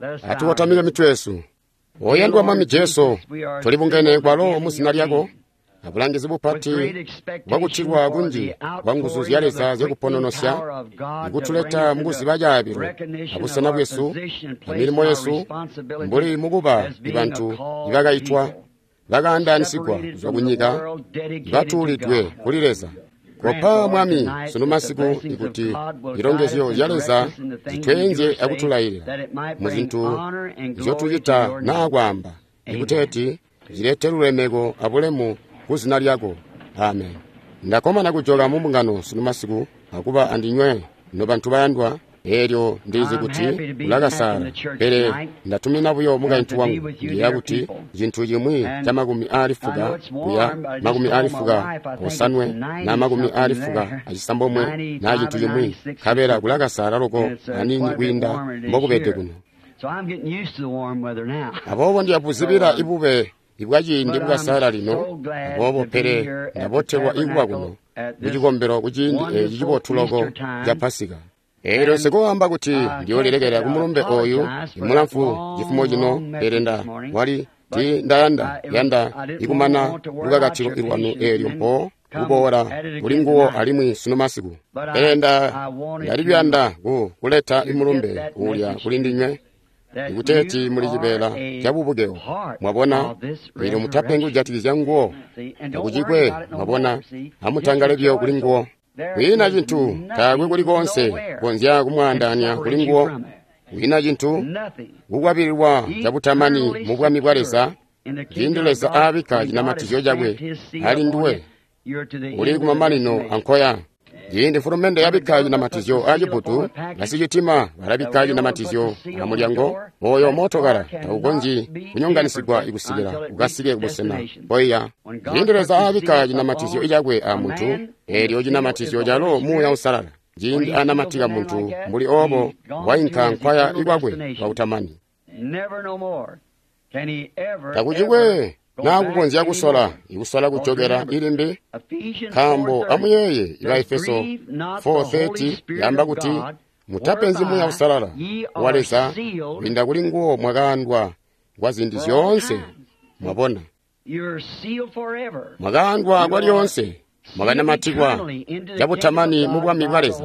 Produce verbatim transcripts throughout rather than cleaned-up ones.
Atukotamike mitwe yesu. Oyandwa Mwami Jesu, tulibungene kwalo muzina lyako abulangizi bupati bwakutilwa kunji kwa nguzu zya Leza zyakupononosya ikutuleta mukuziba caabilo abusena bwesu amilimo yesu mbuli mukuba ibantu ibakaitwa bakaandaanisigwa kuzwa kunyika batuulidwe kuli Leza. Kopa Mwami sunu masiku ikuti zilongezyo zya Leza zitweenzye akutulailila muzintu nzyotucita naa kwaamba, ikuteeti zilete lulemeko abulemu kuzina lyako. Amen. Ndakkomana kujoka mu mbungano sunu masiku akuba andinywe nobantu bayandwa. Eelyo ndilizi kuti ulakasaala, pele ndatumina buyo mukaintu wangu ndiyeeya kuti cintu cimwi ca makumi aali fuka kuya makumi aali fuka osanwe na makumi aali fuka acisambomwe na cintu cimwi, nkabela kulakasaala loko aniini kwiinda mbokubede kuno. Aboobo ndiyabuzibila ibube ibwaciindi bwakasaala lino, aboobo pele ndabotelwa ikuba kuno kucikombelo kuciindi eeci cibotu loko ca Pasika. Eelyo nsikoamba kuti ndiyoolilekela kumulumbe oyu imulamfu cifumo cino, pele nda wali ti ndayanda yanda ikumana lukakatilo ilwanu eelyo mpo kuboola kuli nguwo alimwi sunu masiku. Pele nda ndali kuyanda ku kuleta imulumbe uulya kuli ndinywe ikuteeti muli cibeela ca bubukewo. Mwabona, eelyo mutapengi kujatikizya nguwo, takucikwe. Mwabona, amutangale buyo kuli nguwo. Kwiina cintu, taakwe kuli koonse konzya kumwaandaanya kuli nguwo. Kwiina cintu kukwabililwa cabutamani mu bwami bwa Leza. Ciindi Leza aabikka cinamatizyo cakwe ali nduwe, uli kumamanino ankoya. Ciindi mfulumende yabikka cinamatizyo acibutu, basicitima balabikka cinamatizyo amulyango. Oyo mootokala taukonzyi kunyonganisigwa ikusikila ukasike kubusena mpoiya. Ciindi Leza aabikka cinamatizyo cakwe amuntu, eelyo cinamatizyo calo Muuya Uusalala. Ciindi anamatika muntu mbuli oobo, wainka nkwaya ikwakwe kwakutamani. Takucikwe naakukonzya kusola ikusola kujokela ilimbi, nkaambo amuyeeye iba Efeso four thirty yaamba kuti mutapenzi Muuya Uusalala wa Leza, kwiinda kuli nguwo mwakaandwa kwa ziindi zyoonse. Mwabona, mwakaandwa kwa lyoonse, mwakanamatikwa cabutamani mu bwami bwa Leza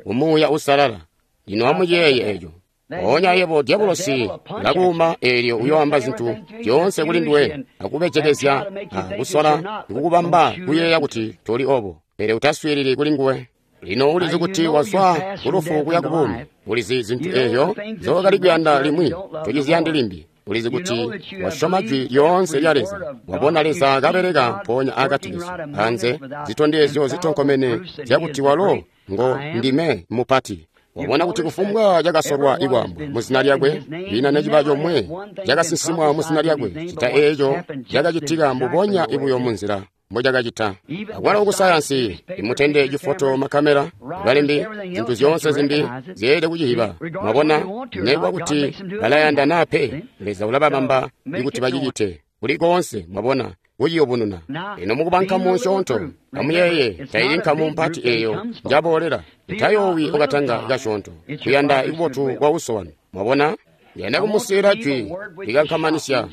mu Muuya Uusalala. Lino amuyeeye eco. Mpoonya yebo dyabulosi ulakuuma, eelyo uyoamba zintu zyoonse kuli nduwe, akubejekezya akusola kukubamba kuyeeya kuti toli obo, pele utaswiilili kuli nguwe. Lino ulizi kuti wazwa kulufu kuya kubuumi. Ulizi zintu eezyo nzookali kuyanda limwi tociziyandi limbi. Ulizi kuti wasyoma jwi lyoonse lya Leza. Wabona Leza kabeleka mpoonya akati kesu anze zitondezyo zitonkomene zyakuti walo ngo ndime mupati. Wabona kuti kufumbwa cakasolwa ikwaambwa muzina lyakwe, lina neciba comwe cakasinsimwa muzina lyakwe, cita eeco cakacitika mbubonya ibuyo munzila mbocakacita. Akwalo kusayansi imutende cifoto, makamera, balembi, zintu zyoonse zimbi zyeelede kucihiba. Mwabona, nekuba kuti balayanda naa pe, Leza ulababamba ikuti bacicite kuli koonse. Mwabona, kuciyubununa. Ino mukuba nkamu nsyoonto, amuyeeye, taili nkamu mpati eeyo njaboolela. Utayoowi okatanga kasyoonto, kuyanda ikubotu kwa uso wanu. Mwabona, ndiyanda kumusiila jwi likankamanisya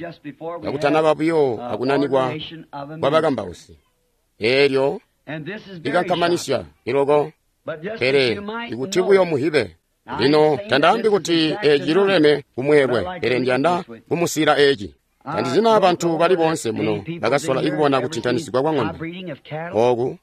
kakutanaba buyo akunanikwa kwa bakambausi. Eelyo likankamanisya iloko, pele ikuti buyo muhibe. Lino tandaambi kuti eeci ciluleme kumweelwe, pele ndiyanda kumusiila eeci. Tandizina bantu bali boonse muno bakasola ikubona kutintanisigwa kwa ng'ombe ooku,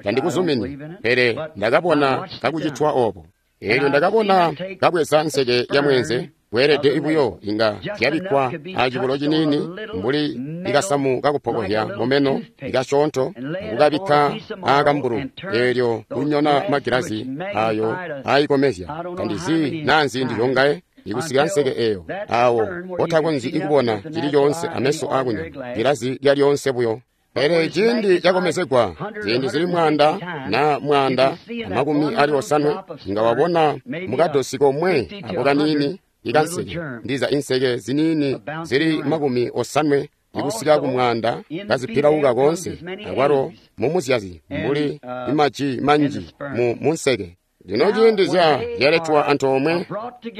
tandikuzumini, pele ndakabona kakucitwa oobo. Eelyo ndakabona kabweza nseke ya mweenze, bweelede ibuyo inga zyabikkwa acibulo ciniini mbuli ikasamu kakupokohya mumeno ikasyoonto, akukabikka aakambulu, eelyo kunyona magilazi ayo aayikomezya. Tandizi naa nziindi zyongaye ikusika nseke eeyo awo otakonzyi ikubona cili coonse ameso aakunyama, gilazi lyalyonse buyo. Pele ciindi cakomezegwa ziindi zili mwaanda na mwaanda amakumi ali osanwe, inga wabona mukadosi komwe ako kaniini ikanseke, ndiza inseke ziniini zili makumi osanwe ikusika kumwaanda kazipilauka koonse, akwalo mumuzyazi mbuli imaji manji mu munseke. Lino ciindi zya zyaletwa antoomwe,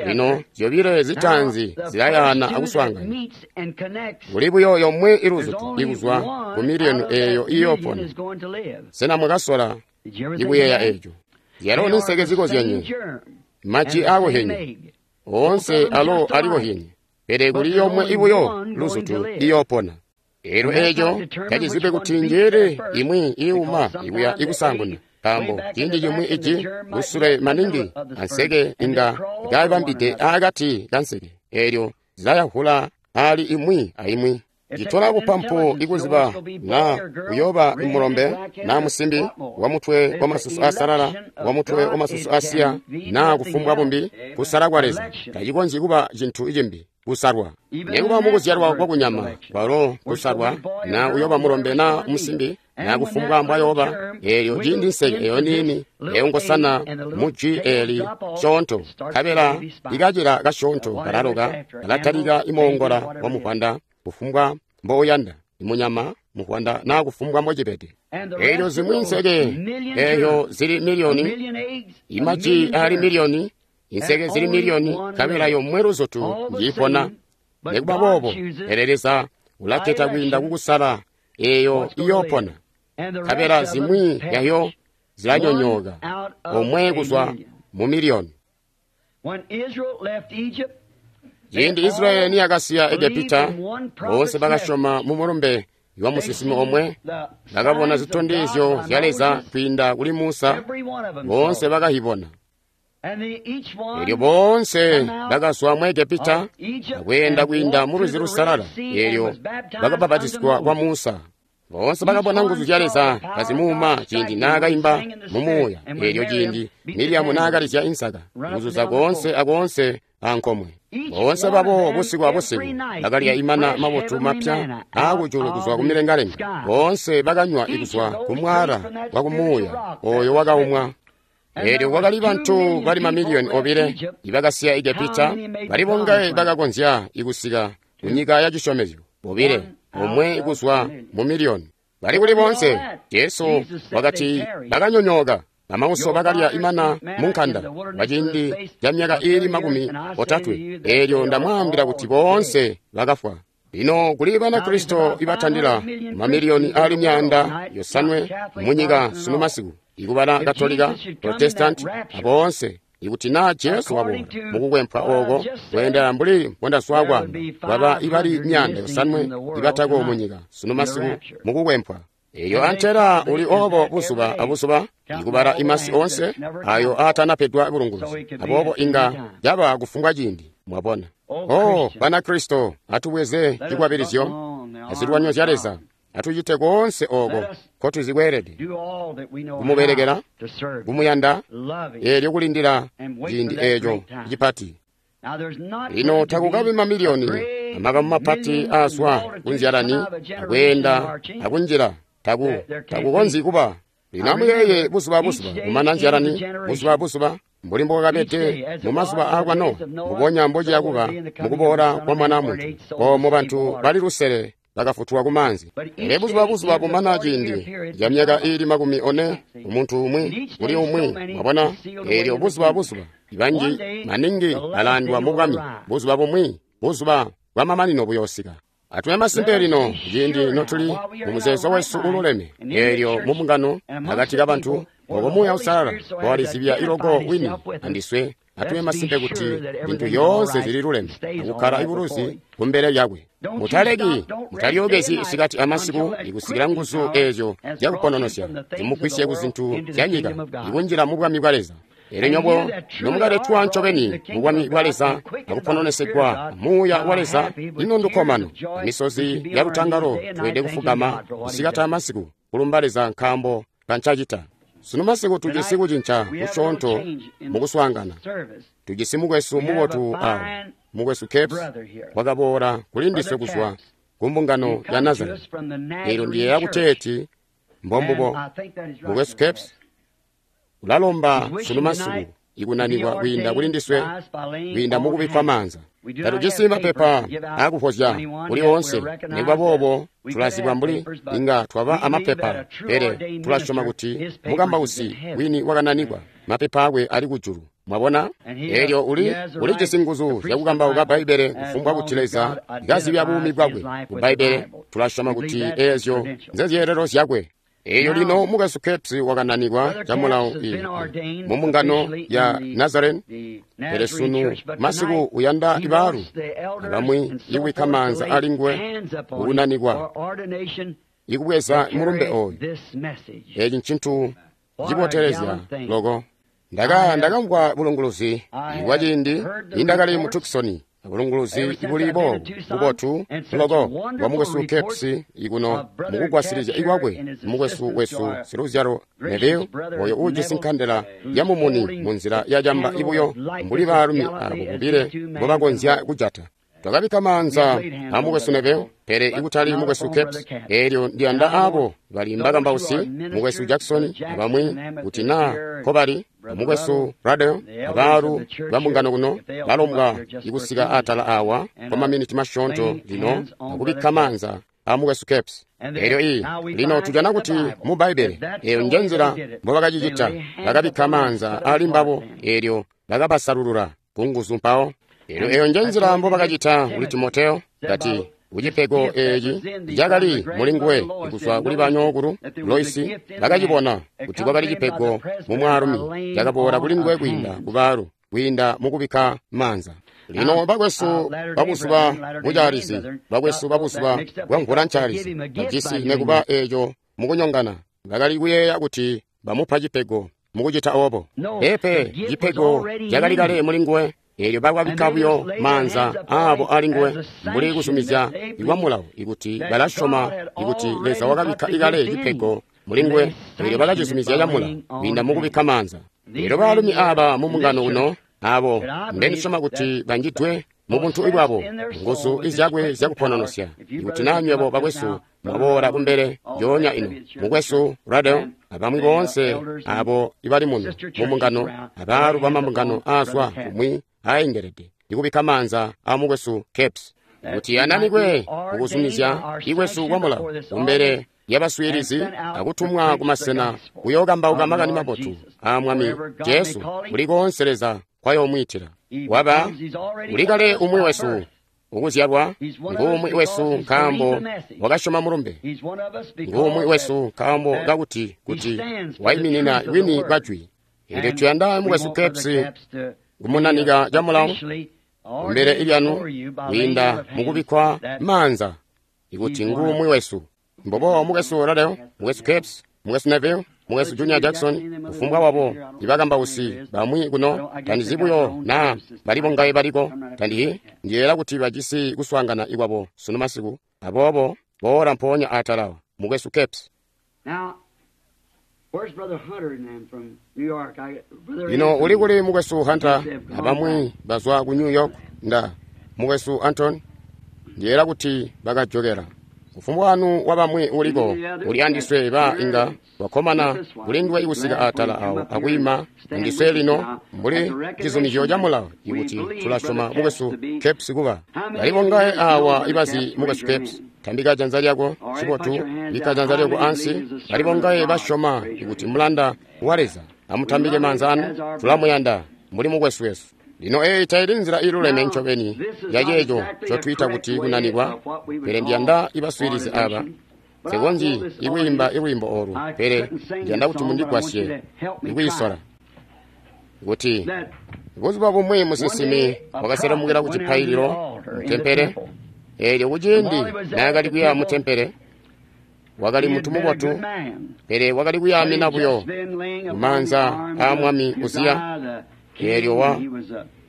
lino zyobile zitaanzi zilayaana akuswaangana. Kuli buyo yomwe iluzutu ikuzwa ku miliyoni eeyo iyoopona. Sena mwakasola ikuyeeya eeco? Zyalo ninseke zikozyenye, maji aakohenye, oonse alo alikohenye, pele kuli yomwe ibuyo luzutu iyoopona. Eelyo eeco tacizibe kuti njeele imwi iiuma ikuya ikusaanguna, nkaambo ciindi cimwi iji kusule maningi anseke inga kabambide aakati kanseke, eelyo zilayahula aali imwi aimwi. Citola bupampu ikuziba naa uyooba mulombe naa musimbi wa mutwe wamasusu aasalala, wa mutwe wamasusu aasiya, naa kufumbwa bumbi. Kusala kwa Leza tacikonzyi kuba cintu cimbi kusalwa. Nekuba mukuzyalwa kwakunyama kwalo kusalwa, naa uyooba mulombe naa musimbi, naa kufumbwa mbwayooba. Eelyo ciindi nseke eyo niini eyo ngosana mu jwi eeli syoonto, nkabela ikacila kasyoonto kalaloka, kalatalika imoongola wa muvwanda, kufumbwa mbouyanda, imunyama muvwanda naa kufumbwa mbocibede. Eelyo zimwi nseke eeyo zili miliyoni, imaji ali miliyoni, inseke zili miliyoni, nkabela yomwe luzutu njiipona. Nekuba boobo, pele Leza ulaketa kwiinda kukusala eeyo iyoopona, nkabela zimwi yayo zilanyonyooka, omwe kuzwa mu miliyoni. Ciindi Israyeli niyakasiya Egepita, boonse bakasyoma mu mulumbe wa musinsimi omwe, bakabona zitondezyo zya Leza kwiinda kuli Musa, boonse bakahibona. Eelyo boonse bakazwa mu Egepita akweenda kwiinda mu Lwizi Lusalala, eelyo bakabapatizigwa kwa Musa. Boonse bakabona nguzu zya Leza kazimuuma ciindi naakaimba mu muuya, eelyo ciindi Miriamu naakalizya insaka, kuzuza koonse akoonse ankomwe. Boonse babo busiku abusiku bakalya imana mabotu mapya aakujulu kuzwa kumilengalenga. Boonse bakanywa ikuzwa kumwaala wa kumuuya oyo wakaumwa. Eelyo kwakali bantu bali mamiliyoni obile ibakasiya Egepita, bali bongaye bakakonzya ikusika kunyika ya cisyomezyo, bobile, omwe kuzwa mu miliyoni. Bali kuli boonse, Jesu wakati bakanyonyooka. Bamauso bakalya imana mu nkanda kwa ciindi ca myaka iili makumi otatwe. Eelyo ndamwaambila kuti boonse bakafwa. Lino kuli Banakristo ibatandila mamiliyoni aali myaanda yosanwe munyika sunu masiku, ikubala Katolika, Protestanti, aboonse. Ikuti naa Jesu waboola mukukwempwa ooko kweendela mbuli mbondaswa kwaamba, kwaba ibali myaanda yosanwe ibatako munyika sunu masiku mukukwempwa. Eyo antela uli obo buzuba abuzuba ikubala imasi onse ayo aatanapedwa bulunguzi, aboobo inga caba kufumbwa ciindi. Mwabona? Oh, Banakristo, atubweze cikwabilizyo azilwanyo zya Leza, atucite koonse ooko nkotuzikweelede kumubelekela, kumuyanda, eelyo kulindila ciindi eeco cipati. Lino takukabi mamiliyoni amakamu mapati aazwa kunzyalani akweenda akunjila, taku takukonzyi kuba. Lino amuyeeye buzuba abuzuba kumana nzyalani, buzuba abuzuba mbuli mbokakabede mumazuba aakwa Nowa, mbubonya mbociya kuba mukuboola kwa Mwana Muntu. Oomo bantu bali lusele bakafutulwa ku maanzi. Pele buzuba buzuba bumana ciindi ca myaka iili makumi one umuntu umwi kuli umwi, mwabona? Eelyo buzuba buzuba banji maningi balaandwa mu bwami. Buzuba bumwi, buzuba bwamamanino buyoosika. Atube masimpe lino ciindi notuli mu muzeezo wesu ululeme, eelyo mu mbungano akati kabantu obo Muuya Uusalala walizibya iloko wini andiswe. Atube masimpe kuti zintu zyoonse zililuleme akukkala ibuluzi kumbele lyakwe. Mutaleki, mutalyookezyi isikati amasiku ikusikila nguzu eezyo zyakupononosya zimugwisye ku zintu zya nyika ikunjila mu bwami bwa Leza. Eelyo nyobo nomukaletwa ncobeni mu bwami bwa Leza akupononesegwa Muuya wa Leza, ino ndukkomano amisozi ya lutangalo tweelede kufugama isikati amasiku kulumba Leza nkaambo kancacita. Sunu masiku tujisi kucinca kusyoonto mukuswaangana. Tujisi mukwesu mubotu awo, mukwesu Capes wakaboola kuli ndiswe kuzwa ku mbungano ya Nazareti. Eelyo ndiyeeya kuteeti mbombubo. Mukwesu Capes ulalomba sunu masiku ikunanikwa kwiinda kuli ndiswe kwiinda mukubikkwa maanza. Tatujisi mapepa aakuvwozya kuli oonse, nikuba boobo tulazibwa mbuli inga twaba amapepa, pele tulasyoma kuti mukambausi wini wakananikwa mapepa akwe ali kujulu. Mwabona? Eelyo uli ulijisi nguzu zyakukambauka Bbaibbele kufumbwa kuti Leza kazibya buumi bwakwe ku Bbaibbele. Tulasyoma kuti eezyo nzezyeelelo zyakwe. Eelyo lino Mukwesu Capps wakananikwa camulawo mu mbungano ya Nazarene, pele sunu masiku uyanda ibaalu abamwi ikubikka maanza ali nguwe kukunanikwa ikubweza mulumbe ooyu. Eeci ncintu cibotelezya loko. Ndaka ndakamvwa bulunguluzi bwa ciindi nindakali mu Tucson, bulunguluzi buli boobu bubotu loko bwa Mukwesu Capps ikuno mukugwasilizya ikwakwe mukwesu wesu siluzyalo Neville, oyo uujisi nkandela ya mumuni munzila ya camba ibuyo mbuli baalumi abo bobile mbobakonzya kujata. Twakabikka maanza a Mukwesu Neville, pele ikutali Mukwesu Capps. Eelyo ndiyanda abo bali mbakambausi, Mukwesu Jackson abamwi kuti naa nkobali, Mukwesu Ruddell abaalu bambungano kuno balombwa ikusika atala awa kwa maminiti masyoonto lino akubikka maanza a Mukwesu Capps. Eelyo iyi lino tujana kuti mu Bbaibbele eyo nje nzila mbobakacicita. Bakabikka maanza ali mbabo, eelyo bakabasalulula kunguzu mpawo. Eelyo eyo nje nzila mbobakacita kuli Timoteo, kati kucipego eeci cakali muli nguwe kuzwa kuli banyookulu Loisi, bakacibona kuti kwakali cipego mu mwaalumi cakaboola kuli nguwe kwiinda kubaalu, kwiinda mukubikka maanza. Lino bakwesu babuzuba bucaalizi, bakwesu babuzuba bwa mvula ncaalizi bajisi nekuba eeco mukunyongana, bakali kuyeeya kuti bamupa cipego mukucita oobo. Peepe, cipego cakali kale muli nguwe. Eelyo bakabikka buyo maanza aabo ali nguwe mbuli kuzumizya ikwa mulawo ikuti balasyoma ikuti Leza wakabikka ikale cipego muli nguwe. Eelyo bakacizumizya camulawo kwiinda mukubikka maanza. Eelyo baalumi aaba mu mbungano uno abo mbendisyoma kuti banjidwe mu buntu bwabo nguzu izyakwe zyakupononosya, ikuti naa nywebo bakwesu mwaboola kumbele njoonya ino, Mukwesu Ruddell abamwi boonse abo ibali muno mu mbungano, abaalu bamambungano aazwa kumwi aengelede ikubikka maanza a Mukwesu Capps kuti ananikwe kukuzumizya ikwesu kwa mulawo kumbele yabaswiilizi akutumwa kumasena kuyookambauka makani mabotu a Mwami Jesu kuli koonse Leza kwayoomwiitila. Waba ulikale umwi wesu ukuzyalwa, nguumwi wesu nkaambo wakasyoma mulumbe, nguumwi wesu nkaambo kakuti kuti waiminina wini bwajwi. Eelyo tuyanda Mukwesu Capps kumunanika camulawo kumbele ilyanu kwiinda mukubikkwa maanza ikuti nguumwi wesu. Mbobo Mukwesu Ruddell, Mukwesu Capps, Mukwesu Neville, Mukwesu Junior Jackson, kufumbwa wabo ibakambausi bamwi kuno, tandizi buyo naa bali bongaye baliko, tandihi ndiyeera kuti bajisi kuswaangana ikwabo sunu masiku. Aboobo boola mpoonya atala, Mukwesu Capps. Lino uli kuli Mukwesu Hunter abamwi bazwa ku New York? Nda Mukwesu Anton, ndiyeera kuti bakajokera. Kufumbwa wanu wabamwi uliko uli andiswe ba inga wakkomana kulinduwe ikusika atala awo akwiima andiswe lino mbuli cizumizyo ca mulawo ikuti tulasyoma Mukwesu Capps kuba. Bali bongaye awa ibazi Mukwesu Capps? Tambika janza lyako. Cibotu, bikka janza lyako ansi. Bali bongaye basyoma ikuti mulanda wa Leza? Amutambike maanza anu. Tulamuyanda mbuli mukwesu wesu. Lino eeyi taili nzila iluleme ncobeni yaceeco ncotwiita kuti kunanikwa, pele ndiyanda ibaswiilizi aba. Nsikonzyi ikwiimba ilwiimbo oolu, pele ndiyanda kuti mundigwasye ikwiisola. Kuti buzuba bumwi musinsimi wakaselemukila ku cipaililo mutempele. Eelyo kuciindi naakali kuya mutempele, wakali muntu mubotu, pele wakali kuyaamina buyo kumaanza aa Mwami Uziya. Eelyo wa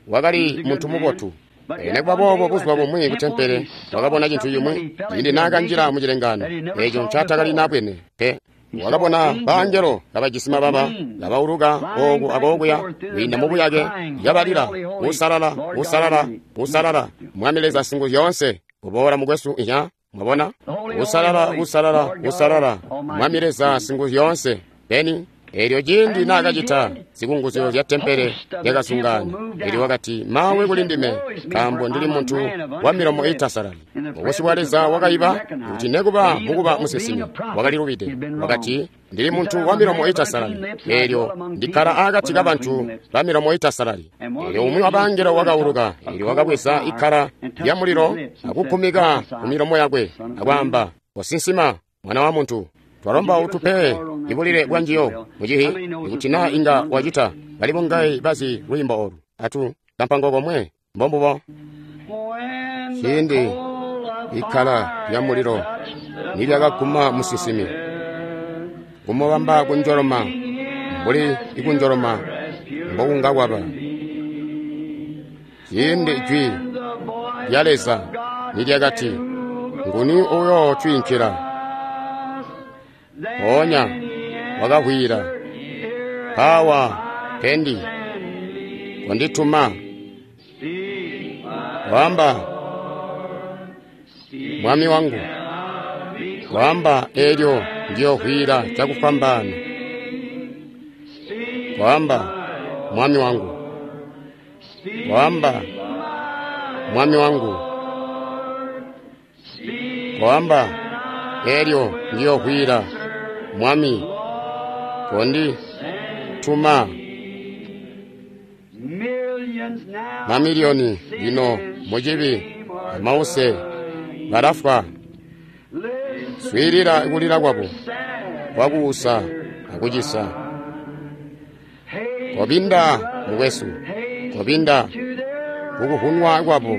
wakali muntu mubotu. Pele nekuba boobo buzuba bumwi kutempele wakabona cintu cimwi ciindi naakanjila mu cilengaano eeco ncaatakali nabwene pe. Wakabona bangelo kabajisi mababa kabauluka ooku akookuya kwiinda mubuyake, kabalila, "Usalala, usalala, usalala, Mwami Leza Singuzyoonse." Kuboola mukwesu inya, mwabona? Usalala, usalala, usalala, Mwami Leza Singuzyoonse. Beni Eelyo ciindi naakacita, zikunguzyo zya tempele zyakazungaana. Eelyo wakati, mawe kuli ndime, nkaambo ndili muntu wa milomo iitasalali. Mubusyu bwa Leza wakaiba kuti nekuba mukuba musinsimi wakalilubide. Wakati, ndili muntu wa milomo iitasalali, eelyo ndikkala aakati kabantu ba milomo iitasalali. Eelyo umwi wa bangelo wakauluka, eelyo wakabweza ikkala lya mulilo akukumika ku milomo yakwe, akwaamba, kosinsima, mwana wa muntu. Twalomba utupe ibulile bwa njiyo mucihi, ikuti naa inga wacita. Bali bongayi bazi lwiimbo olu. Atu kampango komwe mbombubo. Ciindi ikkala lya mulilo nilyakaguma musinsimi, kumubamba kunjoloma mbuli ikunjoloma mbokunga kwaba. Ciindi jwi lya Leza nilyakati, nguni uyo twiinkila? Mpoonya wakahwila, pawa pendi kondituma. Wamba mwami wangu, wamba eelyo ndiyohwila cakufwambaana. Wamba mwami wangu, wamba mwami wangu, wamba eelyo ndiyohwila mwami kondi tuma. Mamiliyoni lino mucibi amause balafwa. Swiilila kulila kwabo kwakuusa akucisa. Kobinda mukwesu, kobinda kukuhunwa kwabo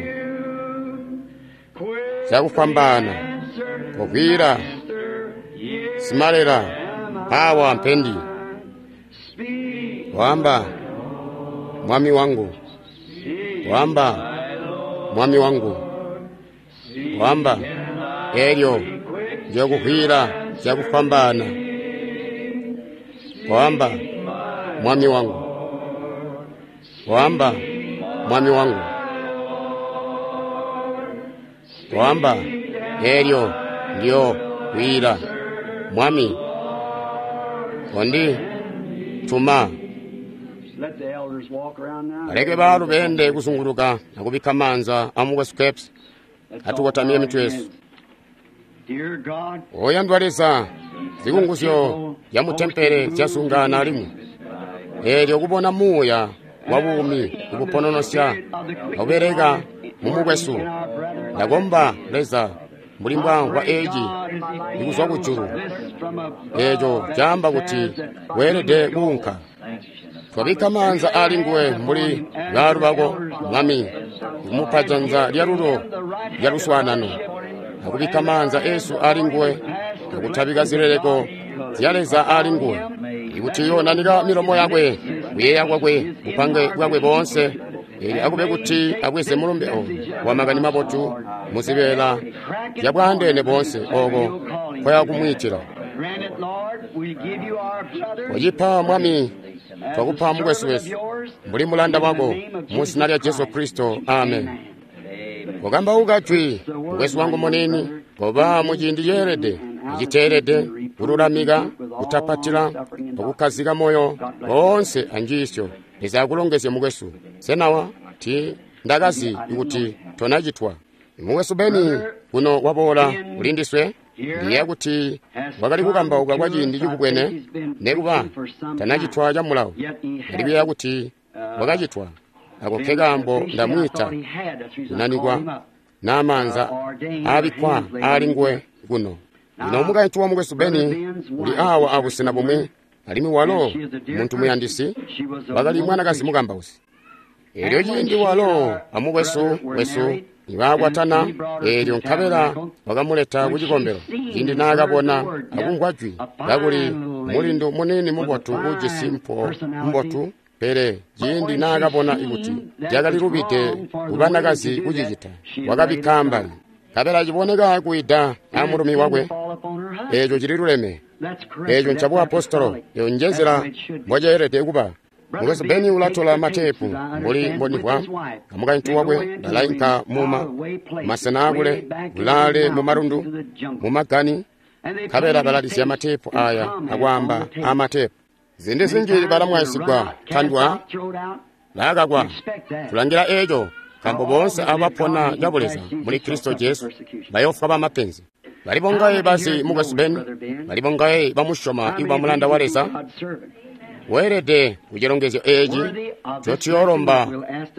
cakufwambaana. Kogwira simalela awa mpendi. Wamba mwami wangu, wamba mwami wangu, wamba elyo njokuhwila cakufwambaana. Wamba mwami wangu, wamba mwami wangu, wamba elyo ndyo hwila mwami kondi tuma. Baleke baalu beende kuzunguluka akubikka maanza amukwesu Capes. Atukotamye mitwe yesu. Oyandwa Leza, zikunguzyo zya mutempele zyazungaana alimwi. Eelyo kubona muuya wa buumi kubupononosya akubeleka mumukwesu. Ndakomba Leza mbuli mbwamvwa eeci ikuzwa kujulu. Eeco caamba kuti weelede kuunka. Twabikka maanza ali nguwe mbuli baalu bako, Mwami, kumupa janza lyalulo lya luswaanano, akubikka maanza eesu ali nguwe, akutabika zileleko zya Leza ali nguwe, ikuti yoonanika milomo yakwe, kuyeeya kwakwe, bupange bwakwe boonse, eelyo akube kuti abweze mulumbe oyu wa makani mabotu muzibeela zyabwaandeene boonse ooko nkoya kumwiitila. Wacipa Mwami, twakupa mukwesu wesu mbuli mulanda wako mu zina lya Jesu Kristo, amen. Wakambauka jwi mukwesu wangu munini, koba muciindi ceelede iciteelede, kululamika, kutapatila, akukkazika moyo boonse anjiisyo. Leza akulongezye mukwesu. Senawa ti ndakazi kuti tonacitwa. Mukwesu Beni kuno waboola ulindiswe. Ndiye kuti wakali kukambauka kwa ciindi cikubwene, nekuba tanacitwa ca mulawo. Ndikuyeeya kuti wakacitwa. Ako ke kaambo ndamwiita kunanikwa n'amaanza aabikkwa aali nguwe kuno. Lino mukaintu wa mukwesu Beni uli awa abusena bumwi, alimwi walo muntu muyandisi, wakali mwanakazi mukambausi. Eelyo ciindi walo amukwesu wesu nibakwatana, eelyo nkabela wakamuleta ku cikombelo. Ciindi naakabona akumvwa jwi kakuli mulindu muniini mubotu uujisi mpo mbotu, pele ciindi naakabona kuti lyakalilubide kubanakazi kucicita, wakabikka ambali. Nkabela ciboneka kuida amulumi wakwe. Eeco cililuleme. Eeco ncabuapostolo. Eyo njenzila mboceelede kuba. Mukwesu Beni ulatola mateepu mbuli mbonivwa amukaintu wakwe balainka muma masena akule kulaale mumalundu mumagani, nkabela balalizya mateepu aya akwaamba amateepu. Ziindi zinji balamwaisigwa, tandwa, laakakwa. Tulangila eco, nkaambo boonse abo bapona cabuleza muli Kristo Jesu bayoofwa bamapenzi. Bali bongaye bazi mukwesu Ben, bali bongaye bamusyoma ikuba mulanda wa Leza. Weelede kucilongezyo eeci ncotuyoolomba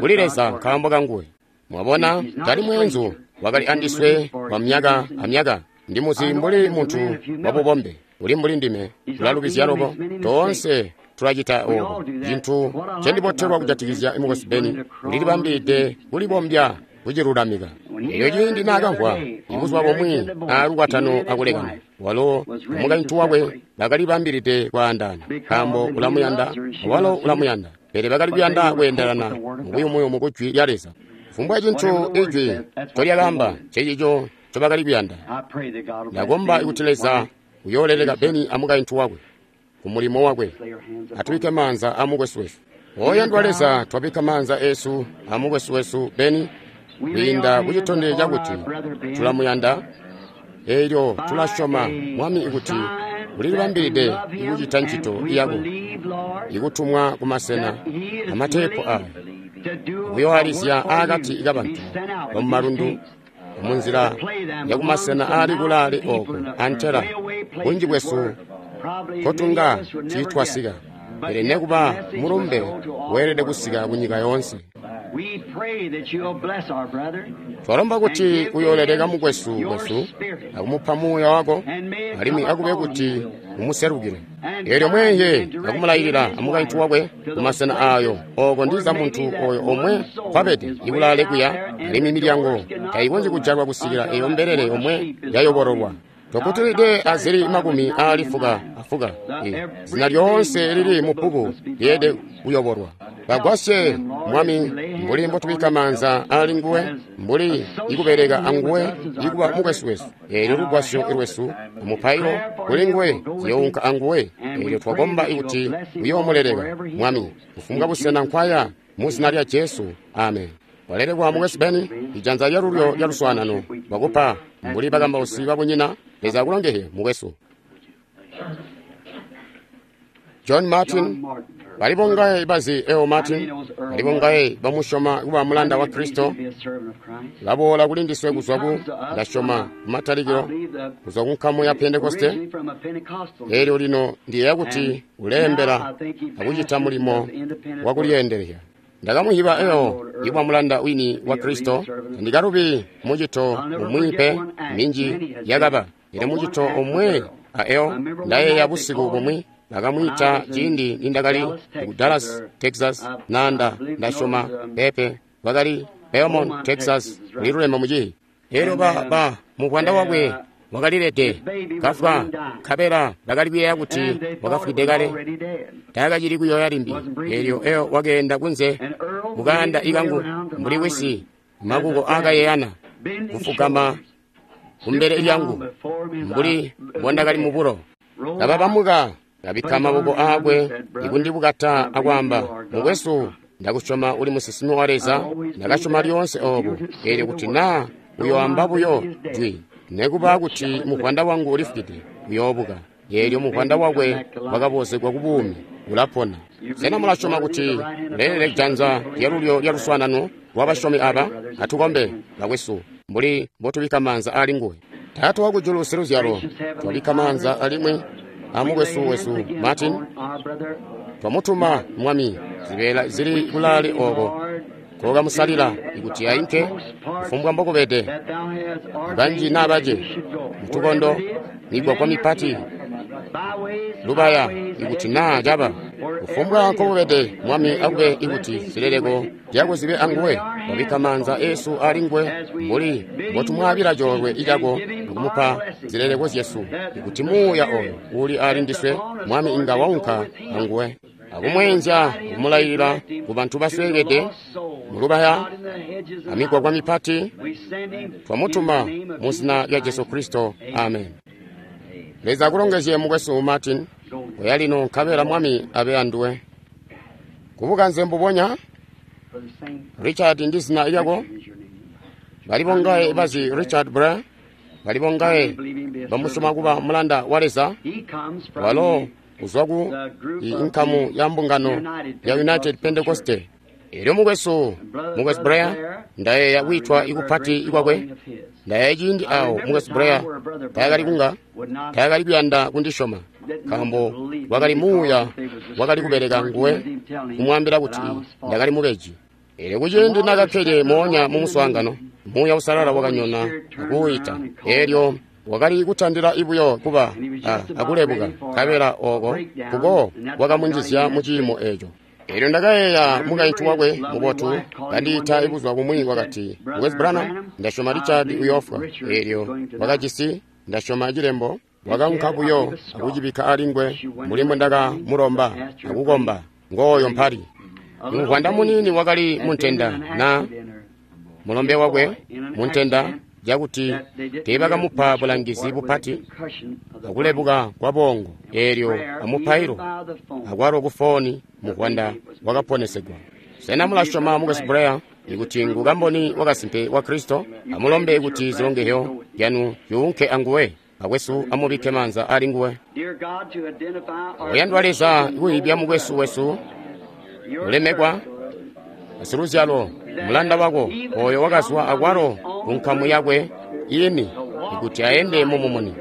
kuli Leza nkaambo kanguwe. Mwabona, tali mweenzu, wakali andiswe kwa myaka amyaka. Ndimuzi mbuli muntu wabubombe, uli mbuli ndime, ulalubizya loko. Toonse tulacita obo. Cintu ncendibotelwa kujatikizya mukwesu Ben, ulilibambilide kulibombya kucilulamika. Elyo ciindi naakamvwa ibuzuba bumwi aalukwatano akulekana, walo amukaintu wakwe bakalibambilide kwaandaana, nkaambo ulamuyanda awalo ulamuyanda, pele bakali kuyanda kweendelana mubuyumuyumu ku Jwi lya Leza. Kufumbwa cintu Ijwi ncolyakaamba ncecico ncobakali kuyanda. Ndakomba kuti Leza uyooleleka Beni amukaintu wakwe kumulimo wakwe. Atubike maanza amukwesu wesu. Oyandwa Leza, twabika maanza esu amukwesu wesu Beni kwiinda kucitondezyo cakuti tulamuyanda. Elyo tulasyoma Mwami kuti ulilibambilide ikucita ncito yako ikutumwa kumasena amateepu aya kuyoalizya aakati kabantu bamumalundu munzila yakumasena aali kulaale oko antela bunji bwesu kotunga tiitwasika, pele nekuba mulumbe weelede kusika kunyika yoonse. Twalomba kuti uyooleleka mukwesu wesu akumupa muuya wako, alimwi akube kuti umuserukile. Eelyo mweeye akumulayilila amukaintu wakwe kumasena aayo oko ndiza muntu oyo omwe kwabede ikulaale kuya, alimwi milyango tayikonzyi kujalwa kusikila eyo mbelele yomwe yayobololwa. Tokutilide azili makumi aali fuka afuka, zina lyoonse lili mu bbuku lyeelede kuyobolwa. Bagwasye Mwami mbuli mbotubikka maanza aali nguwe, mbuli ikubeleka anguwe ikuba mukwesu wesu. Eelyo lugwasyo lwesu umupailo kuli nguwe ziyounka anguwe. Eelyo twakomba ikuti uyoomuleleka Mwami kufumbwa busena nkwaya, mu zina lya Jesu, amen. Walelekwa mukwesu Beni, ijanza lyalulyo lya luswaanano lwakupa mbuli bakambausi babunyina. Leza akulongezye mukwesu John Martin. Bali bongaye bazi Earl Martin, bali bongaye bamusyoma kuba mulanda wa Kristo. Laboola kuli ndiswe kuzwa ku ndasyoma kumatalikilo kuzwa ku nkamu ya Pentekoste. Eelyo lino ndiyeeya kuti uleembela akucita mulimo wakulyeendelezya. Ndakamuhiba Earl ikuba mulanda wini wa Kristo. Ndikalubi mucito umwi pe minji yakaba, pele mucito omwe a Earl ndayeeya busiku bumwi bakamwiita ciindi nindakali ku Dallas, Texas, nanda ndasyoma pepe bakali Beaumont, Texas, liluleme mucihi. Elyo ba ba muvwanda wakwe wakalilede kafwa, nkabela bakali kuyeeya kuti wakafwide kale, taakacili kuyoya limbi. Elyo Earl wakeenda kunze mukaanda ikangu mbuli wisi makuko aakayeyana kufugama kumbele lyangu mbuli mbondakali mubulo. Kababamuka kabikka maboko aakwe ikundibukata akwaamba, mukwesu, ndakusyoma uli musinsimi wa Leza, ndakasyoma lyoonse obo. Eelyo kuti naa uyoamba buyo jwi, nekuba kuti muvwanda wangu ulifwide, uyoobuka. Eelyo muvwanda wakwe wakabozegwa kubuumi, ulapona. Sena mulasyoma kuti uleelele janza lyalulyo lya luswaanano lwabasyomi aba? Atukombe bakwesu mbuli mbotubikka maanza aali nguwe. Taata wakujulu siluzyalo, twabikka maanza alimwi amukwesu wesu Martin. Twamutuma Mwami zibeela zili kulaale oko kokamusalila ikuti ainke kufumbwa mbokubede, banji naa bace, mutukondo, migwagwa mipati, lubaya, ikuti naa caba kufumbwa nkokubede, Mwami akube ikuti zileleko zyako zibe anguwe. Wabikka maanza esu ali nguwe mbuli mbotumwaabila coolwe icako akumupa zileleko zyesu, ikuti muuya oyo uli ali ndiswe, Mwami inga waunka anguwe akumweenzya akumulayilila ku bantu basweekede mulubaya amigwagwa mipati. Twamutuma mu zina lya Jesu Kristo, amen. Leza akulongezye mukwesu Martin. Oya lino nkabela Mwami abe anduwe. Kubukanze mbubonya Richard ndi zina lyako. Bali bongaye bazi Richard Bra, bali bongaye bamusyoma kuba mulanda wa Leza. Walo uzwa ku inkamu ya mbungano ya United Pentecoste. Elyo mukwesu, mukwesu Blair, ndayeeya kwiitwa ikupati kwakwe. Ndayeeya ciindi awo mukwesu Blair taakali kunga, taakali kuyanda kundisyoma, nkaambo wakali muuya wakali kubeleka nguwe kumwaambila kuti ndakali mubeji. Elyo kuciindi nakakkede moonya mu muswaangano, Muuya Uusalala wakanyona akuuyita. Elyo wakali kutandila ibuyo kuba akulebuka, nkabela oko kuko wakamunjizya mu ciimo eco. Elyo ndakayeeya mukaintu wakwe mubotu kandiita ibuzuba bumwi wakati, Mukwesu Branham, ndasyoma Richard uyoofwa. Elyo wakajisi, ndasyoma cilembo, wakaunka buyo akucibikka alingwe mbuli mbwendakamulomba akukomba. Ngooyo mpali. Muvwanda muniini wakali muntenda na mulombe wakwe muntenda cakuti teebakamupa bulangizi bupati akulebuka kwa bongo. Elyo amupailo akwalo kufoni muvwanda wakaponesegwa. Sena mulasyoma mukwesu Blair ikuti ngu kamboni wakasimpe wa Kristo? Amulombe kuti zilongezyo zyanu zyuunke anguwe. Akwesu amubikke maanza ali nguwe. Oyandwa Leza, kuibya mukwesu wesu ulemekwa asiluzyalo mulanda wako oyo wakazwa akwalo ku nkamu yakwe ini ikuti aende mumumuni.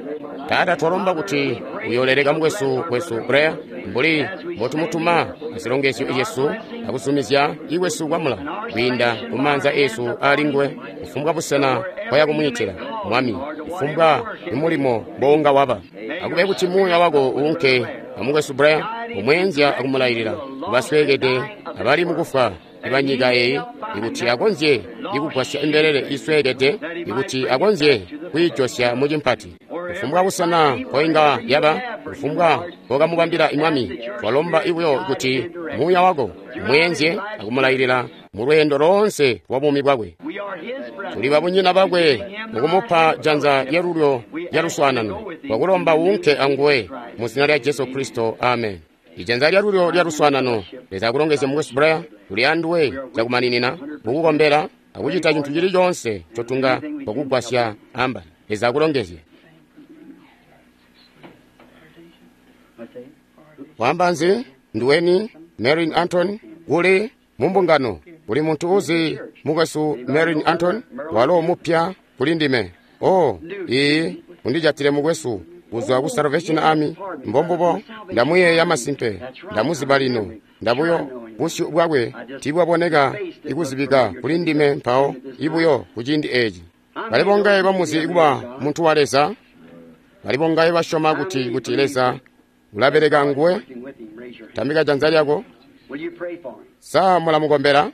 Taata, twalomba kuti uyoleleka mukwesu wesu Blair mbuli mbotumutuma azilongezyo zyesu akuzumizya ikwesu kwamula kwiinda kumaanza esu ali nguwe kufumbwa busena kwaya kumwiitila Mwami, kufumbwa imulimo mbounga waba. Akube kuti muuya wako uunke amukwesu Blair umweenzya akumulailila kubasweekede abali mukufwa ibanyika eyi, ikuti akonzye ikugwasya imbelele isweekede, ikuti akonzye kwiijosya mucimpati. Kufumbwa busena koinga yaba, kufumbwa kokamubambila Mwami, twalomba ibuyo kuti muuya wako umweenzye akumulailila mu lweendo loonse lwa buumi bwakwe. Tuli babunyina bakwe mukumupa janza lyalulyo lya luswaanano, twakulomba uunke anguwe mu zina lya Jesu Kristo, amen. Ijanza lyalulyo lya luswaanano. Leza akulongezye mukwesu Blair, tuli anduwe cakumaninina mukukombela akucita cintu cili coonse ncotunga twakugwasya amba. Leza akulongezye. Wamba nzi nduweni Marin Anton kuli mumbungano kuli muntu uzi mukwesu Marin Anton walo mupya kuli ndime. Oh, iyi undijatile mukwesu kuzwa ku Salvation Army. Mbombubo ndamuyeeya masimpe, ndamuziba lino. Ndabuyo busyu bwakwe tibwaboneka ikuzibika kuli ndime mpawo ibuyo kuciindi eci. Bali bongaye bamuzi kuba muntu wa Leza? Bali bongaye basyoma kuti kuti Leza ulabeleka nguwe? Tambika janza lyako. Sa mulamukombela?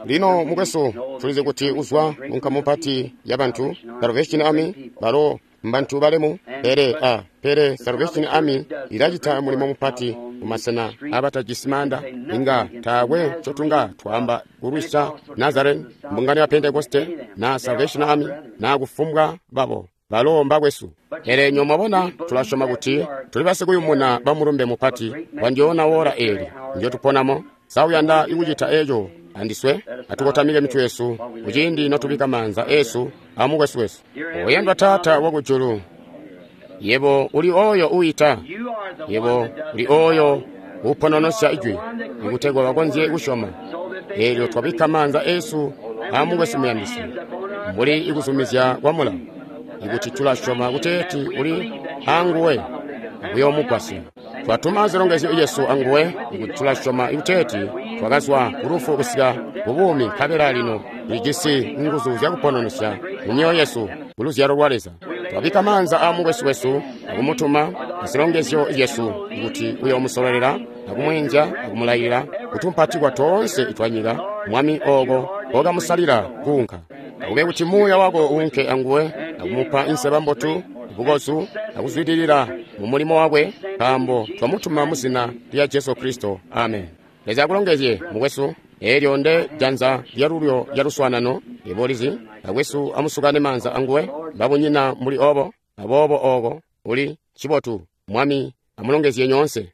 Lino mukwesu, tulizi kuti uzwa munkamu mpati ya bantu Salvation Army, balo mbantu balemu, pele a pele Salvation Army ilacita mulimo mupati mumasena abatajisi maanda. Inga taakwe ncotunga twaamba kulwisya Nazarene, mbungano ya Pentekoste na Salvation Army na kufumbwa babo balo mbakwesu. Pele nyo mwabona, tulasyoma kuti tuli basikuyumuna bamulumbe mupati wandiona wora eli njotuponamo. Sa uyanda ikucita eco andiswe? Atukotamike mitwe yesu kuciindi notubika maanza esu amukwesu wesu. Oyandwa Taata wakujulu, yebo uli oyo uyita, yebo uli oyo upononosya ijwi ikutegwa bakonzye kusyoma. Elyo twabika maanza esu amukwesu muyandisi mbuli ikuzumizya kwa mulawo, ikuti tulasyoma kuteeti uli anguwe akuyoomugwasya. Twatuma zilongezyo Yesu anguwe, ikuti tulasyoma kuteeti twakazwa kulufu kusika kubuumi, nkabela lino tulijisi nguzu zyakupononosya mu myoyo yesu kuluzyalo lwa Leza. Twabika maanza a mukwesu wesu akumutuma azilongezyo Yesu ikuti uyoomusololela akumweenzya akumulailila kutumpatikwa toonse itwanyika Mwami oko kokamusalila kuunka. Akube kuti muuya wako uunke anguwe akumupa inseba mbotu, bukozu akuzwidilila mu mulimo wakwe, nkaambo twamutuma mu zina lya Jesu Kristo, amen. Leza akulongezye mukwesu. Elyo nde janza lyalulyo lya luswaanano ibolizi akwesu amusukane maanza anguwe babunyina muli obo aboobo oko uli cibotu. Mwami amulongezye nyoonse.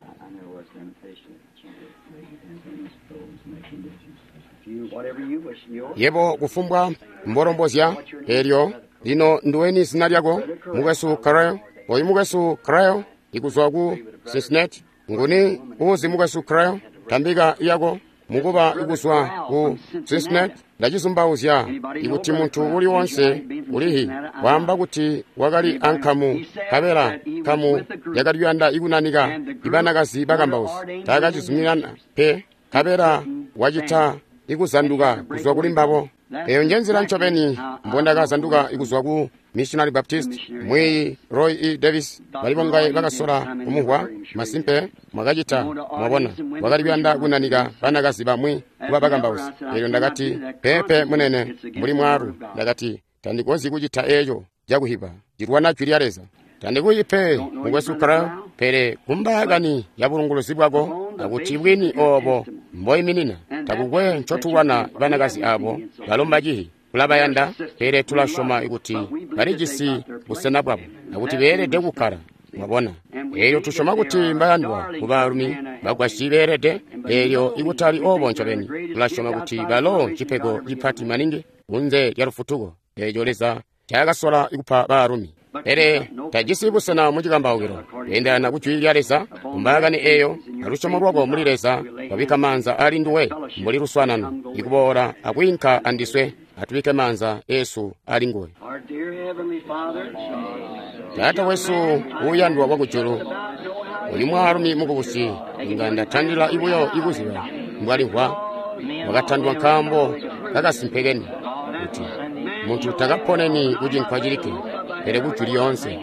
Yebo kufumbwa mbolombozya. Elyo lino nduweni zina lyako mukwesu Carrell? Oyu mukwesu Carrell ikuzwa ku Cincinnati. Nguni uuzi mukwesu Creel? Tambika yako mukuba kuzwa ku Cincinnati. Ndacizumbauzya ikuti muntu uli wonse ulihi waamba kuti wakali ankamu kabela nkamu yakali kuyanda ikunanika ibanakazi bakambausi taakacizuminana pe kabela wacita ikuzanduka kuzwa kuli mbabo. Eyo nje nzila ncobeni mbondakazanduka kuzwa ku Missionary Baptist. Mwiyi Roy E. Davis bali bongaye bakasola kumuhwa masimpe mwakacita mwabona wakali kuyanda kunanika banakazi bamwi kuba bakambausi. Elyo ndakati pepe munene mbuli mwaalu ndakati tandikonzyi kucita eco cakuhiba cilwana jwi lya Leza. Tandikuyi pe mukwesu Creel, pele kumbaakani ya bulunguluzi bwako akuti bwini obo mboiminina takukwe ncotulwana banakazi abo balomba cihi. Tulabayanda pele tulasyoma kuti balijisi busena bwabo akuti beelede kukkala mwabona. Eelyo tusyoma kuti mbayandwa kubaalumi bagwasyi beelede, eelyo ikutali obo ncobeni tulasyoma kuti balo cipego cipati maningi kunze lya lufutuko eeco Leza ncaakasola kupa baalumi. Pele tajisi busena mucikambaukilo kweendelana ku jwi lya Leza kumbaakani eyo alusyomo lwako muli Leza wabikka maanza ali nduwe mbuli luswaanano ikuboola akwiinka andiswe atubike maanza esu ali nguwe. Taata wesu uuyandwa wakujulu, uyu mwaalumi mukubusi inga ndatandila ibuyo ikuziba mbwalimvwa. Wakatandwa nkaambo kakasimpe keni kuti muntu takaponeni kucinkwa cilikke pele kujwi lyoonse.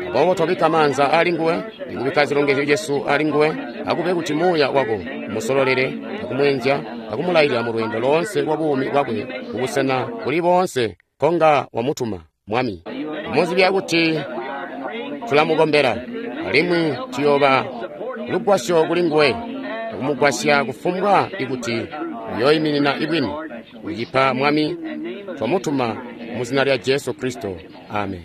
Aboobo twabikka maanza ali nguwe ikubikka zilongezyo zyesu ali nguwe, akube kuti muuya wako musololele akumweenzya akumulailila mu lweendo loonse lwa buumi bwakwe kubusena buli boonse konga wamutuma Mwami. Muzibya kuti tulamukombela alimwi tuyooba lugwasyo kuli nguwe akumugwasya kufumbwa ikuti uyooyiminina ibwini. Ucipa Mwami, twamutuma mu zina lya Jesu Kristo, amen.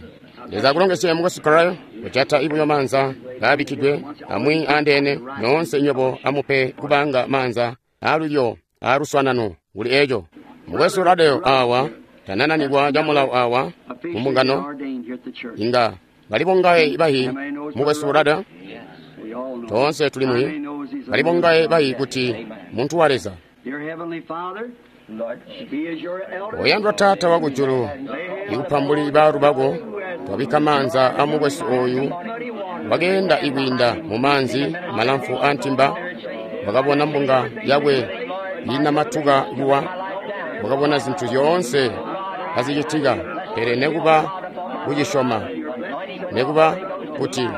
Leza akulongezye mukwesu Creel, kujata ibuyo maanza ngaabikkidwe amwi andeene noonse nywebo amupe kubanga maanza aalulyo aaluswaanano kuli eco. Mukwesu Radeo awa tanananikwa camulawo awa mumbungano inga bali bongaye bahi mukwesu Radeo toonse tuli muhi bali bongaye bahi kuti muntu wa Leza. Oyandwa Taata wakujulu, ikupa mbuli baalu bako twabikka maanza a mukwesu oyu wakeenda ikwiinda mu maanzi malamfu a ntimba, wakabona mbunga yakwe iinamatuka kuwa, wakabona zintu zyoonse kazicitika, pele nekuba kucisyoma nekuba kuti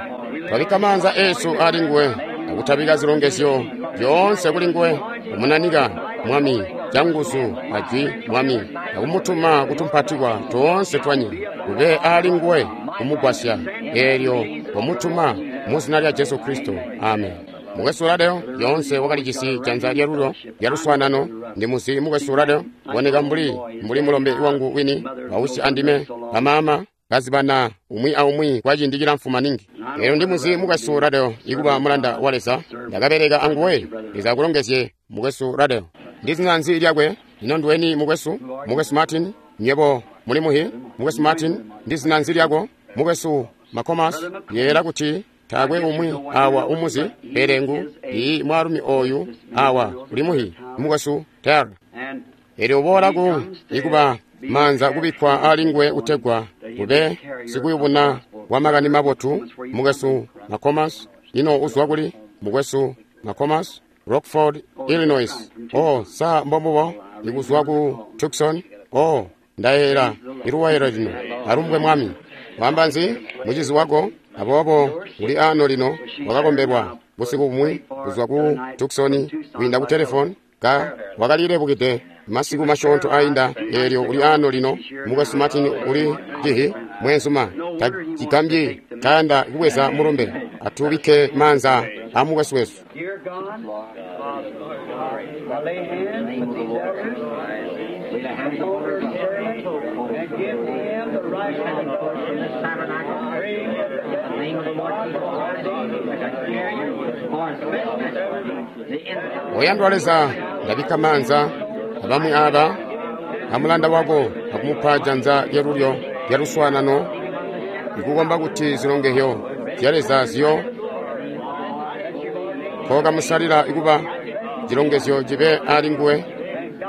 twabikka maanza esu ali nguwe akutabika zilongezyo zyoonse kuli nguwe, kumunanika Mwami canguzu ajwi Mwami akumutuma kutumpatikwa toonse twanyika kube ali nguwe kumugwasya eelyo wamutuma mu zina lya Jesu Kristo, amen. Mukwesu Radeo lyoonse wakalijisi janza lyalulyo lyaluswaanano. Ndimuzi mukwesu Radeo boneka mbuli mbuli mulombe wangu wini wausi andime bamaama kazibana umwi aumwi kwa ciindi cilamfu maningi. Eelyo ndimuzi mukwesu Radeo ikuba mulanda wa Leza, ndakabeleka anguwe. Leza akulongezye mukwesu Radeo. Ndi zina nzi lyakwe? Ino nduweni mukwesu? Mukwesu Martin, nywebo muli muhi? Mukwesu Martin, ndi zina nzi lyako? Mukwesu Makomas, yeera kuti taakwe umwi awa umuzi pele ngu ii mwaalumi oyu awa uli muhi mukwesu Ter. Eelyo uboola ku ikuba maanza kubikkwa ali nguwe kutegwa ube sikuyubuna wa makani mabotu mukwesu Makomas. Ino uzwa kuli mukwesu Makomas? Rockford, Illinois. Oh, sa mbombubo ikuzwa ku Tucson. Oh, ndayeera iluwailo lino alumbwe Mwami. Wamba nzi mucizi wako? Aboobo uli ano lino wakakombelwa busiku bumwi kuzwa ku Tucson kwiinda ku telefoni ka wakalilebukide masiku masyoonto ainda. Eelyo uli ano lino mukwesu Martin uli cihi mweenzuma tacigambyi tayanda kubweza mulumbe. Atubikke maanza a mukwesu wesu. Oyandwa Leza, ndabikka maanza abamwi aba amulanda wako akumupa janza lyalulyo lyaluswaanano ikukomba kuti zilongezyo zya Leza ziyo Nkookamusalila kuba cilongezyo cibe ali nguwe,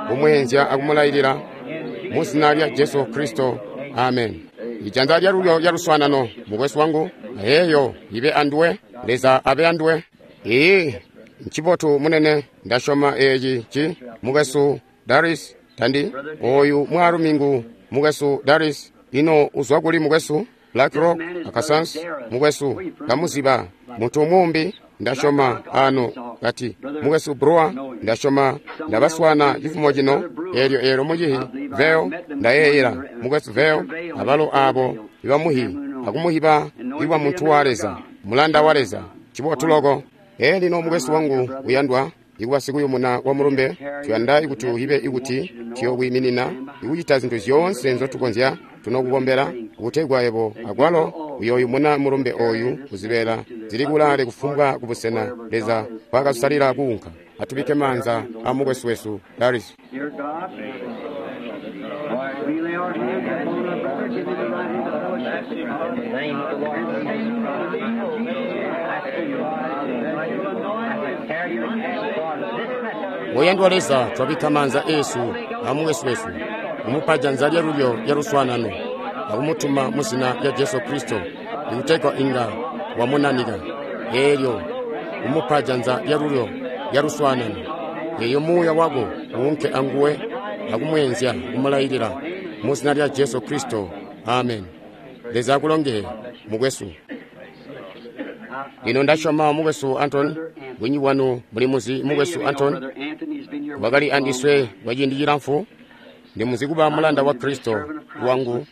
kumweenzya akumulailila mu zina lya Jesu Kristo. Amen. Ijanza lyalulyo lya luswaanano, mukwesu wangu, ayeeyo ibe anduwe. Leza abe anduwe. Iyi ncibotu munene. Ndasyoma eeci ci mukwesu Daris tandi oyu mwaalumi ngu mukwesu Daris. Ino uzwa kuli mukwesu Black Rock Arkansas? Mukwesu ndamuziba muntu umbi ndasyoma ano kati mukwesu Brewer ndasyoma ndabaswana cifumo cino eelyo eelyo mucihi Veo ndayeeyela mukwesu Veo abalo abo ibamuhi akumuhiba iwa muntu wa Leza mulanda wa Leza cibotu loko. Ee lino mukwesu wangu uyandwa ikuba sikuyumuna wa mulumbe, tuyanda ikuti uhibe ikuti tuyokwiiminina ikucita zintu zyoonse nzotukonzya tunokukombela kutegwa yebo akwalo uyoyumuna mulumbe oyu kuzibeela zili kulaale kufumbwa kubusena Leza kwakasalila kuunka. Atubike maanza a mukwesu wesu Daris. Dear God, we lay our hands upon our brother, give him the right hand of fellowship. In the name of the Lord Jesus Christ, I carry you for this message. Oyandwa Leza, twabika maanza esu a mukwesu wesu kumupa janza lyalulyo lya luswaanano akumutuma mu zina lya Jesu Kristo ikutegwa inga wamunanika eelyo kumupa janza lyalulyo lya luswaanano eyo muuya wako uunke anguwe akumweenzya kumulailila mu zina lya Jesu Kristo. Amen. Leza akulongeye mukwesu. Lino ndasyoma mukwesu Anton, bwinyi bwanu muli muzi mukwesu Anton wakali andiswe kwa ciindi cilamfu. Ndimuzi kuba mulanda wa Kristo wangu,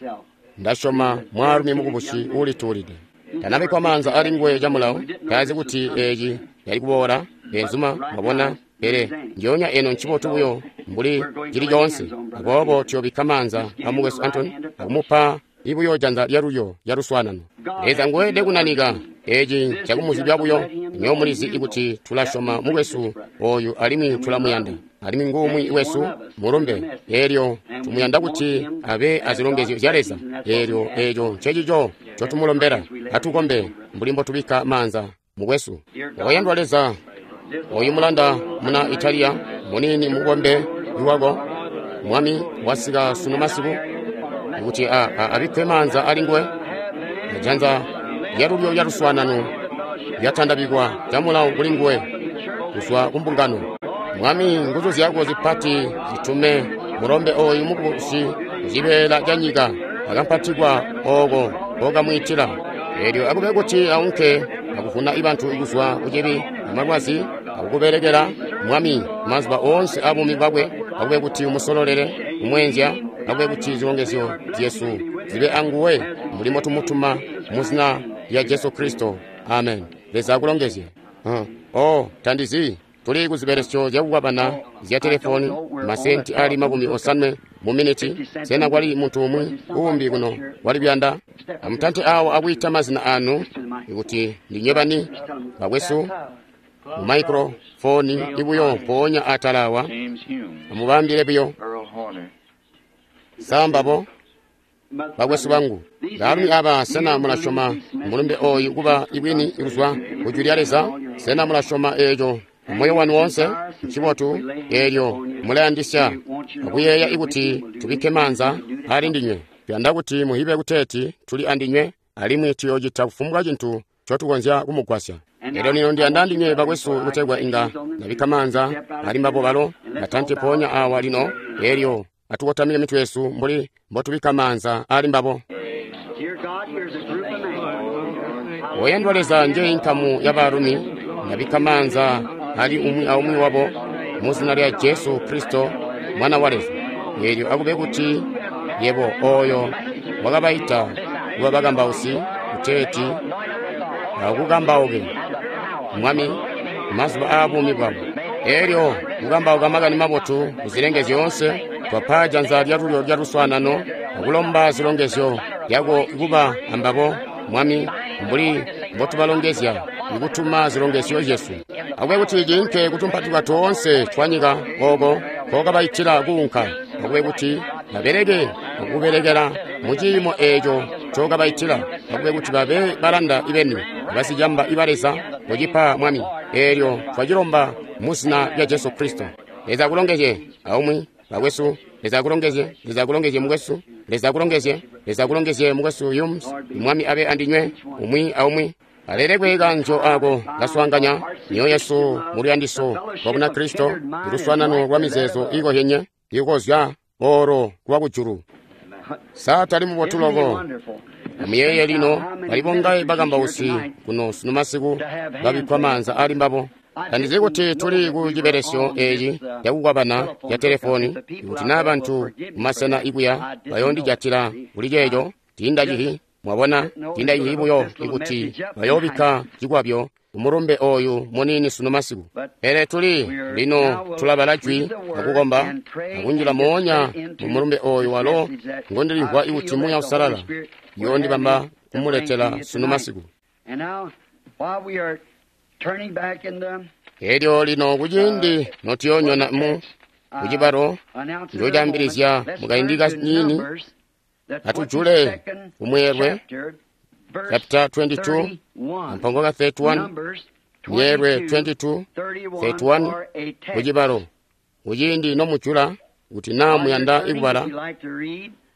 ndasyoma mwaalumi mukubusi uulituulide. Tanabikwa maanza ali nguwe camulawo, tazi kuti eeci yali kuboola benzuma mwabona, pele njoonya eno ncibotu buyo mbuli cili coonse. Aboobo tuyobikka maanza a mukwesu Anton akumupa ibuyo janza lyalulyo lya luswaanano. Leza nguwede kunanika eeci cakumuzibya buyo. Nyo mulizi ikuti tulasyoma mukwesu oyu alimwi tulamuyanda, alimwi ngumwi wesu mulumbe eelyo tumuyanda kuti abe azilongezyo zya Leza. Eelyo eeco ncecico ncotumulombela. Atukombe mbuli mbotubikka maanza mukwesu. Oyandwa Leza, oyu mulanda muna Italiya munini mukombe iwako Mwami wasika sunu masiku kuti abikkwe maanza ali nguwe. Janza lyalulyo lya luswaanano lyatandabikwa camulawo kuli nguwe kuzwa kumbungano. Mwami, nguzu zyako zipati zitume mulombe oyu mukubusi kucibeela ca nyika akampatikwa ooko kokamwiitila. Eelyo akube kuti aunke akuvuna ibantu kuzwa kucibi amalwazi akukubelekela Mwami mazuba oonse abuumi bwakwe. Akube kuti umusololele kumweenzya, akube kuti zilongezyo zyesu zibe anguwe mbuli mbotumutuma mu zina lya Jesu Kristo. Amen. Leza akulongezye. Uh, oh, tandizi tuli kuzibelesyo zyakukwabana zya telefoni masenti ali makumi osanwe mu miniti. Sena kwali muntu umwi uumbi kuno wali kuyanda? Amutante awo akuyita mazina anu ikuti ndinywe bani bakwesu mu microphone ibuyo mpoonya atala awa amubambile buyo sambabo bakwesu bangu. Baalumi aba, sena mulasyoma mulumbe oyu kuba ibwini ikuzwa kujwi lya Leza? Sena mulasyoma eeco moyo wanu woonse? Ncibotu. Eelyo mulayandisya akuyeeya ikuti tubikke maanza ali ndinywe. Tuyanda kuti muhibe kuteeti tuli andinywe alimwi tuyoocita kufumbwa cintu ncotukonzya kumugwasya. Eelyo lino ndiyanda ndinywe bakwesu kutegwa inga ndabikka maanza ali mbabo balo batante mpoonya awa lino. Eelyo atukotamike mitwe yesu mbuli mbotubikka maanza ali mbabo. Dear God, here's a group of men. Oyandwa Leza, nje inkamu ya baalumi ndabikka maanza ali umwi aumwi wabo mu zina lya Jesu Kristo mwana wa Leza. Eelyo akube kuti yebo oyo wakabaita kuba bakambausi kuteeti akukambauke Mwami mazuba aabuumi bwabo. Eelyo kukambauka makani mabotu kuzilenge zyoonse, twapa janza lyalulyo lya luswaanano akulomba zilongezyo lyako kuba ambabo Mwami mbuli mbotubalongezya ikutuma zilongezyo zyesu. Akube kuti ciinke kutumpatikwa toonse twa nyika ooko kookabaitila kuunka. Akube kuti babeleke akubelekela mu ciimo eeco ncookabaitila. Akube kuti babe balanda ibeni basicamba iba Leza kucipa Mwami. Eelyo twacilomba mu zina lya Jesu Kristo. Leza akulongezye aumwi bakwesu. Leza akulongezye. Leza akulongezye mukwesu. Leza akulongezye. Leza akulongezye mukwesu Yums. Mwami abe andinywe umwi aumwi. Alelekwe kanjo ako kaswaanganya mioyo yesu mu luyandiso lwa Bunakristo, luswaanano lwa mizeezo iikohyenye ikozya oro lwa kujulu. Sa tali mubotu loko? Amuyeeye lino bali bongaye bakambausi kuno sunu masiku babikkwa maanza ali mbabo. Tandizi kuti tuli ku cibelesyo eci cakukwabana ca telefoni, ikuti naa bantu mumasena ikuya bayoondijatila kuli ceeco, tiindacihi. Mwabona, tiindacihi buyo ikuti bayoobikka cikwabyo kumulumbe oyu muniini sunu masiku. Pele tuli lino tulabala jwi akukomba akunjila moonya mu mulumbe oyu walo ngondilimvwa ikuti Muuya Uusalala yoondibamba kumuletela sunu masiku. Elyo lino kuciindi notuyoonyona mu kucibalo njocaambilizya mukaindi kaniini, atujule kumweelwe chapter twenty-two ampongo ka thirty-one, myeelwe twenty-two thirty-one kucibalo. Kuciindi nomujula kuti naa muyanda ikubala,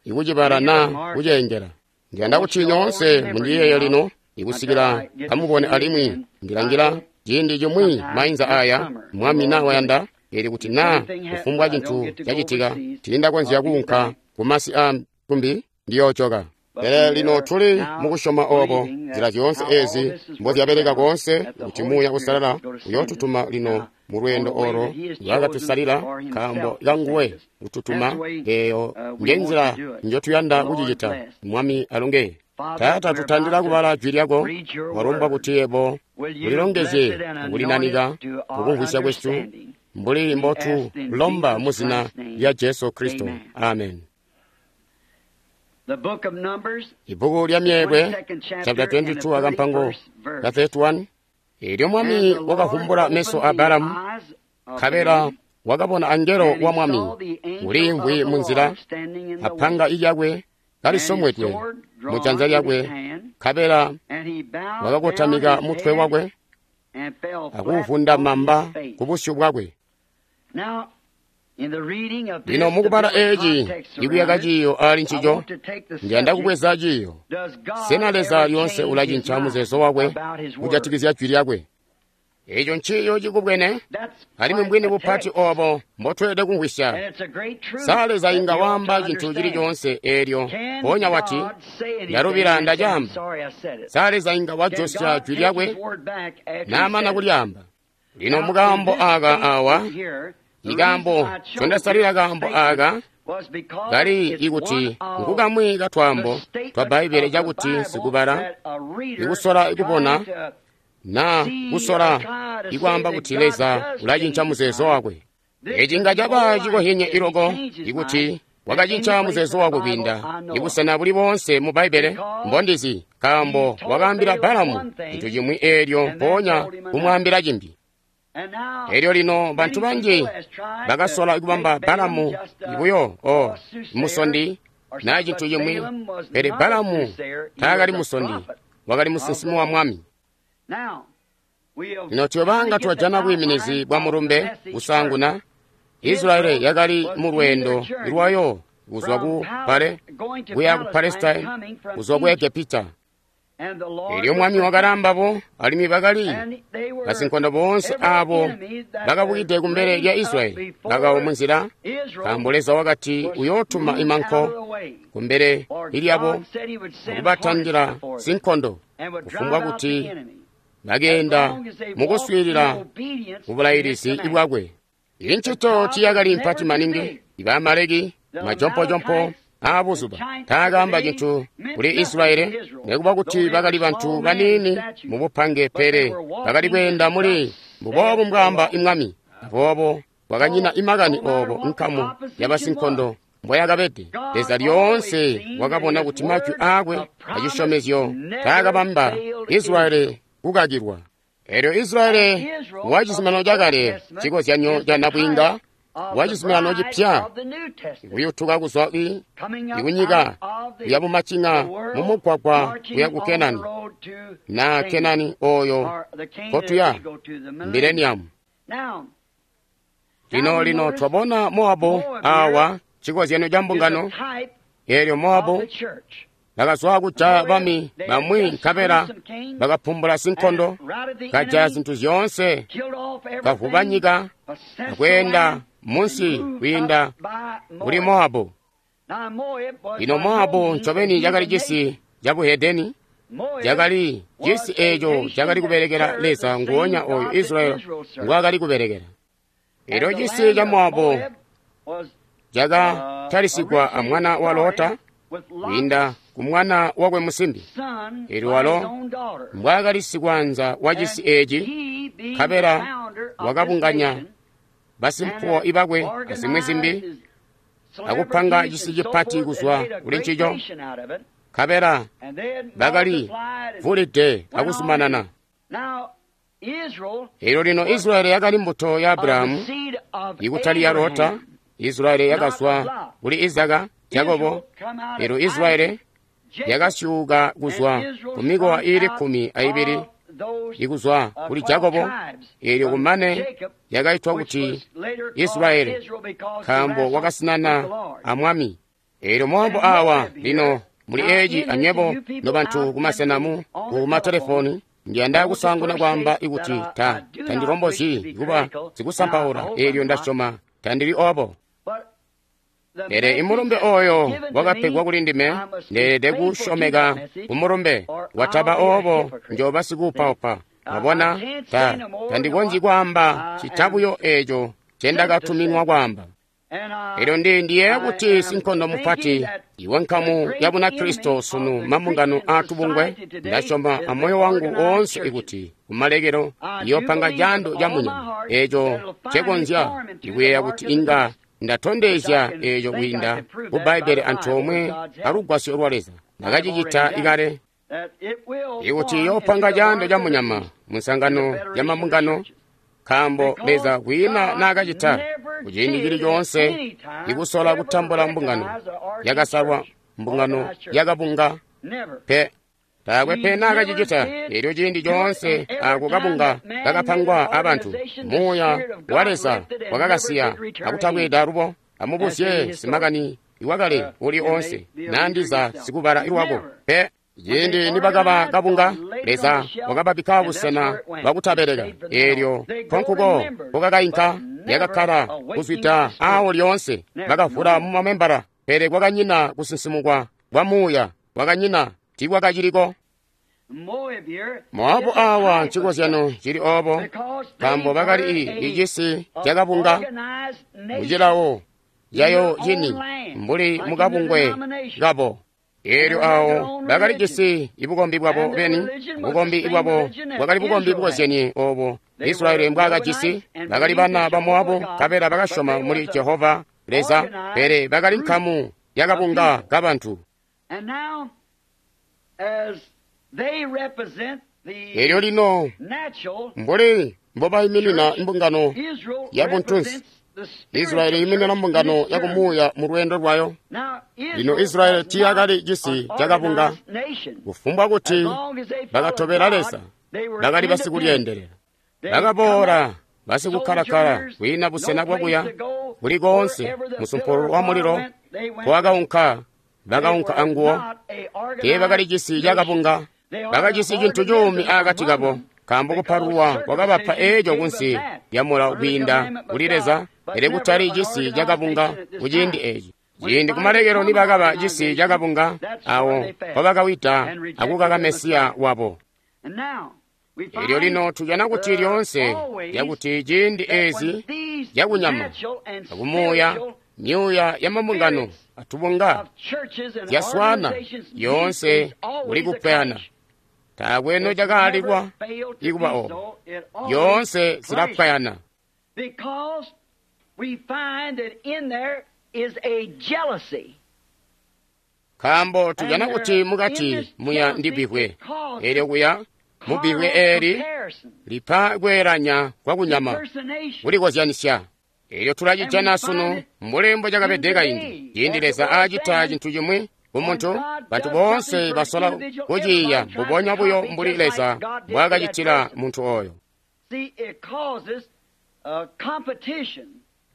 ikucibala naa kuceengela. Ndiyanda kuti nyoonse mundiyeeye lino ikusikila kamubone alimwi ndilangila ciindi cimwi mainza aya Mwami naa wayanda, eli kuti naa kufumbwa cintu cacitika tiindakonzya kuunka kumasi a kumbi ndiyoojoka. Pele lino tuli mukusyoma obo nzila zyoonse ezi mbozyabeleka koonse kuti Muuya Uusalala uyootutuma lino mu lweendo olo lwakatusalila nkaambo kanguwe kututuma. Eeyo njenzila njotuyanda kucicita. Mwami alonge. Taata, tutandila kubala jwi lyako. Walumbwa kuti yebo ulilongezye akulinanika mukumvwisya kwesu mbuli mbotulomba mu zina lya Jesu Kristo. Amen. Ibbuku lya Myeelwe chapter twenty-two akampango ka thirty-one. Elyo Mwami wakavumbula meso a Balamu, nkabela wakabona angelo wa Mwami uliimvwi munzila, apanga ilyakwe kalisomwedwe mu janza lyakwe, nkabela wakakotamika mutwe wakwe akuwuvunda mamba ku busyu bwakwe. Lino mukubala eci ikuyaka ciiyo ali ncico, ndiyanda kubweza ciiyo. Sena Leza lyoonse ulacinca muzeezo wakwe kujatikizya jwi lyakwe? Eco nciiyo cikubwene, alimwi mbwini bupati obo mbotweelede kumvwisya. Sa Leza inga waamba cintu cili coonse eelyo mpoonya wati, ndalubila ndacaamba? Sa Leza inga wajosya jwi lyakwe naamana kulyaamba? Lino mukaambo aka awa, ikaambo ncondasalila kaambo aka kali ikuti nkukamwi katwaambo twa Bbaibbele cakuti sikubala ikusola kubona naa kusola ikwaamba kuti Leza ulacinca muzeezo wakwe. Eci nga caba cikohyenye iloko ikuti wakacinca muzeezo wakwe kwiinda ibusena buli boonse mu Bbaibbele mbondizi, nkaambo wakaambila Balamu cintu cimwi eelyo mpoonya kumwaambila cimbi. Elyo lino bantu banji bakasola kubamba Balamu buyo o musondi naa cintu cimwi, pele Balamu taakali musondi, wakali musinsimi wa Mwami. Lino tuyobanga twajana bwiiminizi bwa mulumbe kusaanguna. Israeli yakali mu lweendo lwayo kuzwa ku Pale kuya ku Palestine, kuzwa ku Egepita. Elyo Mwami wakalambabo, alimwi bakali basinkondo boonse abo bakabukide kumbele lya Israeli bakawa munzila, nkaambo Leza wakati uyootuma imanko kumbele lyabo akubatandila sinkondo, kufumbwa kuti bakeenda mukuswiilila kubulailisi bwakwe. Incito tiyakali mpati maningi. Iba Amaleki majompojompo aabuzuba taakaamba cintu kuli Israeli, nekuba kuti bakali bantu baniini mubupange, pele bakali kweenda muli mbuboobu mbwaamba imwami. Aboobo kwakanyina imakani oobo nkamu yabasinkondo mboyakabede. Leza lyoonse wakabona kuti majwi aakwe acisyomezyo taakabamba Israeli kukakilwa. Elyo Israeli wa cizuminano cakale, cikozyanyo ca nabwiinga wa cizuminano cipya, kuyutuka kuzwa i kunyika kuya bumacinga mumugwagwa kuya ku Kenani. Na Kenani oyo kotuya mileniamu. Lino lino twabona Moabu awa chikozyano cha mbungano. Eelyo Moabu bakazwa kujaya bami bamwi nkabela bakaphumbula sinkondo, kajaya zinthu zyoonse, kavuba nyika akweenda munsi kwiinda kuli Moabu. Lino Moabu ncobeni cakali cisi ca buhedeni, cakali cisi eeco cakali kubelekela Leza nguonya oyo Israeli ngwaakali kubelekela. Elyo cisi ca Moabu cakatalisigwa a mwana wa Lota kwiinda ku mwana wakwe musimbi. Elyo walo mbwaakali sikwaanza wa cisi eeci, nkabela wakabunganya basimpuwo ibakwe azimwi zimbi akupanga cisi cipati kuzwa kuli ncico, nkabela bakali vulide akuzumanana. Elyo lino Israeli yakali mbuto ya Abrahamu, ikutali ya Lota. Israeli yakazwa kuli Izaka, Jakobo. Elyo Israeli yakasyuuka kuzwa ku mikowa iili kkumi aibili ikuzwa kuli Jakobo. Elyo kumane yakaitwa kuti Israeli, nkaambo wakasinana a Mwami. Elyo Moabu awa lino muli eeci anywebo nobantu kumasena mu ku matelefoni, ndiyanda kusaanguna kwaamba ikuti ta tandilombozyi kuba sikusampaula. Elyo ndasyoma tandili obo. Pele imulumbe oyo wakapegwa kuli ndime, ndeelede kusyomeka kumulumbe. Wataba obo njoba sikuupaupa. Mwabona, ta tandikonzyi kwaamba cita buyo eeco ncendakatuminwa kwaamba. Elyo ndi ndiyeeya kuti sinkondo mupati iwe nkamu ya Bunakristo sunu mambungano aatubungwe, ndasyoma amoyo wangu woonse ikuti kumalekelo iyopanga caando ca munyama eeco ncekonzya ikuyeeya kuti inga ndatondezya eeco kwiinda ku Bbaibbele antoomwe alugwasyo lwa Leza. Ndakacicita ikale ikuti iyopanga caando ca munyama mu nsangano ya mambungano, nkaambo Leza kwiina naakacita kuciindi cili coonse ikusola kutambula mbungano yakasalwa, mbungano yakabunga pe. Taakwe pe naakacicita. Elyo ciindi coonse ako kabunga kakapangwa abantu, Muuya wa Leza wakakasiya akutabweeda alubo. Amubuzye simakani iwakale uli oonse nandiza sikubala ilwako pe. Ciindi nibakaba kabunga, Leza wakababikka busena bwakutabeleka. Eelyo nkonkuko kokakainka, yakakkala kuzwida aawo lyoonse. Bakavula mumamembala, pele kwakanyina kusinsimukwa kwa muuya, kwakanyina tiikwakaciliko. Moabu awa ncikozyano cili obo, nkaambo bakali icisi cakabunga mucilawo cayo cini mbuli mukabungwe kabo. Eelyo awo bakali jisi ibukombi bwabo beni. Bukombi bwabo bwakali bukombi bukozyenye obo Israeli mbwaakajisi. Bakali bana ba Moabu, nkabela bakasyoma muli Jehova Leza, pele bakali nkamu yakabunga kabantu. Eelyo lino mbuli mbobayiminina mbungano ya buntunsi, Israeli iminina mbungano yakumuuya mu lweendo lwayo. Lino Israeli tiiyakali cisi cakabunga. Kufumbwa kuti bakatobela Leza, bakali basikulyeendelela. Bakaboola basikukkalakala kwiina busena bwakuya kuli koonse. Musumpulu wa mulilo nkowakaunka, bakaunka anguwo. Teebakali cisi cakabunga, bakajisi cintu cuumi akati kabo, nkaambo kupalulwa kwakabapa eeco kunsi lya mulawo kwiinda kuli Leza, pele kutali cisi cakabunga kuciindi eeci. Ciindi kumalekelo nibakaba cisi cakabunga, awo mpobakawida akukaka Mesiya wabo. Elyo lino tujana kuti lyoonse lyakuti ciindi eezi zyakunyama akumuuya, myuuya ya mambungano atubunga zyaswana yoonse kuli kupyana. Taakwe nocakaalilwa ikuba obo, yoonse zilapwayana. Nkaambo tujana kuti mukati muya ndibbivwe, elyo kuya mubbivwe eeli lipa kweelanya kwakunyama kulikozyanisya. Elyo tulacijana sunu mbuli mbo cakabede kaindi. Ciindi Leza aacita cintu cimwi, ku muntu, bantu boonse basola kuciiya mbubonya buyo mbuli Leza mbwaakacitila muntu oyo.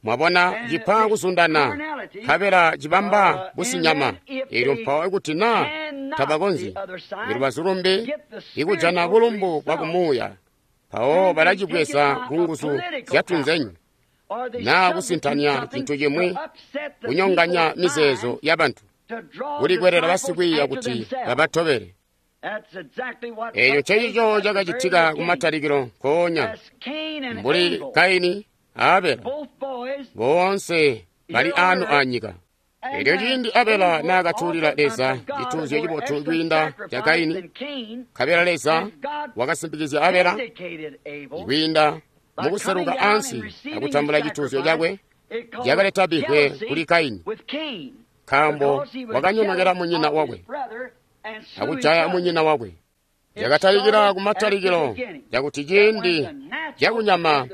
Mwabona, cipa kuzundana, nkabela cibamba businyama. Eelyo mpawo ikuti na tabakonzyi, ilubazu lumbi, ikujana bulumbu bwa kumuuya, mpawo balacibweza ku nguzu zyatunzenyu, naa kusintanya cintu cimwi, kunyonganya mizeezo yabantu, kulikwelela basikwiiya kuti babatobele. Eeco ncencico cakacitika kumatalikilo nkoonya, mbuli Kaini a Abela, boonse bali anu anyika. Eelyo ciindi Abela naakatuulila Leza cituuzyo cibotu kwiinda ca Kaini, nkabela Leza wakasimpikizya Abela kwiinda mukuseluka ansi akutambula cituuzyo cakwe, cakaleta bihwe kuli Kaini, nkaambo wakanyonokela munyina wakwe akujaya munyina wakwe. Cakatalikila kumatalikilo cakuti ciindi cakunyama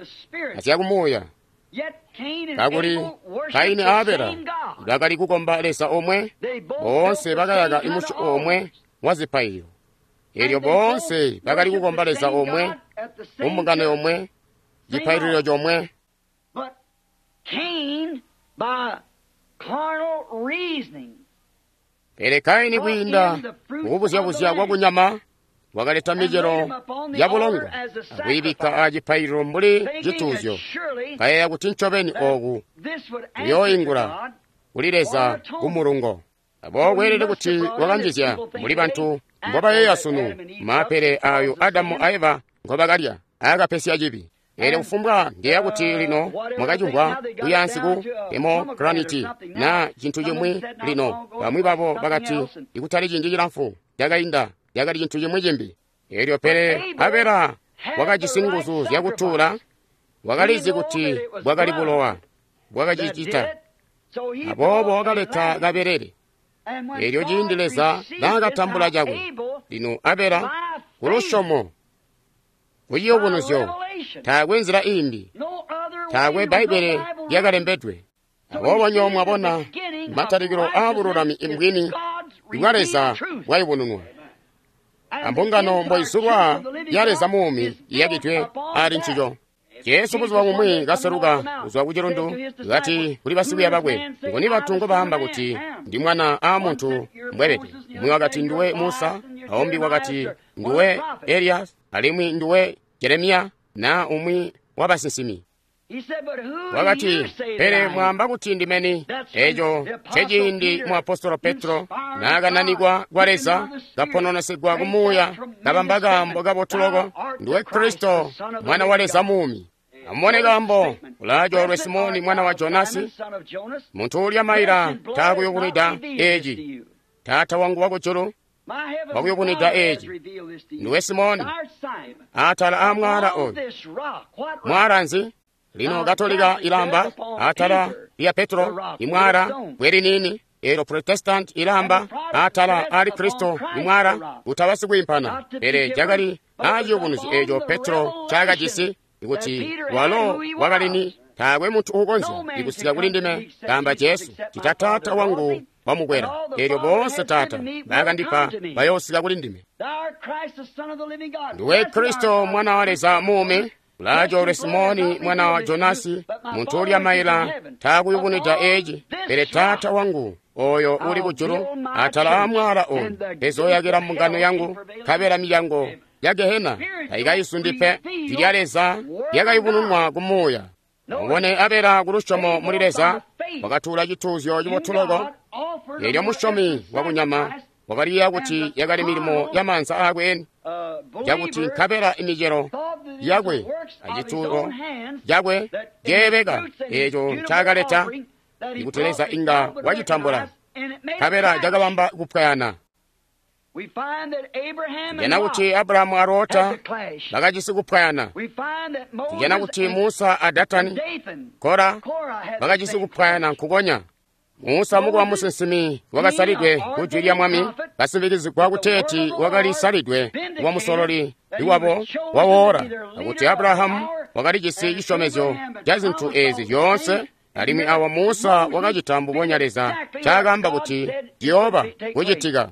azyakumuuya, kakuli Kaini a Abela bakali kukomba Leza omwe, boonse bakayaka imusyobo omwe wa zipaililo. Eelyo boonse bakali kukomba Leza omwe, mumbungano yomwe, cipaililo comwe. Pele Kaini kwiinda mukubuzya-buzya kwakunyama wakaleta micelo ya bulongo akuyibikka acipaililo mbuli cituuzyo, kayeeya kuti ncobeni ooku kuyooingula kuli Leza kumulungo. Aboobo kweelede kuti wakanjizya mbuli bantu mbobayeeya sunu maapele aayo Adamu a Eva ngobakalya aakapesya cibi. Eelyo kufumbwa ndiyeeya kuti lino mwakacimvwa kuyaansi ku pomegranate naa cintu cimwi lino. Bamwi babo bakati ikutali ciindi cilamfu cakainda cakali cintu cimwi cimbi. Eelyo pele Abela wakajisi nguzu zyakutuula, wakalizi kuti bwakali bulowa bwakacicita, aboobo wakaleta kabelele. Eelyo ciindi Leza naakatambula cakwe, lino Abela kulusyomo, kuciyubunuzyo, taakwe nzila iimbi, taakwe Bbaibbele lyakalembedwe. Aboobo nywebo mwabona matalikilo aabululami mbwini bwa Leza bwayubununwa, ambungano mboizulwa ya Leza muumi iyakidwe ali ncico. Jesu buzuba bumwi kaseluka kuzwa ku cilundu, kati kuli basikwiiya bakwe, nguni bantu ngobaamba kuti ndi mwana aa muntu mbwebede? Umwi wakati nduwe Musa, aumbi wakati nduwe Eliya, alimwi nduwe Jeremiya, naa umwi wabasinsimi. Wakati, pele mwaamba kuti ndimeni? Eeco nceciindi muapostolo Petro naakananikwa kwa Leza, kapononesigwa kumuuya, kabamba kaambo kabotu loko, nduwe Kristo, mwana wa Leza muumi. Amubone kaambo, ulaacoolwe Simoni mwana wa Jonasi, muntu uulya maila taakuyubunwida eeci. Taata wangu wakujulu wakuyubunwida eeci. Nduwe Simoni, atala aamwaala oyu. Mwaala nzi? Lino Katolika ilamba atala lya Petro imwala bwe liniini, eelyo Protestant ilamba atala ali Kristo imwala kutaba sikwiimpana. Pele cakali aaciyubunuzyo eeco Petro ncaakajisi kuti walo wakali ni, taakwe muntu uukonzya kusika kuli ndime, kaamba Jesu, cita Taata wangu wamukwela. Eelyo boonse Taata baakandipa bayoosika kuli ndime. Nduwe Kristo mwana wa Leza muumi. Ulaacoolwe Simoni mwana wa Jonasi, muntu uulya maila taakuyubunwida eeci, pele Taata wangu oyo uli kujulu atala aamwaala oyu ndizooyakila mbungano yangu, nkabela milyango ya Gehena taikayisundi pe. Jwi lya Leza lyakayubununwa kumuuya. Mubone Abela kulusyomo muli Leza wakatuula cituuzyo cibotu loko. Eelyo musyomi wakunyama wakaliyeeya kuti yakali milimo ya maanza aakwe eni, cakuti nkabela imicelo yakwe acituulo cakwe ceebeka eeco ncaakaleta, ikuti Leza inga wacitambula, nkabela cakabamba kupwayana. Tujana kuti Abrahamu a Lota bakajisi kupwayana. Tujana kuti Musa a Datani, Kora bakajisi kupwayana nkukonya. Musa mukuba musinsimi wakasalidwe ku jwi lya Mwami, kasimbikizigwa kuteeti wakalisalidwe kuba musololi iwabo wawoora, akuti Abrahamu wakalijisi cisyomezyo ca zintu eezi zyoonse, Alimwi awa Musa wakacita mbubonya Leza ncaakaamba kuti ciyooba kucitika.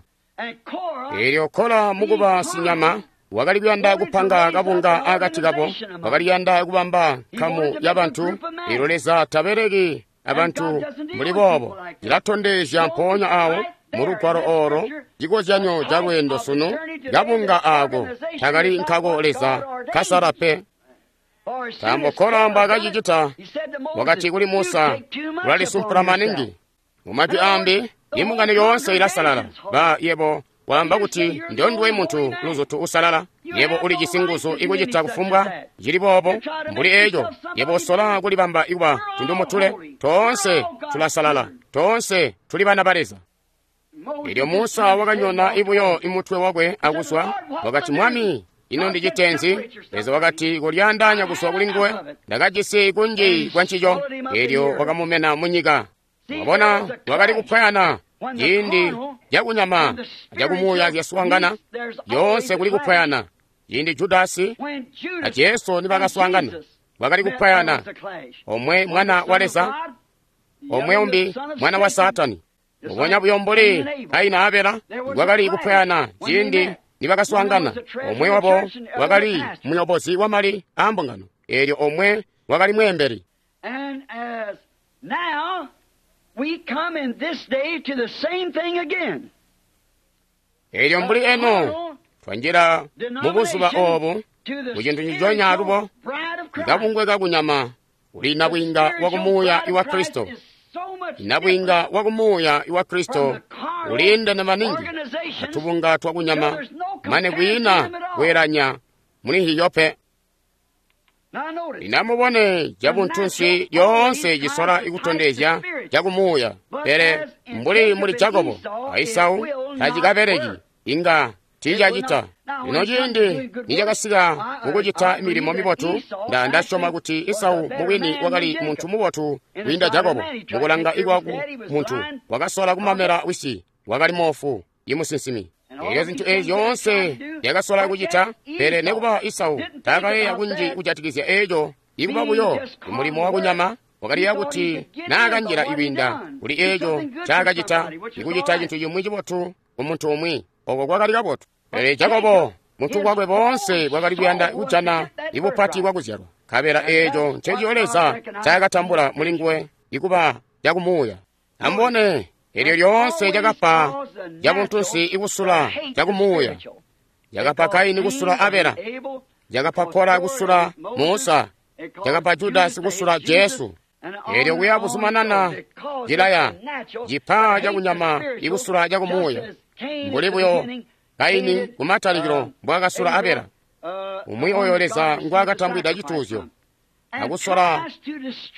Eelyo Kola mukuba sinyama wakali kuyanda kupanga kabunga akati kabo, wakali kuyanda kubamba nkamu ya bantu. Eelyo Leza tabeleki abantu mbuli boobo. Cilatondezya mpoonya awo mu lugwalo olo cikozyanyo ca lweendo sunu, kabunga aako takali nkako Leza kasala pe. Nkaambo Kola mbwaakacicita, wakati kuli Musa, ulalisumpula maningi. Mumajwi ambi, imbungano yoonse ilasalala. Ba yebo waamba kuti ndonduwe muntu luzutu usalala, yebo ulijisi nguzu ikucita kufumbwa cili boobo mbuli eco. Yebo usola kulibamba ikuba tundumutule. Toonse tulasalala, toonse tuli bana ba Leza. Elyo Musa wakanyona ibuyo imutwe wakwe akuzwa, wakati, Mwami, ino ndicitenzi? Leza wakati, kolyaandaanya kuzwa kuli nguwe, ndakajisi kunji kwa ncico. Elyo wakamumena munyika. Wabona, wakali kupwayana. Ciindi cakunyama acakumuuya zyaswaangana, lyoonse kuli kupwayana. Ciindi Judasi a Jesu nibakaswaangana, wakali kupwayana. Omwe mwana wa Leza, omwe umbi mwana wa Saatani. Mbubonya buyo mbuli Kaini a Abela, kwakali kupwayana ciindi nibakaswaangana. Omwe wabo wakali muyobozi wamali aambungano, eelyo omwe wakali mweembeli. Eelyo mbuli eno twanjila mubuzuba oobu mucintu nciconya alubo, kabungwe kakunyama uli nabwiinga wakumuuya iwa Kristo. Nabwiinga wakumuuya iwa Kristo uliindene maningi atubunga twakunyama, mane kwiina kweelanya muli nhiyo pe. Linamubone cabuntunsi lyoonse cisola ikutondezya cakumuuya, pele mbuli muli Jakobo a Esau tacikabeleki, inga tiicacita. Lino ciindi nicakasika kukucita milimo mibotu, nda ndasyoma kuti Esau mubwini wakali muntu mubotu kwiinda Jakobo. Mukulanga ikwaku muntu wakasola kumamela wisi, wakali moofu imusinsimi. Eelyo zintu eezi zyoonse zyakasola kucita, pele nekuba Esau taakayeeya kunji kujatikizya eeco. Ikuba buyo mulimo wakunyama, wakaliyeeya kuti naakanjila ikwiinda kuli eeco ncaakacita, ikucita cintu cimwi cibotu kumuntu umwi, oko kwakali kabotu. Pele Jakobo muntu bwakwe boonse bwakali kuyanda kujana ibupati bwakuzyalwa, nkabela eeco ncencico Leza ncaakatambula mulinguwe ikuba cakumuuya. Amubone, eelyo lyoonse cakapa cabuntunsi ikusula cakumuuya. Cakapa Kaini kusula Abela, cakapa Kola kusula Musa, cakapa Judasi kusula Jesu. Eelyo kuya buzumanana cilaya cipa cakunyama ikusula cakumuuya, mbuli buyo Kaini kumatalikilo mbwaakasula Abela, umwi oyo Leza ngwaakatambwida cituuzyo, akusola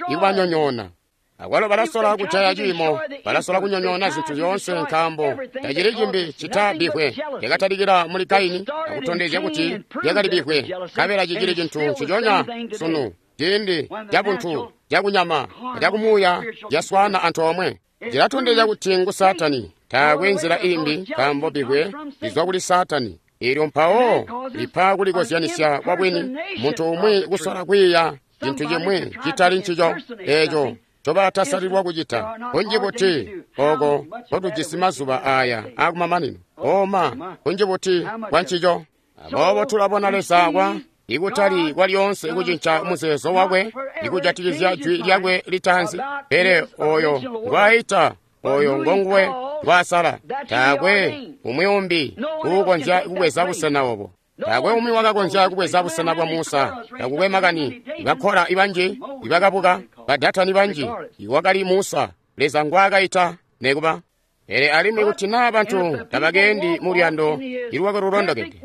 ikubanyonyoona. Akwalo balasola kujaya ciimo, balasola kunyonyoona zintu zyoonse, nkaambo tacili cimbi cita bbivwe lyakatalikila muli Kaini akutondezya kuti lyakali bbivwe, nkabela cicili cintu nciconya sunu. Ciindi cabuntu cakunyama acakumuuya zyaswaana antoomwe, cilatondezya kuti ngu Saatani. Taakwe nzila imbi, nkaambo bbivwe lizwa kuli Saatani. Eelyo mpawo lipa kulikozyanisya kwabwini, muntu umwi kusola kwiiya cintu cimwi citali ncico eeco ncobaatasalilwa kucita. Kunji buti oko nkotujisi mazuba aya aakumamanino, oma kunji buti kwa ncico. Aboobo tulabona Leza kwa ikutali kwalyoonse kucinca muzeezo wakwe ikujatikizya jwi lyakwe litaanzi, pele oyo ngwaayita, oyo ngonguwe ngwaasala. Taakwe umwi umbi uukonzya kubweza busena obo. Taakwe umwi wakakonzya kubweza busena bwa Musa. Takukwe makani bakola ibanji ibakabuka, badatani banji, iwakali Musa Leza ngwaakaita nekuba. Pele alimwi kuti naa bantu tabakendi mu luyando ilwakwe lulondokede,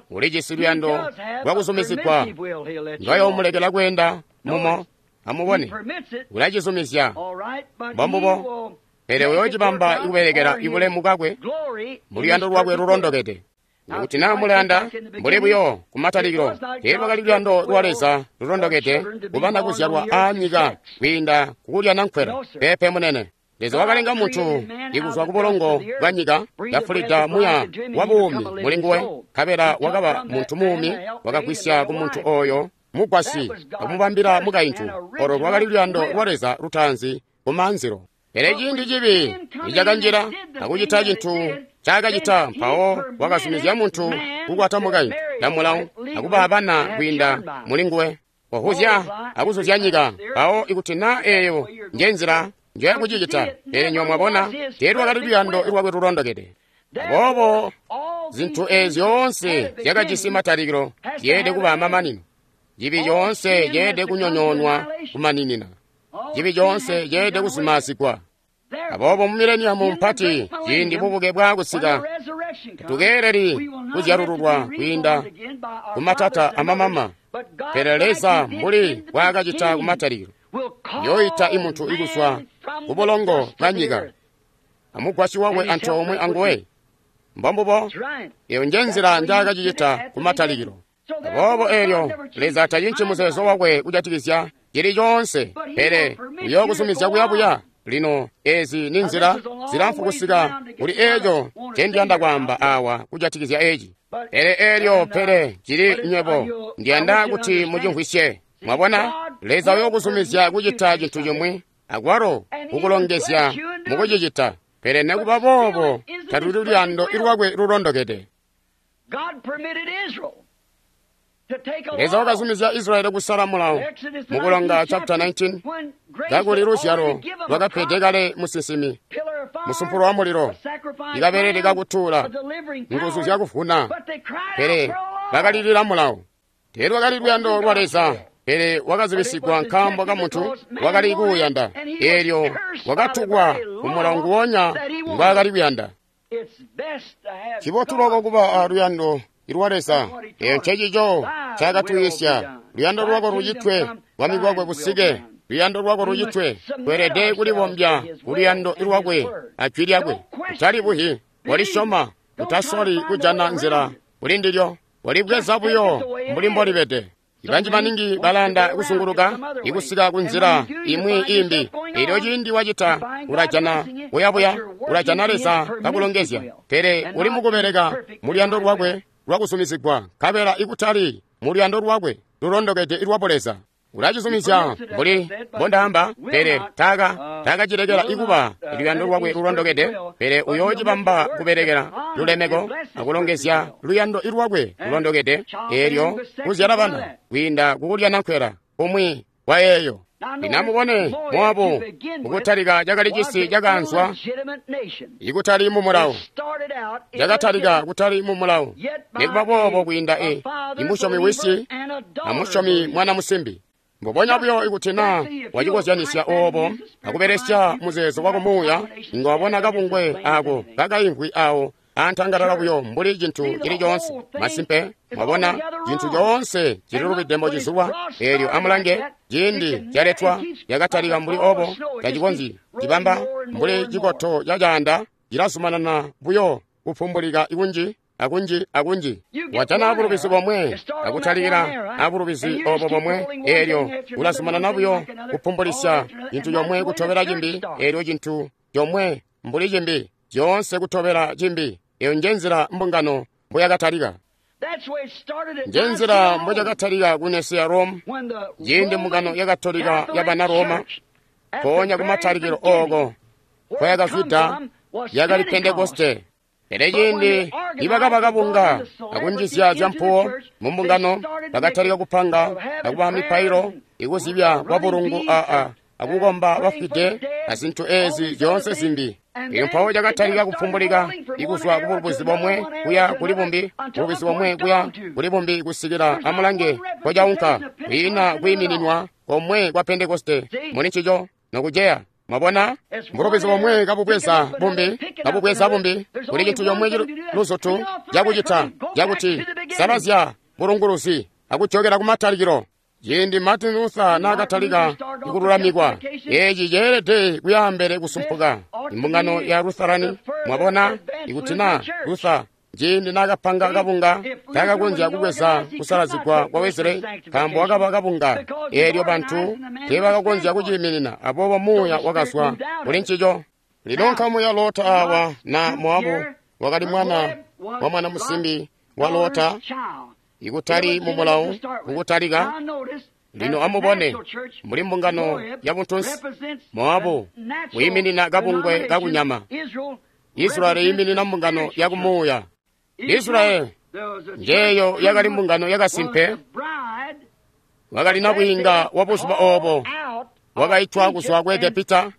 ulijisi luyando lwakuzumizigwa ndwayoomulekela kweenda mumo. Amubone, ulacizumizya, mbombubo, pele uyoocibamba ikubelekela ibulemu bwakwe mu luyando lwakwe lulondokede. Kuti naa mulayanda mbuli buyo kumatalikilo, teelwakali luyando lwa Leza lulondokede kubana kuzyalwa aanyika kwiinda kukulyana nkwela. Peepe munene. Leza wakalenga muntu ikuzwa kubulongo bwa nyika, kafulida muya wa buumi mulinguwe, nkabela wakaba muntu muumi. Wakagwisya ku muntu oyo mugwasyi akumubambila mukaintu. Olo lwakali luyando lwa Leza lutaanzi kumanzilo. Pele ciindi cibi nicakanjila akucita cintu ncaakacita, mpawo wakazumizya muntu kukwata mukaintu camulawo akuba abana kwiinda mulinguwe, wahuzya akuzuzya nyika. Mpawo ikuti naa eeyo njenzila njoyakucicita, pele nywebo mwabona, teelwakali luyando lwakwe lulondokede. Aboobo zintu eezi zyoonse zyakajisi matalikilo zyeelede kuba amamanino. Cibi coonse ceelede kunyonyoonwa kumaninina. Cibi coonse ceelede kuzumazigwa. Aboobo mu mileniamu mpati, ciindi bubuke bwaakusika, tatukeeleli kuzyalululwa kwiinda kumatata amamama, pele Leza mbuli bwaakacita kumatalikilo, uyooita imuntu ikuzwa kubulongo bwa nyika amugwasyi wakwe antoomwe anguwe. Mbombubo, eyo njenzila njaakacicita kumatalikilo. Aboobo eelyo Leza tacinci muzeezo wakwe kujatikizya cili coonse, pele uyookuzumizya kuyabuya. Lino ezi ni nzila zilamfu kusika kuli eeco ncendiyanda kwaamba awa kujatikizya eci. Pele eelyo pele cili nywebo, ndiyanda kuti mucimvwisye. Mwabona, Leza uyookuzumizya kucita cintu cimwi, akwalo kukulongezya mukucicita. Pele nekuba boobo taluli luyando lwakwe lulondokede. Leza wakazumizya Israeli kusala mulawo mukulonga chapter nineteen, kakuli luzyalo lwakapede kale musinsimi, musumpulo wa mulilo, ikabelele kakutuula, nguzu zyakuvuna. Pele bakalilila mulawo. Teelwakali luyando lwa Leza, pele wakazibisigwa nkaambo kamuntu wakali kuuyanda. Eelyo wakatukwa kumulawo nguwonya ngwaakali kuyanda. Cibotu loko kuba aluyando lwa Leza. Eyo ncecico ncaakatwiisya. Luyando lwako lucitwe, bwami bwakwe busike. Luyando lwako lucitwe. Tweelede kulibombya kuluyando lwakwe ajwi lyakwe. Utalibuhi, walisyoma, utasoli kujana nzila kuli ndilyo, walibweza buyo mbuli mbolibede. Ibanji maningi balanda kusunguluka ikusika kunzila imwi imbi. Elyo ciindi wacita, ulajana buyabuya, ulajana Leza kakulongezya. Pele uli mukubeleka muluyando lwakwe lwakuzumizigwa, nkabela ikutali muluyando lwakwe lulondokede lwa Buleza. Ulacizumizya mbuli mbondaamba, pele taka takacilekela ikuba luyando lwakwe lulondokede, pele uyoocibamba kubelekela lulemeko akulongezya luyando lwakwe lulondokede, eelyo kuzyala bana kwiinda kukulyana nkwela kumwi kwa yeeyo. Lino amubone, Moabu mukutalika cakali cisi cakaanzwa ikutali mu mulawo, cakatalika kutali mu mulawo, nikuba boobo kwiinda e imusyomi wisi amusyomi mwana musimbi. Mbubonya buyo ikuti naa wacikozyanisya oobo akubelesya muzeezo wako muuya, inga wabona kabungwe ako kakaimvwi awo antangalala buyo mbuli cintu cili coonse. Masimpe, mwabona, cintu coonse cililubide mbocizulwa. Eelyo amulange, ciindi caletwa yakatalika mbuli obo, tacikonzyi cibamba mbuli cikoto ca caanda, cilazumanana buyo kupumbulika ikunji akunji akunji. Wajana bulubizi bomwe akutalikila abulubizi obo bomwe, eelyo ulazumanana buyo kupumbulisya cintu comwe kutobela cimbi, eelyo cintu comwe mbuli cimbi, zyoonse kutobela cimbi. Eyo njenzila mbungano mboyakatalika. Njenzila mboyakatalika ku Nicaea Rome, ciindi mbungano yakatolika yabana Roma, mpoonya kumatalikilo ooko nkoyakazwida yakali Pentekoste. Pele ciindi nibakaba kabunga akunjizya zyampuwo mumbungano, bakatalika kupanga akuba mipailo ikuzibya kwa bulungu aa akukomba bafwide azintu ezi zyoonse zimbi. Elyo mpawo cakatalika kupumbulika ikuzwa kubulubuzi bomwe kuya kuli bumbi, bulubuzi bomwe kuya kuli bumbi, kusikila amulange nkocaunka. Kwiina kwiimininwa komwe kwa Pentekoste muli ncico nokuceya. Mwabona, mbulubizi bomwe kabubweza bumbi, kabubweza bumbi, kuli cintu comwe luzutu cakucita cakuti salazya bulunguluzi akujokela kumatalikilo. Ciindi Martin Luther naakatalika kululamikwa, eeci ceelede kuyaambele kusumpuka. Imbungano ya Lutherani, mwabona, ikuti naa Luther ciindi naakapanga kabunga taakakonzya kubweza kusalazigwa kwa Wesley, nkaambo wakaba kabunga, eelyo bantu teebakakonzya kuciiminina, aboobo muuya wakazwa kuli ncico. Lino nkamu ya Lota awa na Moabu wakali mwana wa mwana musimbi wa Lota, Ikutali mu mulawo kukutalika. Lino amubone, mbuli mbungano ya buntunsi, Moabu wiiminina kabungwe kakunyama. Israeli yiiminina mbungano ya kumuuya. Israeli njeeyo yakali mbungano yakasimpe, wakali nabwiinga wa buzuba oobo, wakaitwa kuzwa ku Egepita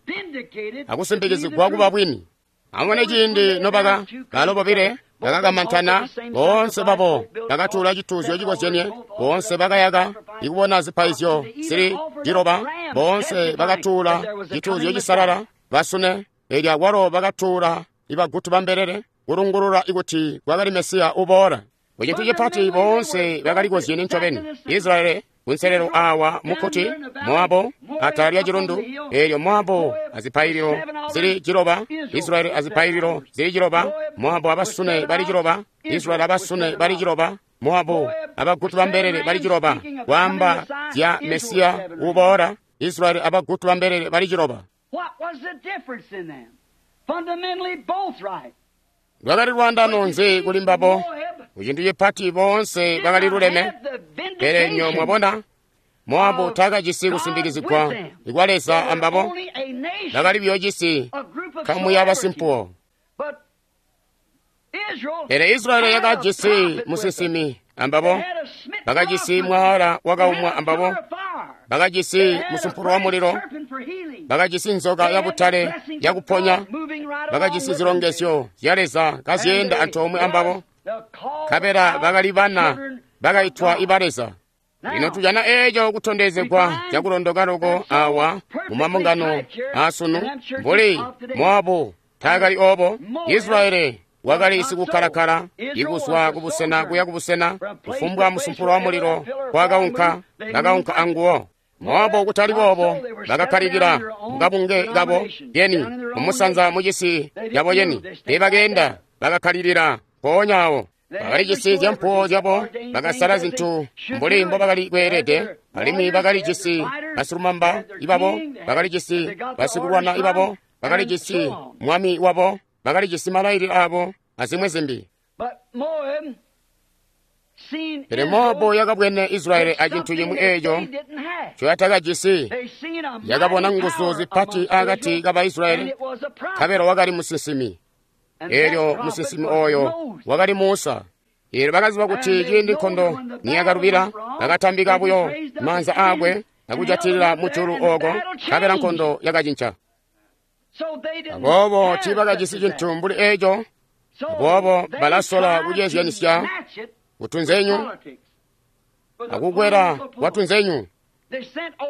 akusimpikizigwa kuba bwini. Amubone ciindi nobaka balo bobile bakakamantana, boonse babo bakatuula cituuzyo cikozyenie, boonse bakayaka ikubona zipaizyo zili ciloba, boonse bakatuula cituuzyo cisalala basune, eelyo akwalo bakatuula ibagutu bambelele kulungulula ikuti kwakali Mesiya uboola. Kucintu cipati boonse bakalikozyene ncobeni. Israeli kunselelo awa mukkuti, Moabu atala lya cilundu, eelyo Moabu azipaililo zili ciloba, Israeli azipaililo zili ciloba, Moabu abasune bali ciloba, Israeli abasune bali ciloba, Moabu abagutu bambelele bali ciloba, kwaamba zya Mesiya uboola, Israeli abagutu bambelele bali ciloba. Lwakali lwaandano nzi kuli mbabo? Kucintu cipati boonse bakali luleme, pele nyo mwabona, Moabu taakajisi kusimpikizigwa kwa Leza ambabo, bakali buyo jisi nkamu ya basimpuwo. Pele Israeli yakajisi musinsimi ambabo, bakajisi mwaala wakaumwa ambabo, bakajisi musumpulo wa mulilo, bakajisi nzoka ya butale yakuponya, bakajisi zilongezyo zya Leza kazyeenda antoomwe ambabo, nkabela bakali bana bakaitwa iba Leza. Lino tujana eeco kutondezegwa cakulondoka loko awa mu mambungano aasunu, mbuli Moabu taakali oobo, Israeli wakali sikukkalakala ikuzwa kubusena kuya kubusena, kufumbwa musumpulo wa mulilo kwakaunka, bakaunka anguwo. Moabu kutali boobo, bakakkalikila mukabunge kabo yeni mumusanza mucisi cabo yeni, teebakeenda, bakakkalilila mpoonya awo. Bakali jisi zyampuwo zyabo, bakasala zintu mbuli mbobakali kweelede, alimwi bakali jisi basilumamba ibabo, bakali jisi basikulwana ibabo, bakali jisi mwami wabo, bakali jisi malailile abo azimwi zimbi. Pele Moabu yakabwene Israeli acintu cimwi eeco ncoyatakajisi, yakabona nguzu zipati akati ka Baisraeli, nkabela wakali musinsimi. Eelyo musinsimi ooyo wakali Musa. Eelyo bakaziba kuti ciindi nkondo niyakalubila, bakatambika buyo maanza aakwe akujatilila mujulu ooko, nkabela nkondo yakacinca. Aboobo tiibakajisi cintu mbuli eeco, aboobo balasola kuceezyanisya kutunzenyu akukwela kwatunzenyu.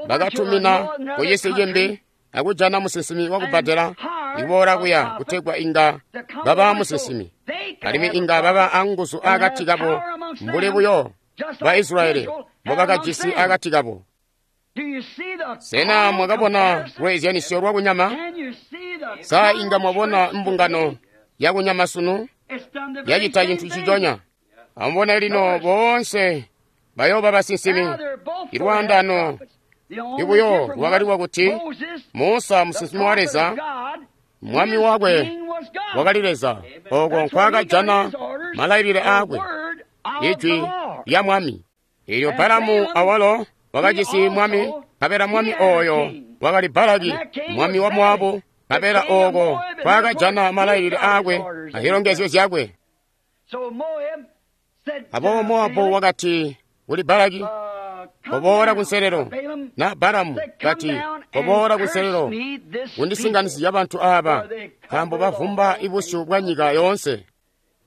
Bakatumina kucisi cimbi akujana musinsimi wakubbadela iboola kuya kutegwa inga baba musinsimi, alimwi inga baba anguzu akati kabo mbuli buyo ba Israeli mbobakajisi akati kabo. Sena mwakabona lweezyanisyo lwakunyama? Sa inga mwabona mbungano yakunyama sunu yacita cintu ciconya? Amubone lino, boonse bayooba basinsimi. Ilwaandano ibuyo lwakali lwakuti Musa musinsimi wa Leza, mwami wakwe wakali Leza, ooko nkwaakajana malailile aakwe, ijwi lya mwami. Eelyo Balamu awalo wakajisi mwami, nkabela mwami ooyo wakali Balaki, mwami wa Moabu, nkabela ooko nkwaakajana malailile aakwe azilongezyo zyakwe. Aboobo Moabu wakati kuli Balaki, "Koboola kunselelo." Na Balamu kati, "Koboola kunselelo, kundisinganizya bantu aaba, nkaambo bavumba ibusyu bwa nyika yoonse."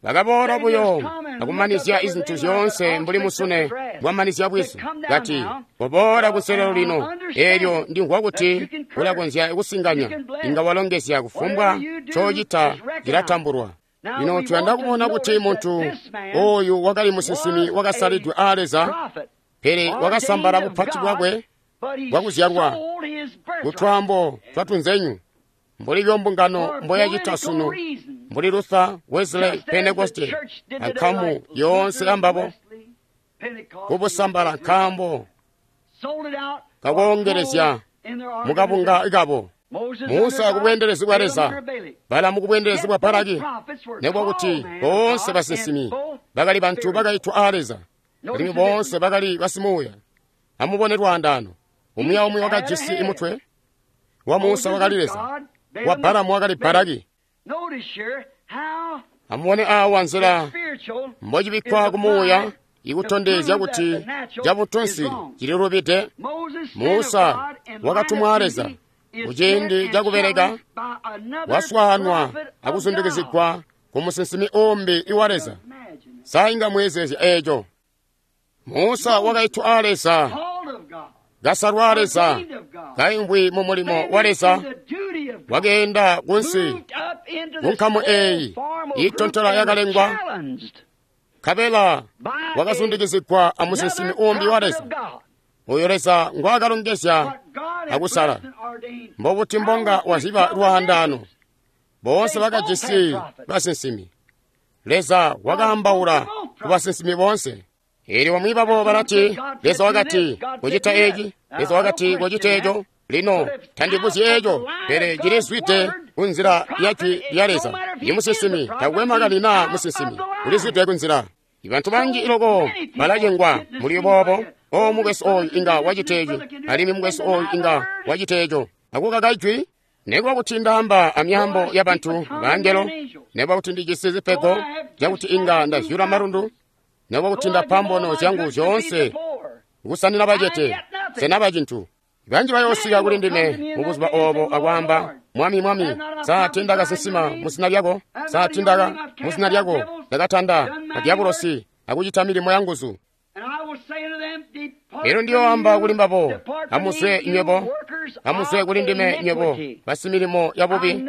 Bakaboola buyo akumanizya izintu zyoonse mbuli musune bwamanizya bwizu. Kati, "Koboola kunselelo lino, eelyo ndimvwa kuti ulakonzya kusinganya, inga walongezya kufumbwa ncocita cilatambulwa." Lino tuyanda kubona kuti muntu ooyu wakali musinsimi wakasalidwe aa Leza, pele wakasambala bupati bwakwe bwakuzyalwa kutwaambo twatunzenyu, mbuli mbungano mboyacita sunu, mbuli Luther, Wesley, Pentecoste ankamu yoonse ambabo, kubusambala nkaambo kakoongelezya mukabunga kabo. Musa kubweendelezi bwa Leza, Balamu kubweendelezi bwa Balaki, nekuba kuti boonse basinsimi bakali bantu bakaitwa aa Leza, Alimwi boonse bakali basimuuya. Amubone lwaandaano. Umwi aumwi wakajisi mutwe. Wa Musa wakali Leza, wa Balamu wakali Balaki. Amubone awa nzila mbocibikkwa kumuuya ikutondezya kuti cabuntunsi cililubide. Musa wakatumwa Leza kuciindi cakubeleka, waswaanwa akuzundikizigwa ku musinsimi umbi iwa Leza. Sa inga mweezeezya eeco? Musa wakaitwa a Leza, kasalwa a Leza, kaimvwi mu mulimo wa Leza, wakeenda kunsi kunkamu eeyi iitontola yakalengwa, nkabela wakazundikizigwa a musinsimi umbi wa Leza, oyo Leza ngwaakalongezya akusala. Mbobuti mbonga wazyiba lwaandaano? Boonse bakajisi basinsimi. Leza wakaambaula ku basinsimi boonse. Eelyo bamwi babo balati, Leza wakati kucita eeci, Leza wakati kucita eeco. Lino tandibuzyi eeco, pele cilizwide kunzila ya jwi lya Leza. Imusinsimi takwe makani naa musinsimi, ulizwide kunzila. Ibantu banji iloko balacengwa muli boobo. O mukwesu ooyu inga wacita eeci, alimwi mukwesu ooyu inga wacita eeco. Akukaka ijwi. Nekuba kuti ndaamba amyaambo yabantu bangelo, nekuba kuti ndijisi zipego zyakuti inga ndazyula malundu, nekuba kuti ndapa mbono zyangu zyoonse kusanina bacete, senaba cintu. Banji bayoosika kuli ndime mubuzuba oobo akwaamba, Mwami, Mwami, sa tiindakasinsima muzina lyako? Sa tiindaka muzina lyako ndakatanda madyabulosi akucita milimo yanguzu? Elyo ndiyooamba kuli mbabo, amuzwe nywebo, amuzwe kuli ndime nywebo basimilimo yabubi,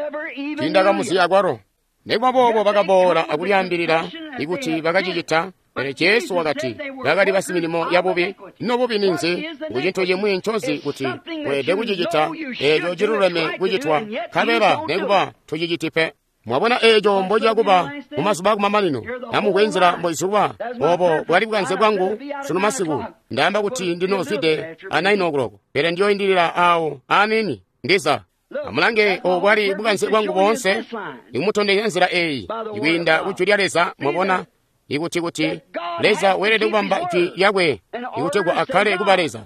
tiindakamuzi akwalo. Nekuba boobo bakaboola akulyaambilila ikuti bakacicita, pele Jesu wakati bakali basimilimo yabubi. Ino bubi ninzi? Ngu cintu cimwi ncozi kuti weelede kucicita eeco ciluleme kucitwa, nkabela nekuba tuciciti pe. Mwabona eeco mbociyakuba mumazuba akumamanino. Amubwe nzila mboizulwa. Oobo bwali bukanze bwangu sunu masiku. Ndaamba kuti ndinoozwide a nine o'clock, pele ndiyoindilila aawo aniini ndiza. Amulange, obo bwali bukanze bwangu boonse, ikumutondezya nzila eeyi ikwiinda ku jwi lya Leza. Mwabona ikuti kuti Leza weelede kubamba jwi lyakwe ikutegwa akkale kuba Leza.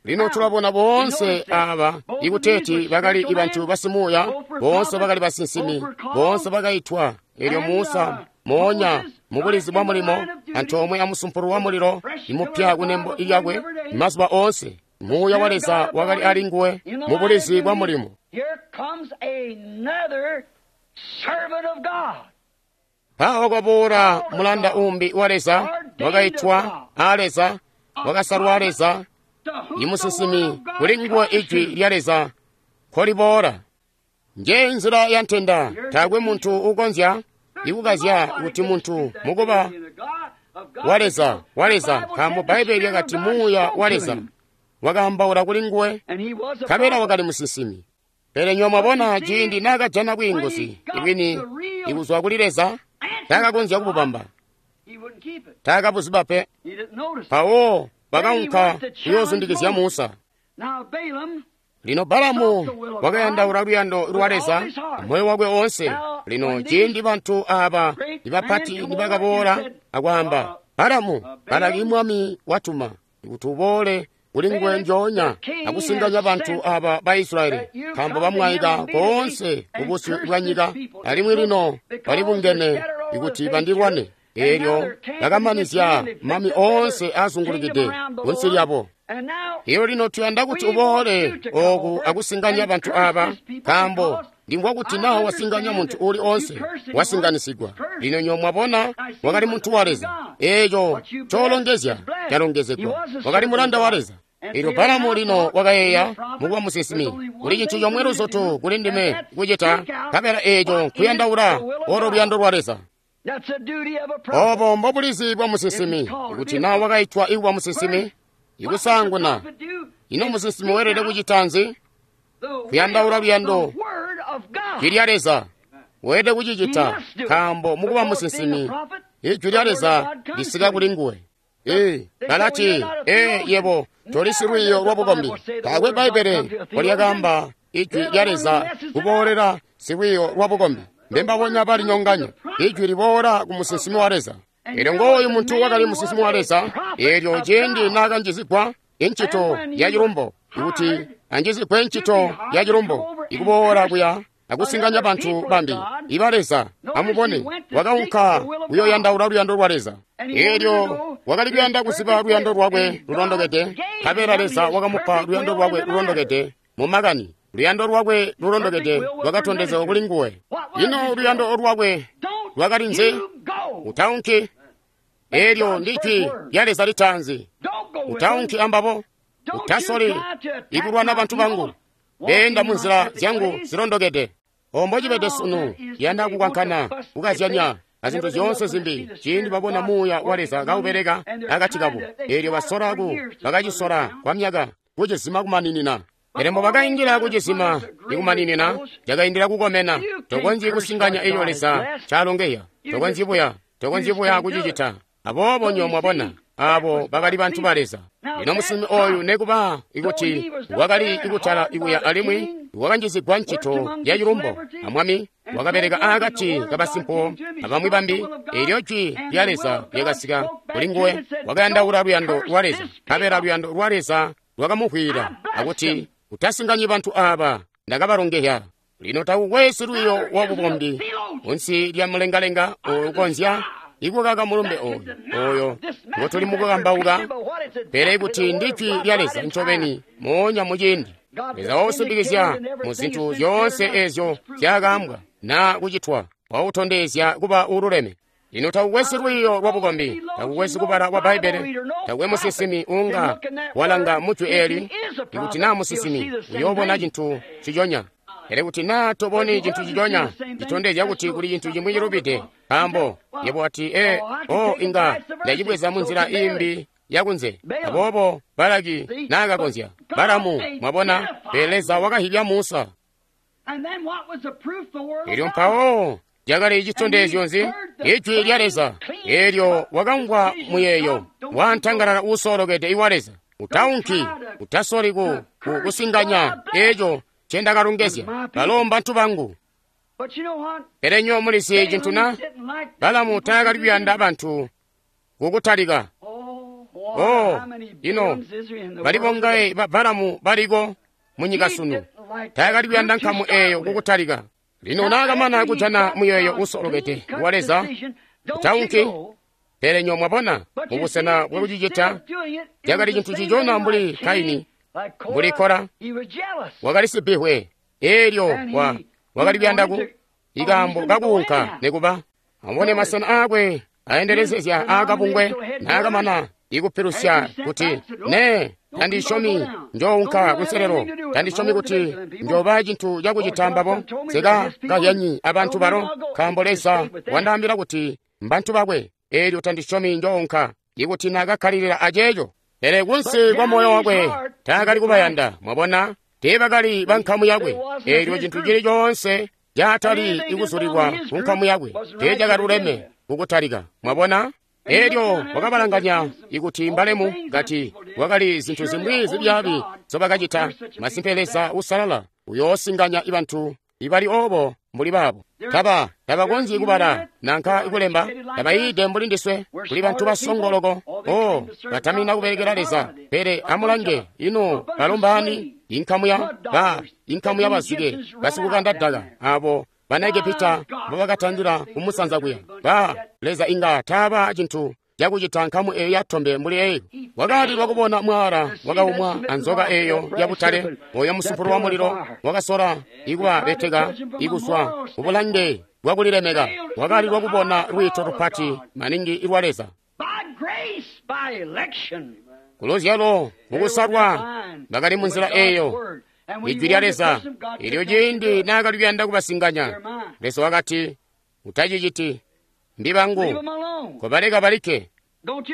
Lino tulabona boonse aaba ikuteeti bakali bantu basimuuya, boonse bakali basinsimi, boonse bakaitwa. Eelyo Musa moonya mubulizi bwa mulimo antoomwe amusumpulu wa mulilo imupya kunembo lyakwe mazuba oonse, Muuya wa Leza wakali ali nguwe mubulizi bwa mulimo. Mpawo kwaboola mulanda umbi wa Leza, wakaitwa a Leza, wakasalwa a Leza, imusinsimi, kuli nguwe ijwi lya Leza nkoliboola. Nje nzila ya ntenda. Taakwe muntu ukonzya ikukazya kuti muntu mukuba wa Leza, wa Leza, nkaambo Bbaibbele lyakati Muuya wa Leza wakaambaula kuli nguwe, nkabela wakali musinsimi. Pele nywebo mwabona ciindi naakajana bwiinguzi ibwini ikuzwa kuli Leza, taakakonzya kububamba, taakabuziba pe. Mpawo bakaunka kuyoozundikizya Musa. Lino Balamu wakayandaula luyando lwa Leza moyo wakwe woonse. Lino ciindi bantu aaba ibapati nibakaboola akwaamba, Balamu, Balaki mwami watuma kuti uboole kuli nguwe njoonya akusinganya bantu aaba ba Israyeli, nkaambo bamwaika koonse kubusyu bwa nyika, alimwi lino balibungene ikuti bandilwane. Eelyo bakamanizya mami oonse aazungulukide kunsi lyabo. Iyo lino tuyanda kuti uboole ooku akusinganya bantu aaba, nkaambo ndimvwa kuti naa wasinganya muntu uuli oonse wasinganisigwa. Lino nywebo mwabona, wakali muntu wa Leza. Eeco ncoolongezya calongezegwa. Wakali mulanda wa Leza. Eelyo Balamu lino wakayeeya mukuba musinsimi, kuli cintu comwe luzutu kuli ndime kucita, nkabela eeco nkuyandaula olo luyando lwa Leza. Oobo mbobulizi bwa musinsimi. Ikuti naa wakaitwa ikuba musinsimi, ikusaanguna, ino musinsimi weelede kucita nzi? Kuyandaula luyando jwi lya Leza. Weelede kucicita, nkaambo mukuba musinsimi, ijwi lya Leza lisika kuli nguwe. Ee, balati, ee, yebo toli silwiiyo lwa bukombi. Taakwe Bbaibbele mbolyakaamba ijwi lya Leza kuboolera silwiiyo lwa bukombi. Mbembabonya balinyonganya. Ijwi liboola ku musinsimi wa Leza. Elyo ngooyu muntu wakali musinsimi wa Leza. Elyo ciindi naakanjizigwa incito ya cilumbo, ikuti anjizigwe ncito ya cilumbo, ikuboola kuya akusinganya bantu bambi iba Leza. Amubone, wakaunka kuyoyandaula luyando lwa Leza. Elyo wakali kuyanda kuziba luyando lwakwe lulondokede, nkabela Leza wakamupa luyando lwakwe lulondokede mu makani. Luyando lwakwe lulondokede lwakatondezegwa kuli nguwe. Ino luyando lwakwe lwakali nzi? Utaunki. Elyo ndi jwi lya Leza litaanzi. Utaunki ambabo. Utasoli ikulwana bantu bangu. Beenda mu nzila zyangu zilondokede. Ombo cibede sunu, yanda kukwankana, kukazyanya, azintu zyoonse zimbi, ciindi babona Muuya wa Leza kaubeleka akati kabo. Elyo basola ku, bakacisola kwa myaka, kucizima kumaninina. Pele mbo bakaindila kucizima ikumaninina, cakaindila kukomena. Tokonzyi kusinganya eyo Leza calongeya. Tokonzyi buya, tokonzyi buya kucicita. Aboobo nyo mwabona, abo bakali bantu ba Leza. Lino musinsimi oyu nekuba ikuti wakali ikutala ikuya alimwi wakanjizigwa ncito ya cilumbo amwami, wakabeleka aakati kabasimpo abamwi bambi. Elyo jwi lya Leza lyakasika kuli nguwe, wakayandaula luyando lwa Leza, nkabela luyando lwa Leza lwakamuhwila akuti, utasinganyi bantu aba, ndakabalongeya. Lino takukwesi lwiyo wa bukombi kunsi lya mulengalenga ukonzya ikukaka mulumbe oyu oyo ngotuli mukukambauka, pele kuti ndi jwi lya Leza ncobeni moonya muciindi. Leza wausimbikizya mu zintu zyoonse ezyo zyakaambwa na kucitwa, wautondezya kuba ululeme. Lino takukwesi lwiyo lwa bukombi, takukwesi kubala kwa Bbaibbele, takwe musinsimi unga walanga mu jwi eli. Ikuti naa musinsimi uyoobona cintu ciconya, pele kuti naa toboni cintu ciconya, citondezya kuti kuli cintu cimwi cilubide. Nkaambo yebo wati, e o inga ndacibweza mu nzila imbi yakunze. Aboobo Balaki naakakonzya Balamu, mwabona, pele Leza wakahibya Musa. Elyo mpawo cakali citondezyo nzi? Ijwi lya Leza. Elyo wakamvwa muyeeyo wantangalala uusolokede iwa Leza. Utaunki, utasoli ku, ku kusinganya eco ncendakalongezya. Balo mbantu bangu. Pele nyo mulizi cintu na? Balamu taakali kuyanda bantu kukutalika. Oh, ino bali bongaye ba Balamu baliko munyika sunu. Taakali kuyanda nkamu eyo kukutalika. Lino naakamana kujana muyeeyo usolokede wa Leza, utaunki. Pele nyo mwabona, mubusena bwakucicita, cakali cintu cicona mbuli Kaini, mbuli Kora, wakali sibihwe. Elyo wa wakali kuyanda ku ikaambo kakuunka nekuba. Amubone masena aakwe aendelezezya aakabungwe naakamana ikupilusya kuti, ne tandisyomi njounka kunselelo, tandisyomi kuti njoba cintu cakucita mbabo, seka kazyanyi abantu balo, nkaambo Leza wandaambila kuti mbantu bakwe. Elyo tandisyomi njounka. Ikuti naakakkalilila aceeco, pele kunsi kwa moyo wakwe taakali kubayanda. Mwabona, teebakali bankamu yakwe. Elyo cintu cili coonse caatali ikuzulilwa ku nkamu yakwe teecakaluleme kukutalika. Mwabona, elyo wakabalanganya ikuti mbalemu, kati wakali zintu zimwi zibyaabi zobakacita. Masimpe Leza usalala uyoosinganya ibantu ibali obo mbuli baabo. Taba tabakonzyi kubala nanka kulemba, tabayiide mbuli ndiswe, kuli bantu basongoloko. O batamina kubelekela Leza. Pele amulange ino balombaani, inkamu ya ba inkamu ya bazike basikukanda daka abo bana Egepita mbobakatandila kumusanza kuya. Ba Leza inga taaba cintu cakucita nkamu eyo yatombe mbuli eyo. Wakaalilwa kubona mwaala wakaumwa anzoka eyo yabutale, oyo musumpulu wa mulilo wakasola ikubabeteka ikuzwa kubulange bwakulilemeka. Wakaalilwa kubona lwiito lupati maningi ilwa Leza. Kuluzyalo mukusalwa bakali mu nzila eyo. Ijwi lya Leza elyo ciindi naakali kuyanda kubasinganya, Leza wakati, utaciciti, mbi bangu, kobaleka balikke,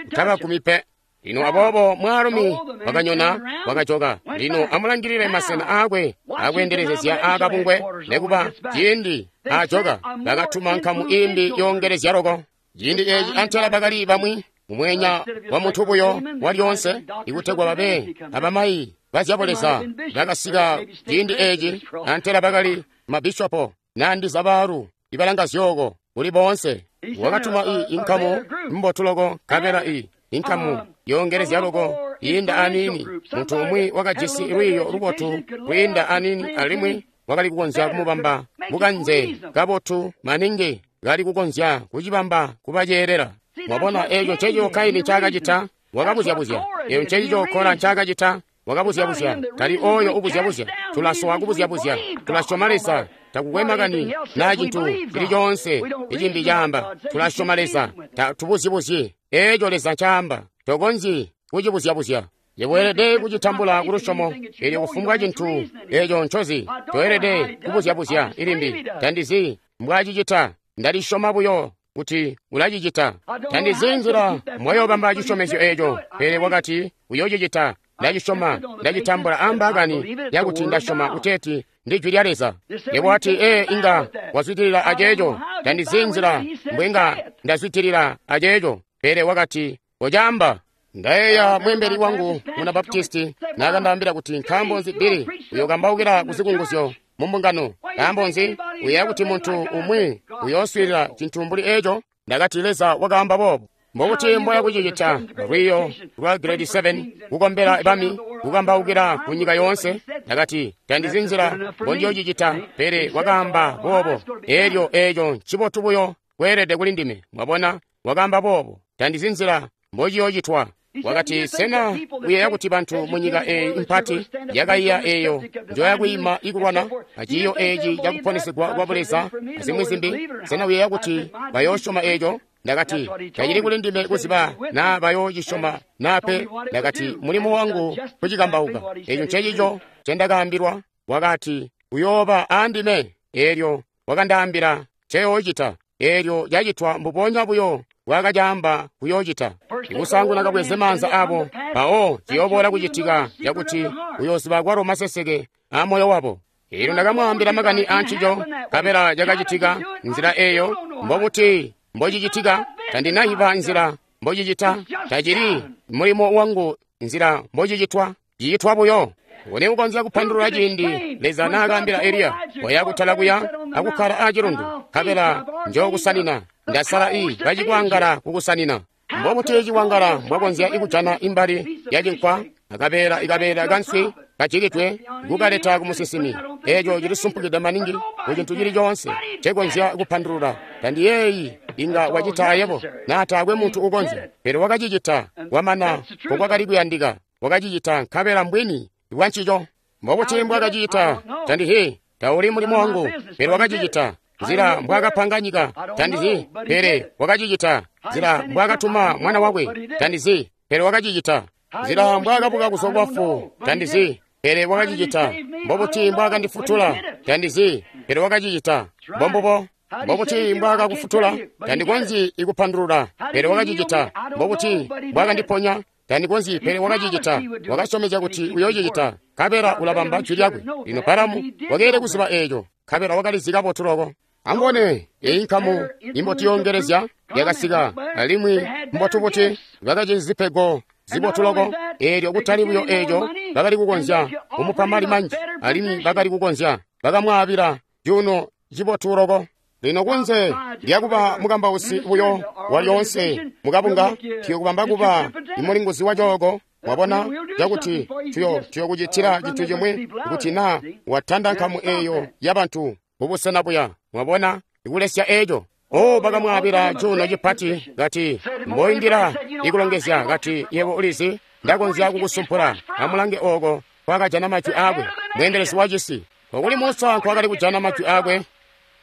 utabagumi pe. Lino aboobo mwaalumi wakanyona wakajoka. Lino amulangilile masena aakwe akweendelezezya aakabungwe. Nekuba ciindi aajoka bakatuma nkamu imbi yoongelezya loko. Ciindi eeci antela bakali bamwi mumwenya wa muntu buyo walyoonse, ikutegwa babe abamayi bazyabuleza bakasika ciindi eeci antela bakali mabishopo nandiza baalu ibalanga zyooko kuli boonse. Wakatuma i inkamu mbotu loko, nkabela i inkamu yongelezya loko yiinda aniini. Muntu umwi wakajisi lwiiyo lubotu kwiinda aniini, alimwi wakali kukonzya kumubamba bukanze kabotu maningi, kali kukonzya kucibamba kuba ceelela. Mwabona, eeco nceco Kaini ncaakacita, wakabuzyabuzya. Eeco ncencico Kora ncaakacita, wakabuzyabuzya. Tali oyo ubuzyabuzya. Tulasowa kubuzyabuzya. Tulasyoma Leza. Takukwe makani naa cintu cili coonse icimbi caamba. Tulasyoma Leza. Tatubuzyibuzyi eeco Leza ncaamba. Tokonzyi kucibuzyabuzya. Weelede kucitambula kulusyomo, eelyo kufumbwa cintu eeco ncozi. Toelede kubuzyabuzya ilimbi. Tandizi mbwacicita. Ndalisyoma buyo kuti ulacicita. Tandizi nzila mwayoobamba cisyomezyo eeco, pele wakati uyoocicita. Ndacisyoma, ndacitambula ambaakani yakuti ndasyoma kuteeti ndi jwi lya Leza. Yebo wati, ee, inga wazwidilila aceeco. Tandizi nzila mbwenga ndazwidilila aceeco, pele wakati kocaamba. Ndayeeya mweembeli wangu muna Baptisti naakandaambila kuti, nkaambo nzi Billy uyokambaukila kuzikunguzyo mu mbungano? Nkaambo nzi uyeeya kuti muntu umwi uyooswiilila cintu mbuli eeco? Ndakati, Leza wakaamba boobo. Mbokuti mboya kucicita lwiiyo lwa grade seven, kukombela bami, kukambaukila ku nyika yoonse? Ndakati, tandizi nzila mbondiyoocicita, pele wakaamba boobo. Eelyo eeco ncibotu buyo kweelede kuli ndime. Mwabona, wakaamba boobo. Tandizi nzila mbociyoocitwa. Wakati, sena uyeeya kuti bantu mu nyika eeyi mpati yakaiya eeyo njoyakwiima ikulwana aciiyo eeci cakuponesegwa kwa Buleza azimwi zimbi, sena uyeeya kuti bayoosyoma eeco? Ndakati, tacili kuli ndime kuziba naa bayoocisyoma naa pe. Ndakati, mulimo wangu kucikambauka. Eeco ncecico ncendakaambilwa. Wakati, uyooba aandime. Eelyo wakandaambila nceyoocita. Eelyo cacitwa mbubonya buyo bwakacaamba kuyoocita. Ikusaanguna kabweze maanza abo, mpawo ciyooboola kucitika cakuti uyooziba kwalo maseseke a moyo wabo. Eelyo ndakamwaambila makani aancico, nkabela cakacitika nzila eeyo. Mbobuti mbocicitika? Tandinayiba nzila mbocicita. Tacili mulimo wangu nzila mbocicitwa, cicitwa buyo. Nguni ukonzya kupandulula ciindi Leza naakaambila Eliya, waya kutala kuya akukkala acilundu, nkabela njookusanina. Ndasala i bacikwangala kukusanina. Mbobuti cikwangala mbwakonzya ikujana imbali ya cinkwa, akabeela ikabeela kanswi kajikidwe, kukaleta kumusinsimi? Eeco cilisumpukide maningi ku cintu cili coonse ncekonzya kupandulula. Tandiyeeyi inga wacita ayebo, naa taakwe muntu ukonzya. Pele wakacicita, wamana mbokwakali kuyandika. Wakacicita nkabela mbwini bwancico. Mbobuti mbwakacicita? Tandizi, tauli mulimo wangu, pele wakacicita. Nzila mbwaakapanga nyika, tandizi, pele wakacicita. Nzila mbwaakatuma mwana wakwe, tandizi, pele wakacicita. Nzila mbwaakabuka kuzwa kubafu, tandizi, pele wakacicita. Mbobuti mbwaakandifutula, tandizi, pele wakacicita. Mbombubo. Mbobuti mbwaakakufutula, tandikonzyi ikupandulula, pele wakacicita. Mbobuti mbwaakandiponya, tandikonzyi, pele wakacicita. Wakasyomezya kuti uyoocicita, nkabela ulabamba jwi lyakwe. Lino Balamu wakeelede kuziba eeco, nkabela wakalizi kabotu loko. Amubone, eyi nkamu imbotu yongelezya yakasika, alimwi mbotu buti bakajisi zipego zibotu loko. Eelyo kutali buyo eeco, bakali kukonzya kumupa mali manji, alimwi bakali kukonzya bakamwaabila cuuno cibotu loko. Lino kunze lyakuba mukambausi buyo walyoonse mukabunga, tuyokubamba kuba imulinguzi wa cooko. Mwabona, cakuti tuyo tuyokucitila cintu cimwi kuti naa watanda nkamu eeyo yabantu mubusena buya. Mwabona, ikulesya eeco. O, bakamwaabila cuuno cipati, kati mboindila ikulongezya, kati yebo ulizi, ndakonzya kukusumpula. Amulange ooko kwakajana majwi aakwe, mweendelezi wa cisi. Okuli Musa nkwakali kujana majwi aakwe,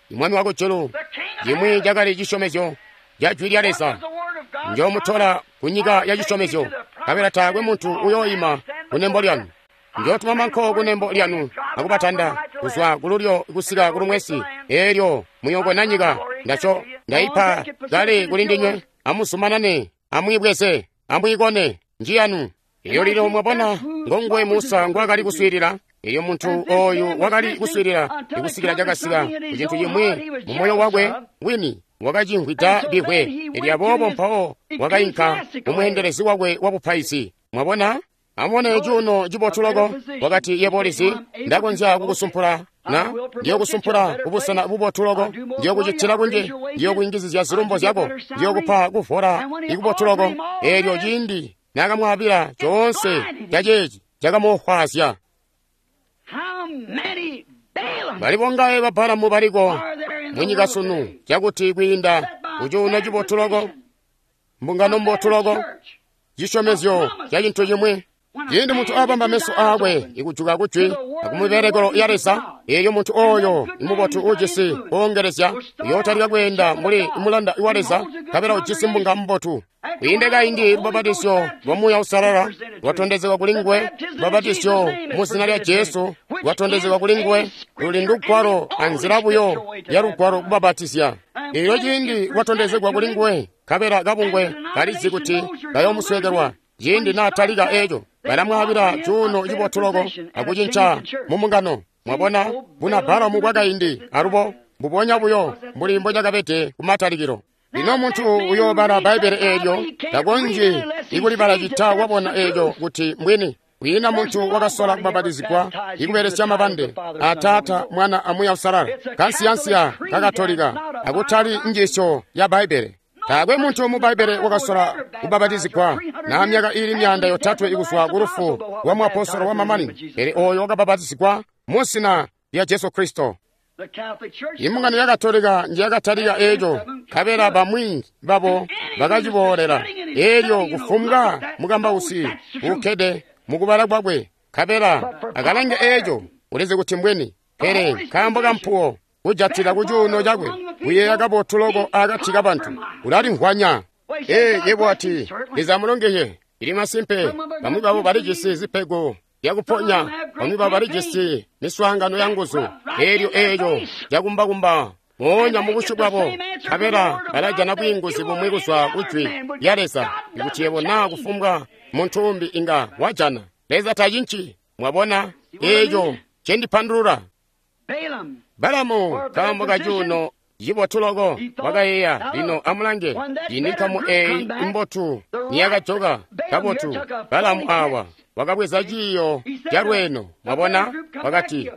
imwami wakujulu, cimwi cakali cisyomezyo ca jwi lya Leza. Njoomutola ku nyika ya cisyomezyo, nkabela taakwe muntu uyooima kunembo lyanu. Njootuma manko kunembo lyanu akubatanda kuzwa kululyo kusika kulumwesi. Eelyo muyookona nyika ndaco ndaipa kale kuli ndinywe. Amuzumanane, amwiibweze, amwiikone, njiyanu. Eelyo lino mwabona ngonguwe Musa ngwaakali kuswiilila. Eelyo muntu ooyu wakali kuswiilila ikusikila cakasika ku cintu cimwi mu moyo wakwe wini, wakacimvwida bihwe. Eelyo aboobo mpawo wakainka kumweendelezi wakwe wabupaizi. Mwabona? Amubone cuuno cibotu loko. Wakati, yebo ulizi, ndakonzya kukusumpula Na ndiyokusumpula kubusena bubotu loko, ndiyokucitila kunji, ndiyokuyungizizya zilumbo zyako, ndiyokupa kuvola ikubotu loko. Eelyo ciindi naakamwaabila coonse caceeci cakamuofwaazya. Bali bongaye ba Balamu baliko munyika sunu cakuti kwiinda kucuuno cibotu loko, mbungano mbotu loko, cisyomezyo ca cintu cimwi. Ciindi muntu abamba meso aakwe ikujuka kujwi akumibelekelo ya Leza, eelyo muntu ooyo imubotu ujisi koongelezya uyootalika kweenda mbuli mulanda wa Leza, nkabela ujisi mbunga mbotu. Kwiinde kaindi lubapatizyo lwa Muuya Uusalala lwatondezegwa kuli nguwe, lubapatizyo mu zina lya Jesu lwatondezegwa kuli nguwe, luli ndugwalo anzila buyo ya lugwalo kubapatizya. Eelyo ciindi lwatondezegwa kuli nguwe, nkabela kabungwe kalizi kuti kayoomusweekelwa. Ciindi naatalika eeco, balamwaabila cuuno cibotu loko akucinca mumbungano. Mwabona buna Balamu bwakaindi alubo mbubonya buyo mbuli mbocakabede kumatalikilo. Lino muntu uyoobala Bbaibbele eelyo takonzyi ikulibala cita wabona eeco kuti mbwini. Kwiina muntu wakasola kubapatizigwa ikubelesya mabande a Taata, Mwana a Muuya Uusalala, kansiyansiya kakatolika akutali njiisyo ya Bbaibbele. Taakwe muntu mu Bbaibbele wakasola kubapatizigwa na myaka iili myaanda yotatwe ikuzwa ku lufu lwa muapostolo wa mamanino, pele ooyo wakabapatizigwa mu zina lya Jesu Kristo. Imbungano ya Katolika njiyakatalika eeco, nkabela bamwi babo bakaciboolela. Eelyo kufumbwa mukambausi uukkede mukubala kwakwe, nkabela akalange eeco, ulizi kuti mbwini. Pele nkaambo kampuwo kujatila kucuuno cakwe, kuyeeya kabotu loko akati kabantu, ulalimvwanya. Ee, yebo ati, Leza amulongeye. Ili masimpe, bamwi babo balijisi zipego zyakuponya, bamwi babo balijisi miswaangano ya nguzu. Eelyo eeco cakumbakumba moonya mubusyu bwabo, nkabela balajana bwiinguzi bumwi kuzwa kujwi lya Leza, ikuti yebo naa kufumbwa muntu umbi inga wajana. Leza tacinci. Mwabona eeco cendipandulula. Balamu nkaambo kacuuno cibotu loko wakayeeya. Lino amulange, cini nkamu eeyi imbotu niyakajoka kabotu. Balamu awa wakabweza ciiyo calweeno. Mwabona, wakati,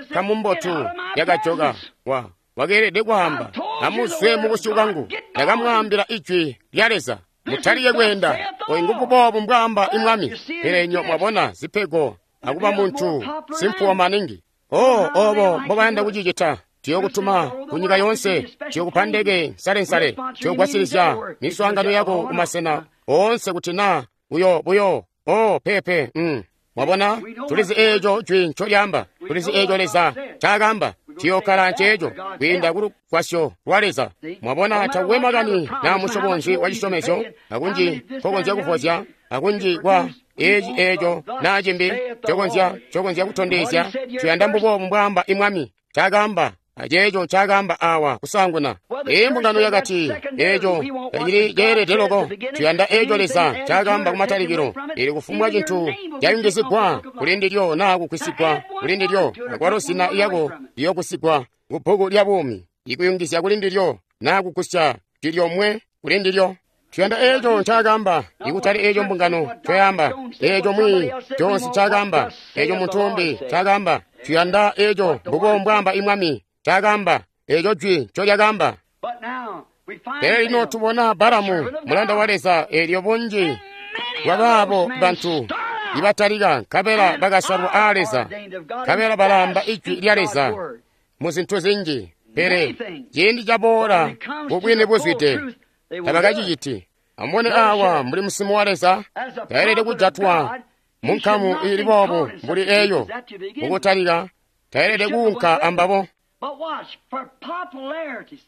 nkamu mbotu yakajoka. Wa wakeelede kwaamba, amuzwe mubusyu bwangu, ndakamwaambila ijwi lya Leza, mutalike kweenda. Oyu ngububoobu mbwaamba imwami. Pele nyo mwabona zipego akuba muntu simpuwo maningi. Oh, obo mbobayanda kucicita. Tuyokutuma kunyika yoonse, tuyokupa ndeke nsalensale, tuyogwasilizya miswaangano yako kumasena oonse kuti naa uyo buyo. Oh, pepe, mm. Mwabona, tulizi eeco jwi ncolyaamba, tulizi eeco Leza ncaakaamba, tuyokkala nceeco kwiinda kulugwasyo lwa Leza. Mwabona, takwe makani naa musyobo nzi wa cisyomezyo, akunji nkokonzya kuvozya, akunji kwa eeci eeco naa cimbi cokonzya cokonzya kutondezya. Tuyanda mbuboobu mbwaamba imwami, ncaakaamba aceeco ncaakaamba awa kusaanguna. Ee, mbungano yakati eeco tacili ceelede loko. Tuyanda eeco Leza ncaakaamba kumatalikilo. Ili kufumbwa cintu cayungizigwa kuli ndilyo naa kugwisigwa kuli ndilyo, akwalo zina lyako liyogusigwa kubbuku lya buumi, ikuyungizya kuli ndilyo naa kugusya jwi lyomwe kuli ndilyo. Tuyanda eeco ncaakaamba, ikutali eeco mbungano ncoyaamba, eeco mwi Jones ncaakaamba, eeco muntu umbi ncaakaamba. Tuyanda eeco mbubo mbwaamba imwami ncaakaamba, eeco jwi ncolyakaamba. Pele lino tubona Balamu mulanda wa Leza, eelyo bunji bwabaabo bantu ibatalika nkabela bakasalwa aa Leza, nkabela balaamba ijwi lya Leza mu zintu zinji. Pele ciindi caboola kubwini buzwide tabakaciciti. Amubone awa mbuli musimu wa Leza taelede kujatwa mu nkamu iili boobu mbuli eeyo. Mukutalika taelede kuunka ambabo.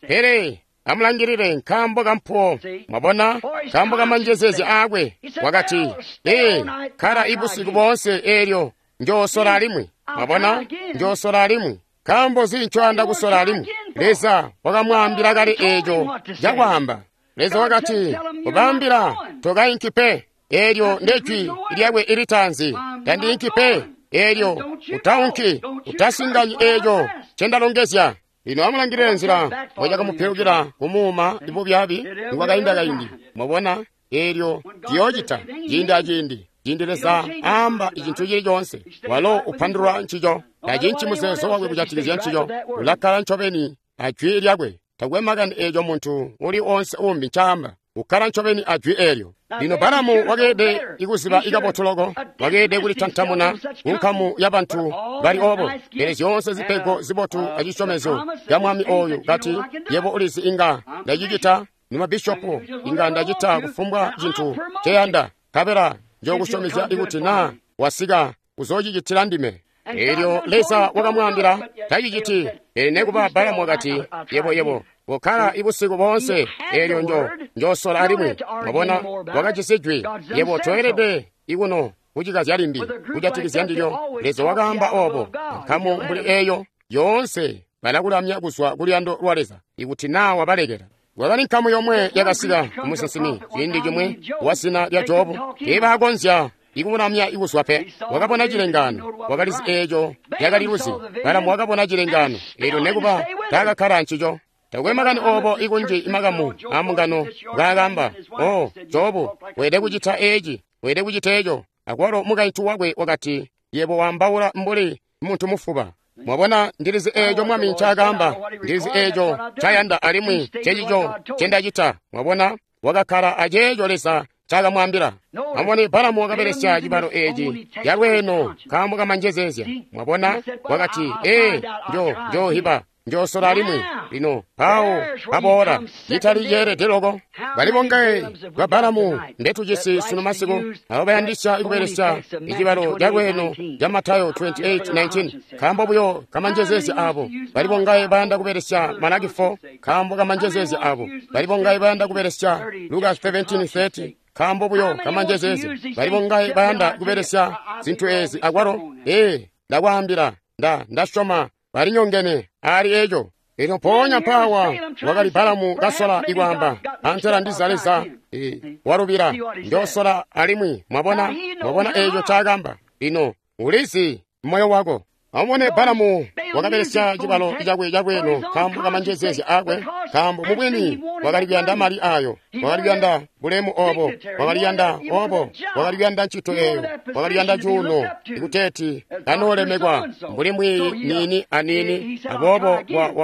Pele amulangilile nkaambo kampuwo. Mwabona, nkaambo kamanjezezya aakwe wakati, ee, kkala ibusiku boonse eelyo njoosola alimwi. Mwabona, njoosola alimwi. Nkaambo nzi ncoyanda kusola alimwi? Leza wakamwaambila kale eeco cakwaamba. Leza wakati, kubaambila tokainki pe. Eelyo ndejwi lyakwe ilitaanzi, tandiinki pe. Eelyo utaunki, utasinganyi eeco ncendalongezya. Lino amulangilile nzila mbocakamupilukila kumuuma bubyaabi nikwakainda kaindi. Mwabona, eelyo ciyoocita ciindi aciindi. Ciindi Leza aamba icintu cili coonse, walo upandulula ncico. Tacinci muzeezo wakwe kujatikizya ncico. Ulakkala ncobeni a jwi lyakwe. Takwe makani eeco muntu uli onse umbi ncaamba. Ukkala ncobeni a jwi eelyo. Lino Balamu wakeelede ikuziba ikabotu loko, wakeelede kulitantamuna kunkamu ya bantu bali obo. Pele zyoonse zipego zibotu acisyomezyo ca mwami oyu kati, yebo ulizi inga ndacicita, nimabishopu inga ndacita kufumbwa cintu nceyanda, nkabela njokusyomezya ikuti naa wasika kuzoocicitila ndime. Eelyo Leza wakamwaambila taciciti. Pele nekuba Balamu wakati, yebo yebo kokkala ibusiku boonse, eelyo njo njosola alimwi. Mwabona, wakajisi jwi. Yebo toelede ikuno kucikazya limbi kujatikizya ndilyo. Leza wakaamba obo. Nkamu mbuli eeyo yoonse balakulamya kuzwa kuluyando lwa Leza ikuti naa wabalekela. Kwakali nkamu yomwe yakasika kumusinsimi ciindi cimwi wa zina lya Jobu. Teebaakonzya ikumulamya ikuzwa pe. Wakabona cilengaano, wakalizi eeco yakali luzi. Balamu wakabona cilengaano eelyo nekuba taakakkala ncico. Takwe makani obo ikunji imakamu amungano ngaakamba, o Jobu, weelede kucita eeci, weelede kucita eeco. Akwalo mukaintu wakwe wakati, yebo waambaula mbuli muntu mufuba. Mwabona, ndilizi eeco mwami ncaakaamba, ndilizi eeco ncayanda alimwi cecico ncendacita. Mwabona, wakakkala aceeco Leza ncakamwaambila. Amubone, Balamu wakabelesya cibalo eeci calweeno nkaambo kamanjezeezya. Mwabona, wakati, ee, njo njohiba njosola alimwi. Lino mpawo aboola citali ceelede loko. Bali bongaye ba Balamu mbetujisi sunu masiku abo bayandisya kubelesya icibalo calweeno ca Matayo twenty-eight nineteen nkaambo buyo kamanjezeezya abo. Bali bongaye bayanda kubelesya Malaki four nkaambo kamanjezeezya abo. Bali bongaye bayanda kubelesya Luka seventeen thirty nkaambo buyo kamanjezeezya. Bali bongaye bayanda kubelesya zintu ezi akwalo. Ee, ndakwaambila, nda ndasyoma balinyongene ali eco. Elyo mpoonya mpawa wakali Balamu kasola ikwaamba, antela ndiza Leza e, walubila, njosola alimwi. Mwabona, mwabona eco ncaakamba. Lino ulizi moyo wako. Amubone, Balamu wakabelesya cibalo cakwe calweeno nkaambo kamanjezeezya akwe, nkaambo mubwini wakali kuyanda mali ayo, wakali kuyanda bulemu obo, wakali kuyanda obo, wakali kuyanda ncito eyo, wakali kuyanda cuuno, ikuteeti kanoolemekwa mbuli mwiiyi niini aniini. Aboobo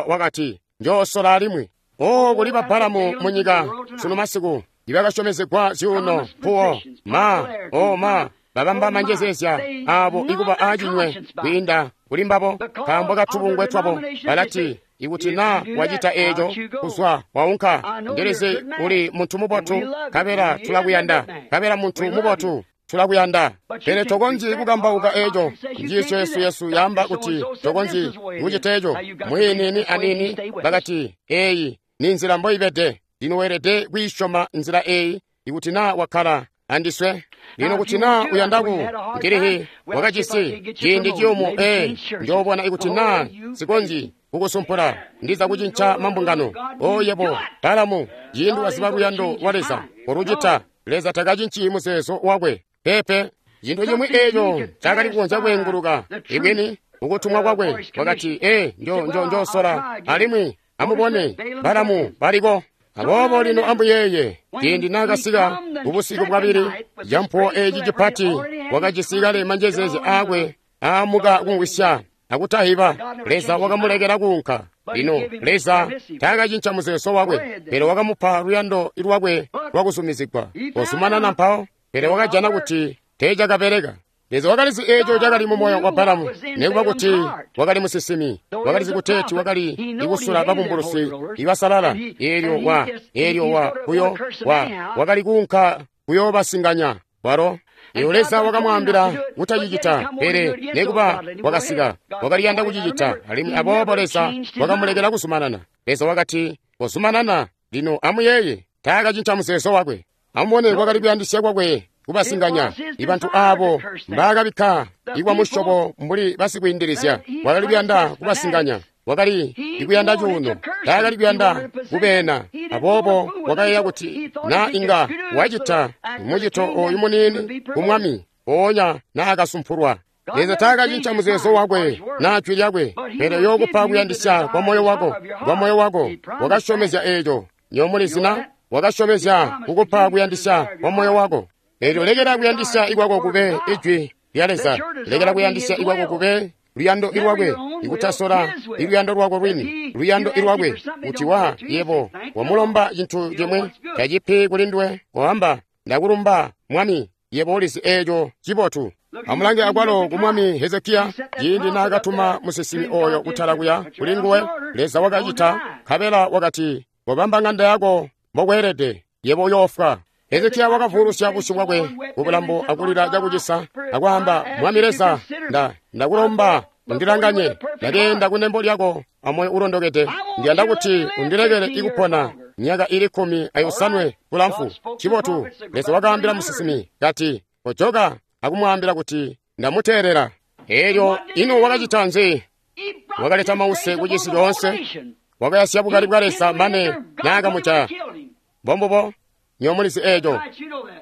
wakati, njoosola alimwi. O kuli ba Balamu munyika sunu masiku ibakasyomezegwa zyuuno, mpuwo, ma, o ma, babamba manjezeezya abo ikuba aacinywe kwiinda kuli mbabo nkaambo katubungwe twabo. Balati, ikuti naa wacita eeco, kuzwa waunka, ndilizi uli muntu mubotu, nkabela tulakuyanda, nkabela muntu mubotu tulakuyanda. Pele tokonzyi kukambauka eeco. Njiisyo yesu yesu yaamba kuti tokonzyi kucita eeco. Mwiinini aniini bakati, eeyi ni nzila mboibede. Lino weelede kwiisyoma nzila eeyi ikuti naa wakkala andiswe. Lino kuti naa uyandaku ndilihi wakajisi ciindi ciyumu, ee, njoobona ikuti naa sikonzyi kukusumpula, ndiza kucinca mambungano. O yebo Balamu, ciindi waziba luyando lwa Leza olucita, Leza takacinci muzeezo wakwe. Pepe, cintu cimwi eeco cakali kukonzya kweenguluka ibwini ukutumwa kwakwe. Wakati, ee, njo njo njosola alimwi. Amubone, Balamu baliko. Aboobo lino ambuyeeye, ciindi naakasika kubusiku bwabili, campuwo eeci cipati wakajisi kale manjezeezya aakwe aamuka kumvwisya akutahiba. Leza wakamulekela kuunka. Lino Leza taakacinca muzeezo wakwe, pele wakamupa luyando lwakwe lwakuzumizigwa. Kozumanana mpawo, pele wakajana kuti teecakabeleka. Leza wakalizi eeco cakali mu moyo wa Balamu, nekuba kuti wakali musinsimi, wakalizi kuteeti wakali ikusula babumbulusi ibasalala. Eelyo wa eelyo wa kuyo wa wakali kuunka kuyoobasinganya walo. Eelyo Leza wakamwaambila kutacicita, pele nekuba wakasika, wakaliyanda kucicita, alimwi aboobo Leza wakamulekela kuzumanana. Leza wakati, kozumanana. Lino amuyeeye, taakacinca muzeezo wakwe. Amubone, kwakali kuyandisya kwakwe kubasinganya ibantu abo mbaakabikka ikwa musyobo mbuli basikwiindilizya. Wakali kuyanda kubasinganya, wakali ikuyanda cuuno, taakali kuyanda kubeena. Aboobo wakayeeya kuti naa inga wacita mucito oyu muniini kumwami, mpoonya naakasumpulwa. Leza taakacinca muzeezo wakwe naa jwi lyakwe, pele uyookupa kuyandisya kwa moyo wako, kwa moyo wako. Wakasyomezya eeco. Nyoomulizina, wakasyomezya kukupa kuyandisya kwa moyo wako. Eelyo lekela kuyandisya ikwako kube ijwi lya Leza, lekela kuyandisya ikwako kube luyando ilwakwe, ikutasola iluyando lwako lwini, luyando ilwakwe, kuti wa yebo wamulomba cintu cimwi tacipi kuli nduwe, koamba ndakulumba Mwami, yebo ulizi eeco cibotu. Amulange akwalo ku mwami Hezekiya, ciindi naakatuma musinsimi oyo kutala kuya kuli nguwe, Leza wakacita, nkabela wakati, kobamba ng'anda yako mbokweelede, yebo uyoofwa. Hezekiya wakavuulusya busyu bwakwe kubulambo akulila cakucisa akwaamba, Mwami Leza, nda ndakulomba undilanganye, ndakeenda kunembo lyako amoyo ulondokede, ndiyanda kuti undilekele ikupona myaka ili kkumi ayosanwe bulamfu. Cibotu, Leza wakaambila musinsimi kati, kojoka akumwaambila kuti ndamuteelela. Eelyo ino wakacita nzi? Wakaleta mause kucisi coonse, wakayasya bukali bwa Leza mane naakamuca. Mbombubo, nyomulizi eeco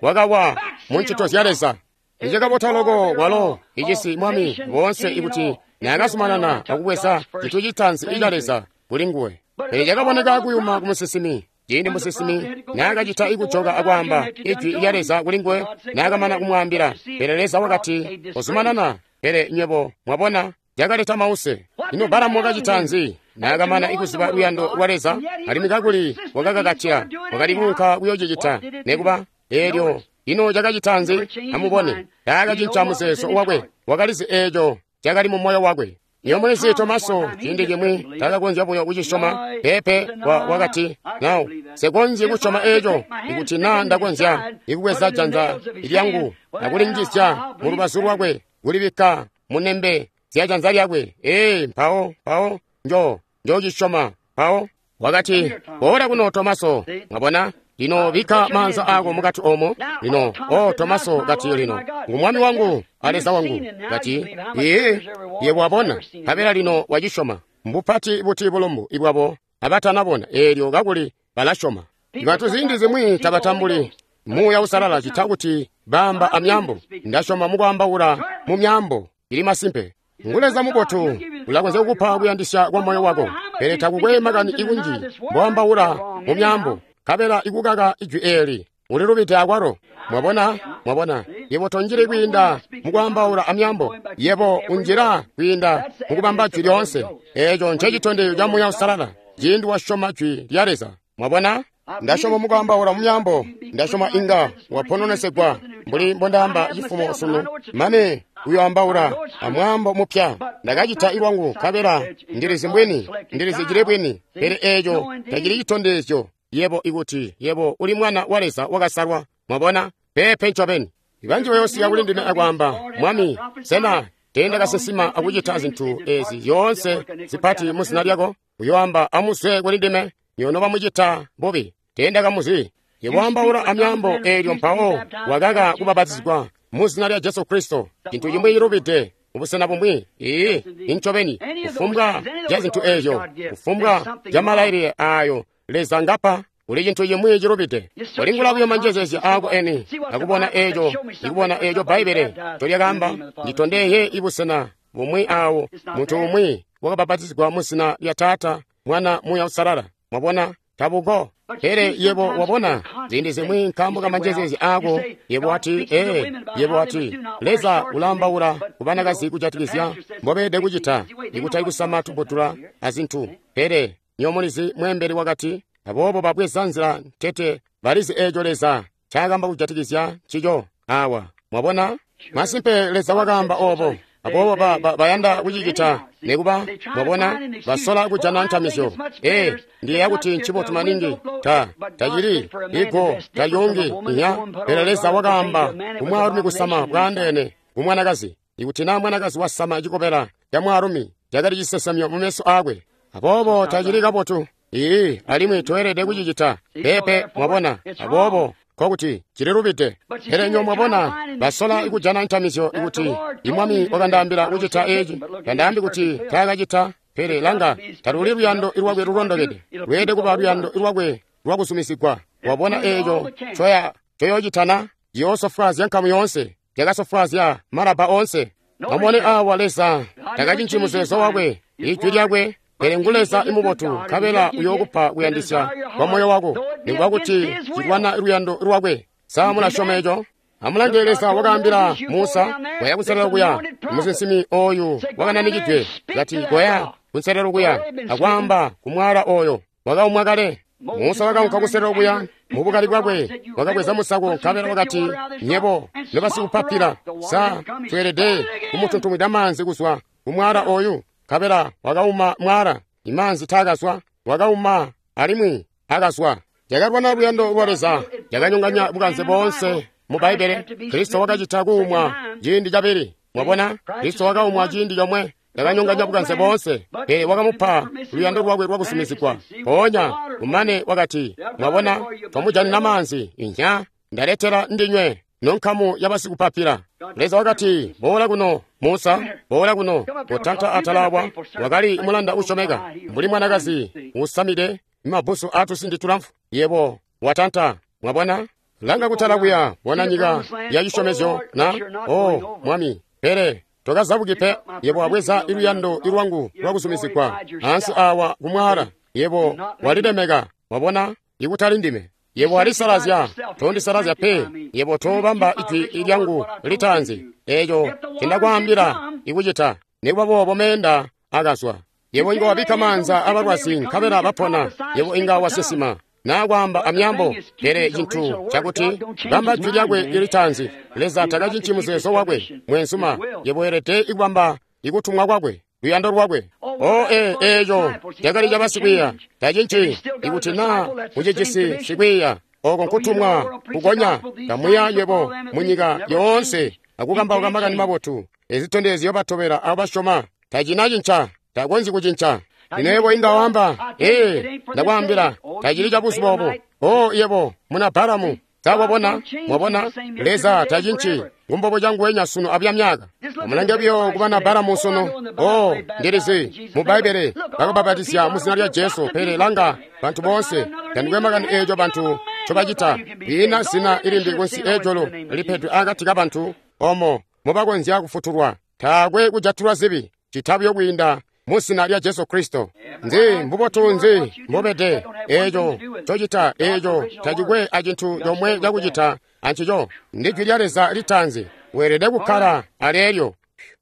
wakawa mu ncito zya Leza. Icakabota loko kwalo icisi mwami boonse ikuti naakazumanana akubweza cintu citaanzi ica Leza kuli nguwe. Pele cakaboneka kuyuma ku musinsimi. Ciindi musinsimi naakacita ikujoka akwaamba ijwi lya Leza kuli nguwe, naakamana kumwaambila, pele Leza wakati kozumanana. Pele nywebo mwabona cakaleta mause. Ino Balamu wakacita nzi? Naakamana ikuziba luyando lwa Leza, alimwi kakuli wakakakatila, wakali kuunka kuyoocicita. Nekuba eelyo ino cakacita nzi? Amubone, taakacinca muzeezo wakwe, wakalizi eeco cakali mu moyo wakwe. Iyo mulizi Tomaso ciindi cimwi takakonzya buyo kucisyoma. Pepe wa wakati, "Now, nsekonzyi kusyoma eeco, ikuti naa ndakonzya ikubweza janza lyangu akulinjizya mu lubazu lwakwe, kulibikka mu nembe zya janza lyakwe. Ee, mpawo, mpawo, njo, njocisyoma." Mpawo wakati, "Boola kuno, Tomaso." Mwabona? Lino bikka maanza ako mukati omo. Lino, o Tomaso kati lino, ngu Mwami wangu a Leza wangu. Kati, ee, yebo wabona, nkabela lino wacisyoma. Mbupati buti bulumbu ibwabo abatanabona, eelyo kakuli balasyoma. Bantu ziindi zimwi tabatambuli Muuya Uusalala cita kuti baamba amyambo. Ndasyoma mukwaambaula mu myambo ili masimpe. Ngu Leza mubotu, ulakonzya kukupa kuyandisya kwa moyo wako, pele takukwe makani ikunji mboambaula mu myambo, nkabela ikukaka ijwi eeli ulilubide akwalo. Mwabona, mwabona, yebo tonjili kwiinda mukwaambaula amyambo, yebo unjila kwiinda mukubamba jwi lyoonse. Eeco ncecitondezyo ca Muuya Uusalala ciindi wasyoma jwi lya Leza. Mwabona? Ndasyoma mukwaambaula mu myambo, ndasyoma inga wapononesegwa mbuli mbondaamba cifumo sunu, mane uyoambaula amwaambo mupya. Ndakacita ilwangu, nkabela ndilizi mbwini, ndilizi cili bwini, pele eeco tacili citondezyo yebo ikuti yebo uli mwana wa Leza wakasalwa. Mwabona? Peepe ncobeni. Banji bayoosika kuli ndime akwaamba, Mwami, sena teendakasinsima akucita zintu ezi zyoonse zipati mu zina lyako? Uyoamba, amuzwe kuli ndime, nyono bamucita bubi, teendakamuzi. Yebo waambaula amyaambo eelyo mpawo wakaka kubabatizigwa mu zina lya Jesu Kristo. Cintu cimwi cilubide mubusena bumwi. Ee, incobeni, kufumbwa ca zintu eezyo, kufumbwa ca malailile aayo Leza ngapa, kuli cintu cimwi cilubide. Kolingula buyo manjezezya aako eni, akubona eeco, ikubona eeco Bbaibbele ncolyakaamba. Nditondeye ibusena bumwi aawo muntu umwi wakabapatizigwa mu zina lya Taata, Mwana, Muuya Uusalala. Mwabona? Tabuko. Pele yebo wabona ziindi zimwi nkaambo ka manjezezya aako, yebo wati, ee, yebo wati, Leza ulaambaula ku banakazi kujatikizya mbobeelede kucita, ikutali kusama tubudula azintu. Pele nyomulizi mweembeli wakati, aboobo babweza nzila ntete, balizi eeco Leza ncaakamba kujatikizya ncico awa. Mwabona? Masimpe Leza wakaamba oobo. Aboobo ba, ba, bayanda kucicita nekuba, mwabona, basola kujana ntamizyo. Ee, ndiyeeya kuti ncibotu maningi. Ta, tacili, igo, talyongi, inya. Pele Leza wakaamba kumwaalumi kusama bwaandeene kumwanakazi. Ikuti naa mwanakazi wasama cikobela ca mwaalumi, cakali cisesemyo mu meso aakwe. Aboobo tacili kabotu. Ii, alimwi toelede kucicita. Peepe, mwabona. Aboobo nkokuti cililubide. Pele nyo mwabona, basola kujana ntamizyo ikuti imwami wakandaambila kucita eeci. Tandaambi kuti taakacita, pele langa, taluli luyando lwakwe lulondokede. Lweelede kuba luyando lwakwe lwakuzumisigwa. Wabona eeco coya coyoocitana, ciyoosofwaazya nkamu yoonse, cakasofwaazya malabba oonse. Amubone aawa Leza takacinci muzeezo wakwe, ijwi lyakwe, pele ngu Leza imubotu, nkabela uyookupa kuyandisya kwa moyo wako, nikuba kuti cilwana luyando lwakwe. Sa mulasyoma eco? Amulange, Leza wakaambila Musa, koya kunselelo kuya, musinsimi oyu wakananikidwe, kati koya kunselelo kuya, akwaamba kumwala oyo wakaumwa kale. Musa wakaunka kunselelo kuya mubukali bwakwe, wakabweza musako nkabela wakati, nyebo nobasikupapila, sa tweelede kumutuntumwida maanzi kuzwa kumwala oyu? Nkabela wakauma mwala, imaanzi taakazwa, wakauma alimwi akazwa. Yakalwana luyando lwa Leza, yakanyonganya bukanze boonse mu Bbaibbele. Kristo wakacita kuumwa ciindi cabili. Mwabona, Kristo wakaumwa ciindi comwe, yakanyonganya bukanze boonse, pele wakamupa luyando lwakwe lwakusumizigwa. Mpoonya kumane wakati, mwabona, twamujanina maanzi, inya ndaletela ndinywe nonkamu yabasikupapila. Leza wakati, boola kuno Musa, boola kuno. Kotanta atalawa wakali mulanda usyomeka, mbuli mwanakazi usamide mabbusu atusindi tulamfu. Yebo watanta. Mwabona, langa kutala kuya, bona nyika ya cisyomezyo na o mwami, pele tokazabuki pe. Yebo wabweza iluyando ilwangu lwakusumizigwa ansi awa kumwala. Yebo walilemeka. Mwabona, ikutali ndime. Yebo walisalazya, tondisalazya pe. Yebo tobamba ijwi lyangu litaanzi, eeco cindakwaambila ikucita. Nikuba boobo meenda akazwa. Yebo inga wabikka maanza abalwazi nkabela bapona. Yebo inga wasisima naa kwaamba amyambo, pele cintu cakuti bamba jwi lyakwe litaanzi. Leza takacinci muzeezo wakwe, mwenzuma. Yebo weelede ikubamba ikutumwa kwakwe, luyando lwakwe. O e eeco cakali ca basikwiiya. Tacinci ikuti naa mucijisi sikwiiya, oko nkutumwa kukonya. Kamuya nywebo munyika yoonse akukambauka makani mabotu. Ezitondezyo batobela abo basyoma. Tacinacinca, takonzyi kucinca. Lino yebo inga wamba, ee, ndakwaambila, tacili ca buzuba obo. O yebo, muna Balamu, sawabona, mwabona, Leza tacinci, ngumbobo canguwenya sunu abya myaka. Amulange buyo kubana Balamu sunu. O, ndilizi, mu Bbaibbele, bakabapatizya mu zina lya Jesu, pele langa, bantu boonse, tandikwe makani eeco bantu ncobacita. Liina zina ilimbi kunsi ejulu lipedwe akati kabantu, omo mubakonzya kufutulwa. Taakwe kujatulwa zibi, cita buyo kwiinda mu zina lya Jesu Kristo. Nzi mbubotu nzi mbobede eeco cocita, eeco tacikwe acintu comwe cakucita ancico. Ndi jwi lya Leza litaanzi, weelede kukkala aleelyo.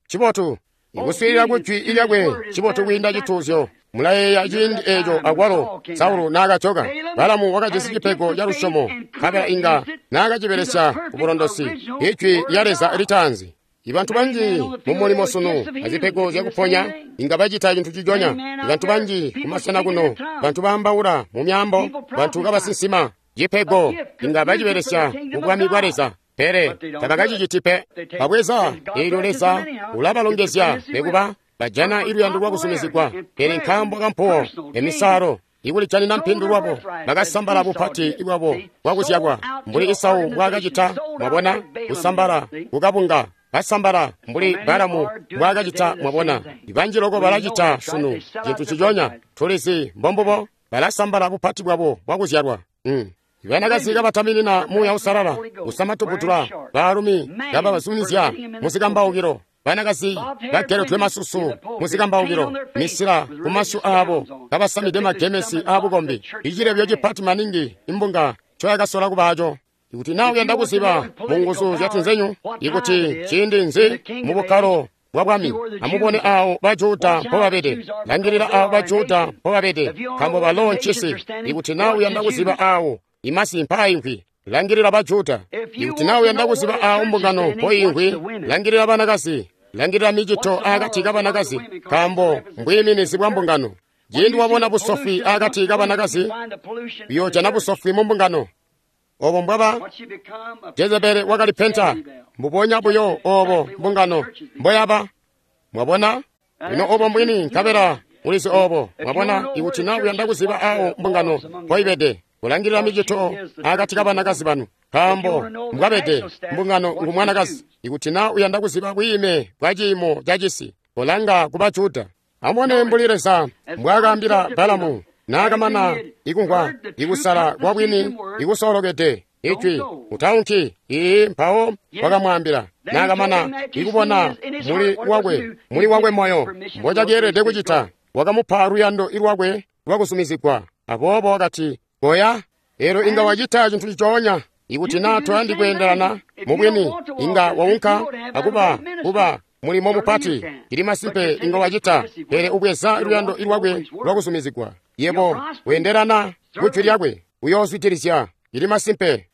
Cibotu ikuswiilila ku jwi lyakwe, cibotu kwiinda cituuzyo. Mulayeeya ciindi eeco akwalo Saulo naakajoka. Balamu wakajisi cipego ca lusyomo, nkabela inga naakacibelesya kubulondosi ijwi lya Leza litaanzi. Ibantu banji mumulimo sunu azipego zyakuponya inga bacita cintu cijonya. Ibantu banji kumasena kuno, bantu baambaula mu myaambo, bantu kabasinsima cipego inga bacibelesya mu bwami bwa Leza, pele tabakaciciti pe. Babweza eelyo Leza ulabalongezya nikuba bajana iluyando lwakusumizigwa, pele nkaambo kampuwo emisalo ikulijanina mpindu lwabo, bakasambala bupati bwabo bwakuzyalwa mbuli Isau mbwaakacita. Mwabona, kusambala kukabunga, basambala mbuli Balamu mbwaakacita. Mwabona, ibanji loko balacita sunu cintu cijonya. Tulizi mbombubo, balasambala bupati bwabo bwakuzyalwa. Mm. Ibanakazi kabataminina Muuya Uusalala, kusama tuputula, baalumi kababazumizya muzikambaukilo, banakazi bageledwe masusu muzikambaukilo, misila kumasyu aabo, kabasamide magemesi aabukombi. Icilebyo cipati maningi imbunga ncoyakasola kubaaco. Ikuti naa uyanda kuziba munguzu zyatunzenyu, ikuti ciindi nzi mu bukkalo bwa bwami, amubone awo Bajuda mpobabede. Langilila awo Bajuda mpobabede, nkaambo balo ncisi. Ikuti naa uyanda kuziba awo imasi mpaayimvwi, langilila Bajuda. Ikuti naa uyanda kuziba awo mbungano mpoimvwi, langilila banakazi. Langilila micito akati kabanakazi, nkaambo mbwiiminizi bwa mbungano. Ciindi wabona busofwi akati kabanakazi, uyoojana busofwi mu mbungano. Obo mbwaba Jezebeli wakalipenta, mbubonya buyo obo mbungano mboyaba. Mwabona? Lino obo mbwini, nkabela ulizi obo. Mwabona, ikuti naa uyanda kuziba awo mbungano mpoibede, kulangilila micito akati kabanakazi banu, nkaambo mbwabede mbungano ngu mwanakazi. Ikuti naa uyanda kuziba bwiime bwa ciimo ca cisi, kolanga ku Bajuda. Amubone mbuli Leza mbwaakaambila Balamu naakamana ikumvwa ikusala kwa bwini ikusoolokede ijwi, utaunki. Ii, mpawo wakamwaambila naakamana ikubona muli wakwe muli wakwe moyo mbocakeelede kucita, wakamupa luyando ilwakwe lwakusumizigwa. Aboobo wakati, koya. Elo inga wacita cintu cicoonya. Ikuti na toyandi kweendelana mubwini, inga waunka akuba kuba mulimo mupati. Cili masimpe inga wacita, pele ubweza luyando lwakwe lwakuzumizigwa. Yebo weendelana kujwi lyakwe, uyoozwidilizya. Cili masimpe.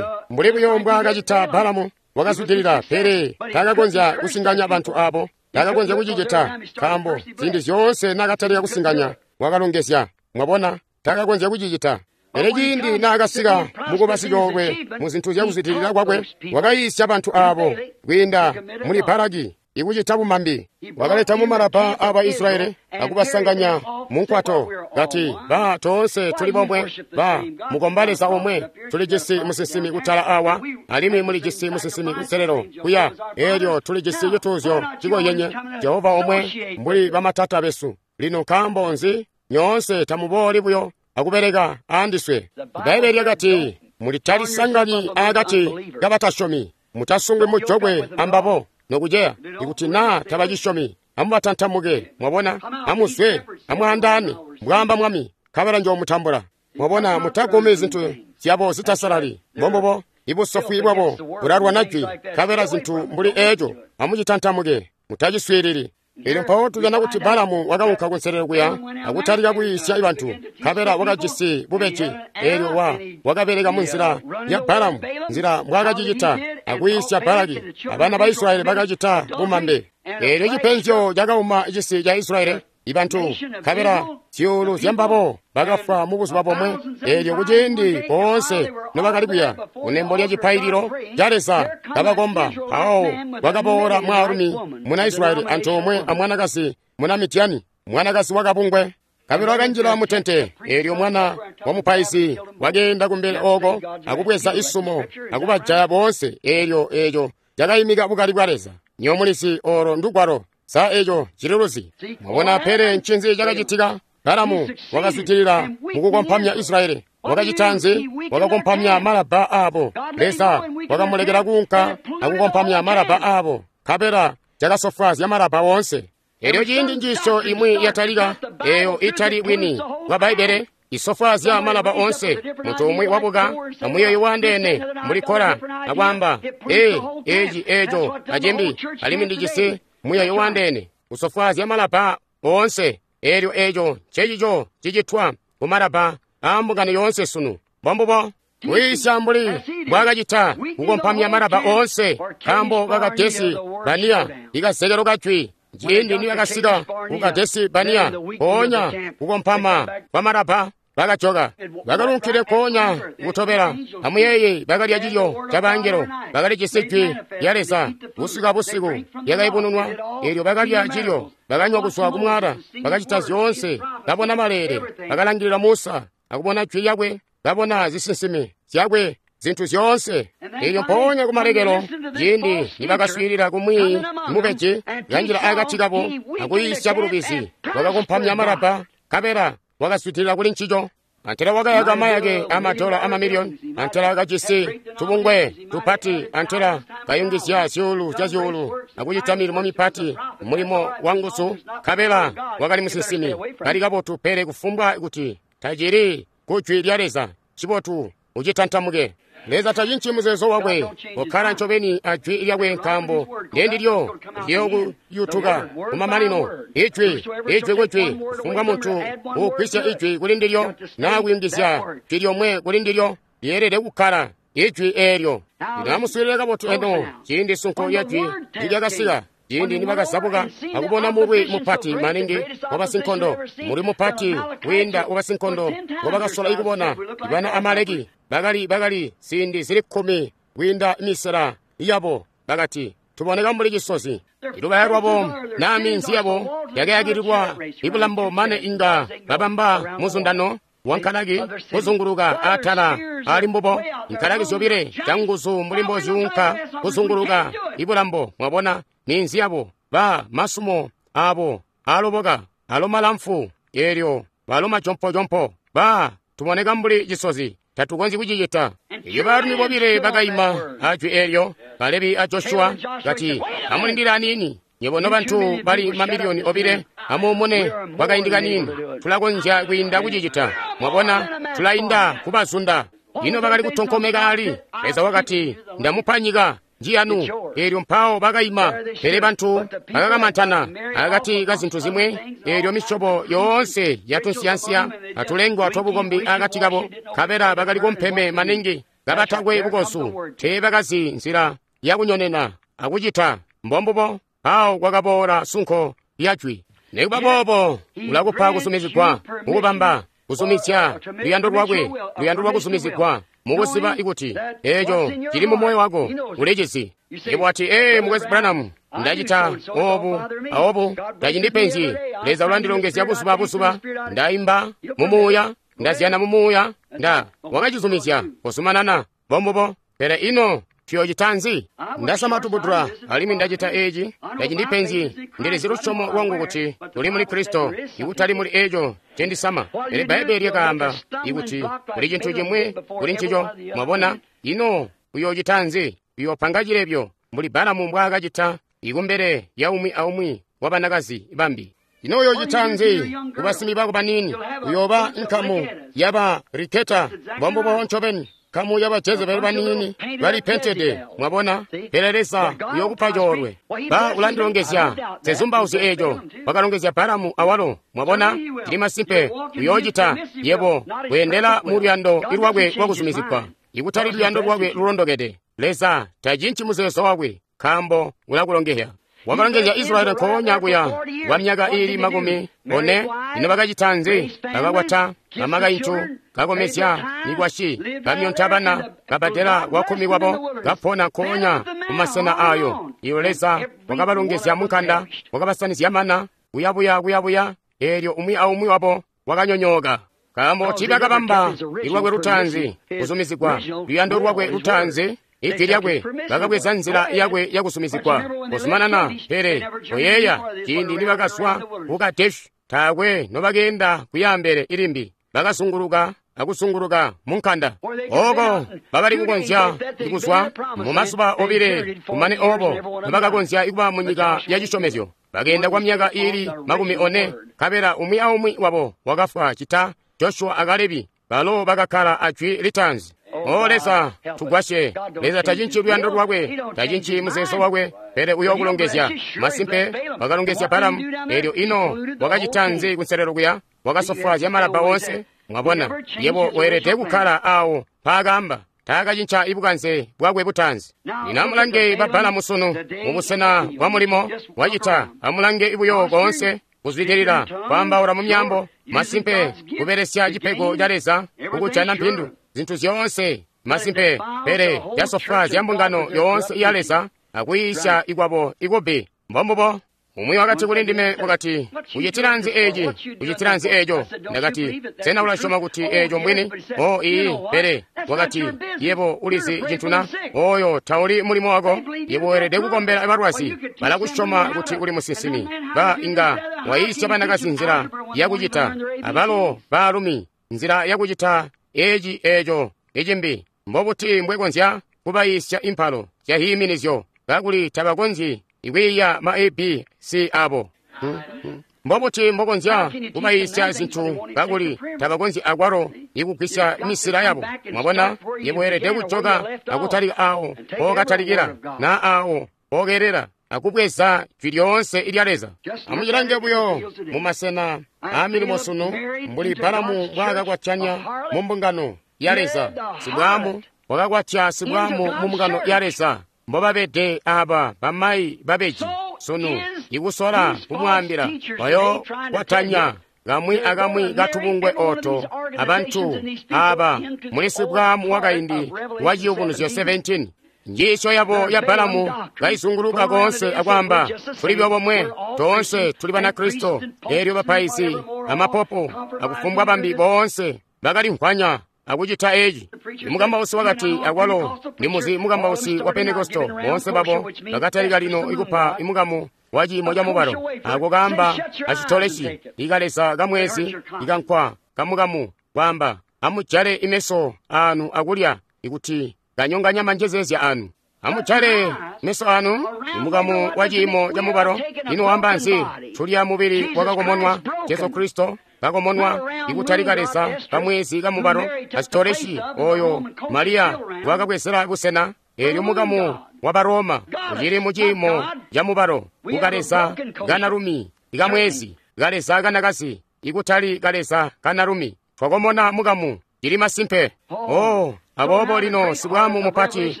Mbuli buyo mbwaakacita Balamu, wakazwidilila, pele taakakonzya kusinganya bantu abo. Taakakonzya kucicita, nkaambo ziindi zyoonse naakatalika kusinganya wakalongezya. Mwabona, taakakonzya kucicita. Pele ciindi naakasika mukuba sicoolwe mu zintu zyakuzwidilila kwakwe, wakayiisya bantu abo kwiinda muli Balaki ikucita bumambi. Wakaleta mumalapa aba Israyeli akubasanganya munkwato, kati, ba toonse tuli bomwe, ba mukomba Leza omwe, tulijisi musinsimi kutala awa, alimwi mulijisi musinsimi kunselelo kuya, eelyo tulijisi cituuzyo cikozyenye, Jehova omwe, mbuli bamatata besu. Lino nkaambo nzi nyoonse tamubooli buyo akubeleka aandiswe? Bbaibbele lyakati, mulitalisanganyi akati kabatasyomi, mutasungwi mujokwe ambabo nokuceya. Ikuti naa tabacisyomi, amubatantamuke. Mwabona, amuzwe, amwaandaane, mbwaamba Mwami, nkabela njoomutambula. Mwabona, mutagumi zintu zyabo zitasalali. Mbombubo, ibusofwi bwabo bulalwana jwi, nkabela zintu mbuli eeco amucitantamuke, mutaciswiilili. Elyo mpawo tujana kuti Balamu wakaunka kunselelo kuya akutalika kuyiisya bantu, nkabela wakajisi bubeji. Eelyo wa wakabeleka mu nzila ya Balamu, nzila mbwaakacicita akuyiisya Balaki, abana ba Israyeli bakacita bumambe. Eelyo cipenzyo cakauma cisi ca Israyeli, ibantu, nkabela zyuulu zyambabo bakafwa mu buzuba bomwe. Eelyo kuciindi boonse nobakali kuya kunembo lya cipaililo ca Leza kabakomba, mpawo kwakaboola mwaalumi muna Israyeli antoomwe amwanakazi muna Midyani, mwanakazi wakabungwe. Nkabela wakanjila mutente. Eelyo mwana wa mupaizi wakeenda kumbele ooko akubweza isumo akubajaya boonse. Eelyo eeco cakaimika bukali bwa Leza. Nyomulizi olo ndugwalo. Sa eeco cililuzi? Mwabona, pele ncinzi cakacitika? Balamu wakazwidilila mukukompamya Israyeli. Wakacita nzi? Wakakompamya malaba aabo. Leza wakamulekela kuunka akukompamya malaba aabo, nkabela cakasofwaazya malaba woonse. Eelyo ciindi njiisyo imwi yatalika, eeyo itali bwini bwa Bbaibbele, isofwaazya malaba oonse. Muntu umwi wabuka amuyeeyo waandeene mbuli Kora akwaamba, ee, eeci, eeco, acimbi, alimwi ndijisi muyeeyo waandeene, usofwaazya malaba oonse. Eelyo eeco ncecico cicitwa kumalaba aambungano yoonse sunu. Mbombubo, kuyiisya mbuli mbwaakacita kukompamya malaba oonse, nkaambo kakadesi baniya ikazekelo kajwi. Ciindi nibakasika ku Kadesi Baniya, mpoonya kukompama kwa malaba bakajoka, bakalunkile nkoonya kutobela. Amuyeeye, bakalya cilyo cabangelo, bakalijisi jwi lya Leza busiku abusiku lyakayubununwa. Eelyo bakalya cilyo, bakanywa kuzwa kumwaala, bakacita zyoonse, babona maleele, bakalangilila Musa akubona jwi lyakwe, babona zisinsimi zyakwe, zintu zyoonse. Eelyo mpoonya kumalekelo, ciindi nibakaswiilila kumwi mubeji kanjila akati kabo akuyiisya bulubizi, wakakompamya malaba, nkabela wakazwidilila kuli ncico. Antela wakayaka mayake amadola amamiliyoni, antela kajisi tubungwe tupati, antela kayungizya zyuulu zya zyuulu akucita milimo mipati, mulimo wanguzu, nkabela wakali musinsimi. Kali kabotu, pele kufumbwa kuti tacili kujwi lya Leza, cibotu ucitantamuke. Leza tacinci muzeezo wakwe, ukkala ncobeni ajwi lyakwe, nkaambo ndendilyo liyokuyutuka kumamanino. Ijwi, ijwi kujwi, kufumbwa muntu uugwisya ijwi kuli ndilyo naa kuyungizya jwi lyomwe kuli ndilyo, lyeelede kukkala ijwi eelyo. Lino amuswiilile kabotu eno. Ciindi sunko lya jwi nilyakasika, ciindi nibakazabuka akubona mulwi mupati maningi wabasinkondo, mulwi mupati wiinda wabasinkondo ngobakasola ikubona, ibana Amaleki bakali bakali ziindi zili kkumi kwiinda misela yabo, bakati, tuboneka mbuli cisozi. Ilubaya lwabo naa minzi yabo yakayakililwa ibulambo mane inga babamba muzundano wankalaki kuzunguluka atala ali mbubo, nkalaki zyobile canguzu mbuli mbozyuunka kuzunguluka ibulambo. Mwabona, minzi yabo, ba masumo abo aloboka, alo malamfu, eelyo balo majompojompo, ba tuboneka mbuli cisozi, tatukonzyi kucicita. Elyo baalumi bobile bakaima ajwi eelyo, Kalebi a Joshua, kati, amulindile aniini, nywebo nobantu bali mamiliyoni obile, amuumune kwakaindi kaniini, tulakonzya kwiinda kucicita. Mwabona, tulainda kubazunda. Ino bakali kutonkomeka ali? Leza wakati, ndamupa nyika njiyanu. Eelyo mpawo bakaima. Pele bantu bakakamantana akati ka zintu zimwe, eelyo misyobo yoonse yatunsiyansiya atulengwa twabukombi akati kabo, nkabela bakali kumpeme maningi, kabatakwe bukozu, teebakazi nzila yakunyonena akucita. Mbombubo awo kwakaboola sunko lyajwi. Nikuba boobo ulakupa kusumizigwa mukubamba kuzumizya luyando lwakwe, luyando lwakuzumizigwa mukuziba ikuti eeco cili mu moyo wako ulicizi. Yebo wati, ee, Mukwesu Branham, ndacita obu aobu, tacindipenzyi. Leza ulandilongezya buzuba abuzuba, ndaimba mu muuya, ndazyana mu muuya, nda wakacizumizya kuzumanana. Mbombubo. Pele ino tuyocita nzi? Ndasama tubudula alimwi ndacita eci, tacindipenzyi. Ndilizi lusyomo lwangu kuti tuli muli Kristo, ikutali muli eco cendisama. Pele Bbaibbele lyakaamba ikuti kuli cintu cimwi kuli ncico. Mwabona? Ino uyocita nzi? Uyopanga cilebyo mbuli Balamu mbwaakacita ikumbele ya umwi aumwi wa banakazi bambi. Ino uyocita nzi kubasimi bako baniini? Uyooba nkamu yaba Riketa. Mbombubo ncobeni. Nkamu yaba Jezebeli baniini balipentede. Mwabona? Pele Leza uyokupa coolwe. Ba ulandilongezya zezumbauzyo eeco wakalongezya Balamu awalo. Mwabona? Cili masimpe uyoocita. Yebo weendela mu luyando lwakwe lwakuzumizigwa, ikutali luyando lwakwe lulondokede. Leza tacinci muzeezo wakwe, nkaambo ulakulongezya. Wakalongezya Israyeli nkoonya kuya kwa myaka iili makumi one. Ino bakacita nzi? Bakakwata bamakaintu, kakomezya mikwasyi, kamyonta bana, kabadela kwakkumi kwabo, kapona nkoonya kumasena ayo. Iyo Leza wakabalongezya munkanda, wakabasanizya mana, kuyabuya kuyabuya, eelyo umwi aumwi wabo wakanyonyooka. Nkaambo tiibakabamba lwakwe lutaanzi kuzumizigwa, luyando lwakwe lutaanzi, ijwi lyakwe, bakabweza nzila yakwe yakusumizigwa kuzumanana. Pele koyeeya ciindi nibakazwa ku Kadeshi, taakwe nobakeenda kuyambele ilimbi, bakazunguluka akusunguluka munkanda. Oko bakali kukonzya kuzwa mumazuba obile, kumane obo nobakakonzya kuba mu nyika ya cisyomezyo. Bakeenda kwa myaka iili makumi one, nkabela umwi aumwi wabo wakafwa cita Joshua a Kalebi, balo bakakkala ajwi litaanzi. O Leza, tugwasye. Leza tacinci luyando lwakwe, tacinci muzeezo wakwe, pele uyokulongezya. Masimpe wakalongezya Balamu. Eelyo ino wakacita nzi kunselelo kuya? Wakasofwaazya malabba wonse. Mwabona, yebo weelede kukkala awo mpaakamba. Taakacinca ibukanze bwakwe butaanzi. Lino amulange ba Balamu sunu mubusena bwa mulimo wacita. Amulange buyo koonse kuzwidilila kwaambaula mu myambo. Masimpe kubelesya cipego ca Leza kukujana mpindu zintu zyoonse. Masimpe, pele yasofwaazya mbungano yoonse ya Leza akuyiisya ikwabo ikubi. Mbombubo. Umwi wakati kuli ndime, wakati, ucitila nzi eci? Ucitila nzi eco? Ndakati, sena ulasyoma kuti eco mbwini? O ii, pele wakati, yebo ulizi cintu na? Oyo tauli mulimo wako. Yebo weelede kukombela balwazi. Balakusyoma kuti uli musinsimi. Ba inga wayiisya banakazi nzila yakucita, abalo baalumi nzila yakucita eci eco icimbi. Mbobuti mbwekonzya kubayiisya impalo zyahiiminizyo kakuli tabakonzyi ikwiiya ma A B C abo? Hmm, hmm. Mbobuti mbokonzya kubayiisya zintu kakuli tabakonzyi akwalo ikugwisya misila yabo? Mwabona, yebo weelede kujoka akutalika awo pokatalikila na awo pokelela akubweza jwi lyoonse ilya Leza. Amucilange buyo mumasena aamilimo sunu, mbuli Balamu mbwaakakwatanya mu mbungano ya Leza. Sibwaamu wakakwatya sibwaamu mu mbungano ya Leza. Mbobabede aba bamayi babeji sunu, ikusola kumwaambila bayo kwatanya kamwi akamwi katubungwe oto abantu aba muli sibwaamu wakaindi wa Ciyubunuzyo seventeen. Njiisyo yabo ya Balamu kaizunguluka koonse akwaamba, tuli bomwe, toonse tuli Banakristo. Eelyo bapaizi amapopo akufumbwa bambi boonse bakalimvwanya akucita eci. Mukambausi wakati, akwalo ndimuzi mukambausi wa Pentekosto, boonse babo bakatalika lino ikupa imukamu wa ciimo ca mubalo ako kaamba acitoleci ikaleza kamwezi ikankwa kamukamu, kwaamba amujale imeso anu akulya ikuti kanyonganya manjezezya anu. Amujale meso anu imukamu wa ciimo ca mubalo. Ino wamba nzi? Tulya mubili wakakomonwa. Jesu Kristo kakomonwa ikutali kaleza kamwezi kamubalo Asitoreshi oyo Mariya wakabwezela busena. Eelyo mukamu wa Baroma ucili muciimo ca mubalo kukaleza kanalumi ikamwezi kaleza kanakazi ikutali kaleza kanalumi. Twakomona mukamu cili masimpe. Oh, aboobo lino sibwamu mupati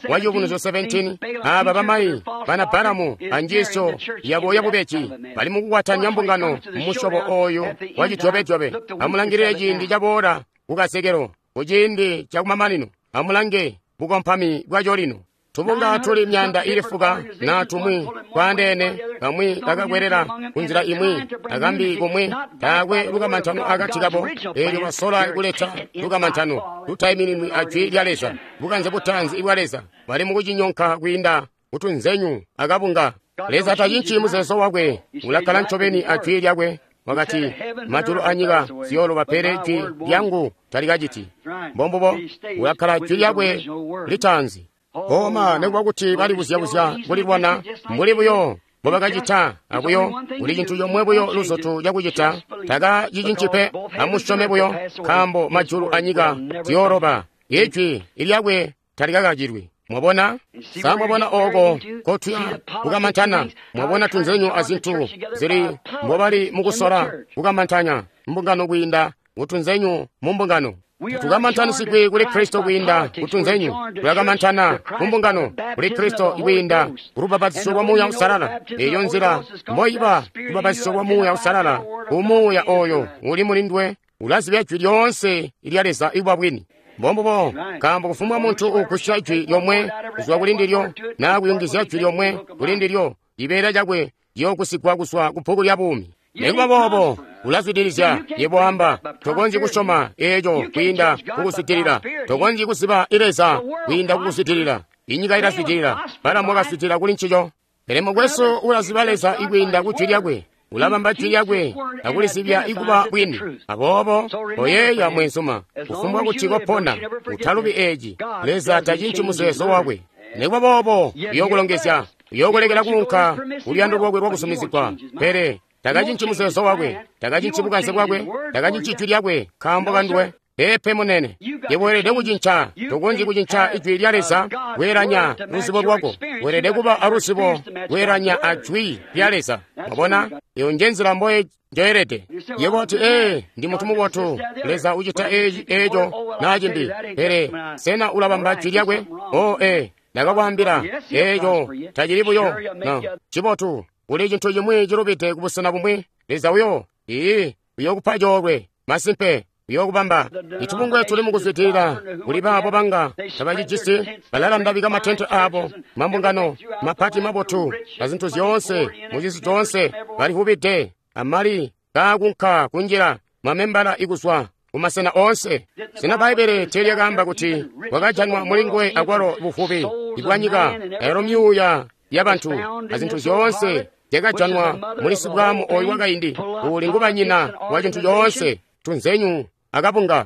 wa Ciyubunuzyo seventeen, aba bamayi bana Balamu anjiisyo yabo yabubeji bali mukukwatanya mbungano mumusyobo oyu wa cijobejoobe. Amulangilile ciindi caboola kukazekelo kuciindi cakumamanino. Amulange bukompami bwaco lino. Tubunga tuli myanda ili fuka na tumwi twaandeene, kamwi kakakwelela kunzila imwi akambi kumwi, taakwe lukamantano akati kabo. Eelyo basola kuleta lukamantano lutaimininwi a jwi lya Leza, bukanze butaanzi bwa Leza. Bali mukucinyonka kwiinda kutunzenyu akabunga. Leza tacinci muzeezo wakwe, ulakkala ncobeni a jwi lyakwe. Wakati, majulu anyika ziyooloba, pele jwi lyangu talikaciti. Mbombubo, ulakkala jwi lyakwe litaanzi. Koma nekuba kuti balibuzya-buzya kulilwana mbuli buyo mbobakacita abuyo, kuli cintu comwe buyo luzotu cakucita, takacicinci pe. Amusyome buyo, nkaambo majulu anyika ziyooloba, ijwi lyakwe talikakacilwi. Mwabona? Sa mwabona oko kotuya kukamantana? Mwabona tunzenyu azintu zili mbobali mukusola kukamantanya mbungano kwiinda kutunzenyu mu mbungano. Tukamantanisigwi kuli Kristo kwiinda kutunzenyu. Tulakamantana mumbungano kuli Kristo kwiinda kulubapatizo lwa Muuya Uusalala. Eyo nzila mboiba lubapatizo lwa Muuya Uusalala. Umuuya oyo uli mulindwe ulazibya jwi lyoonse lya Leza ibwa bwini. Mbombubo, nkaambo kufumbwa muntu ugusya jwi lyomwe kuzwa kuli ndilyo naa kuyungizya jwi lyomwe kuli ndilyo, cibeela cakwe ciyoogusigwa kuzwa ku bbuku lya buumi. Nekuba boobo ulazwidilizya. Yebo amba, tokonzyi kusyoma eeco kwiinda kukuzwidilila. Tokonzyi kuziba Leza kwiinda kukuzwidilila. Inyika ilazwidilila, Balamu wakazwidilila kuli ncico. Pele mukwesu ulaziba Leza kwiinda ku jwi lyakwe. Ulabamba jwi lyakwe akulizibya ikuba bwini. Aboobo koyeeya mwenzuma, kufumbwa kuti kopona, utalubi eeci: Leza tacinci muzeezo wakwe. Nekuba boobo uyookulongezya, uyookulekela kuunka kuluyando lwakwe lwakuzumizigwa. Pele takacinci muzeezo wakwe, takacinci bukanze bwakwe, takacinci jwi lyakwe nkaambo kanduwe. Peepe munene, yebo weelede kucinca. Tokonzyi kucinca ijwi lya Leza kweelanya luzibo lwako. Weelede kuba aluzibo kweelanya a jwi lya Leza. Mwabona, eyo nje nzila mboye njoyelede. Yebo oti, ee, ndi muntu mubotu, Leza ucita eeci eeco naa cimbi. Pele sena ulabamba jwi lyakwe? Oh, ee, ndakakwaambila eeco tacili buyo no cibotu. Kuli cintu cimwi cilubide kubusena bumwi. Leza uyo ii uyookupa coolwe masimpe, uyookubamba. Itubungwe tuli mukuzwidilila kuli baabo banga tabacijisi, balalandabika matente aabo, mambungano mapati mabotu azintu zyoonse mucisi coonse. Balivubide amali kaakunka kunjila mamembala ikuzwa kumasena oonse. Sena Bbaibbele teelyakaamba kuti kwakajanwa mulinguwe akwalo buvubi ibwanyika, ayalo myuuya yabantu azintu zyoonse zyakajanwa muli sibwamu oyu wakaindi, uuli ngubanyina wa cintu coonse, tunzenyu akabunga.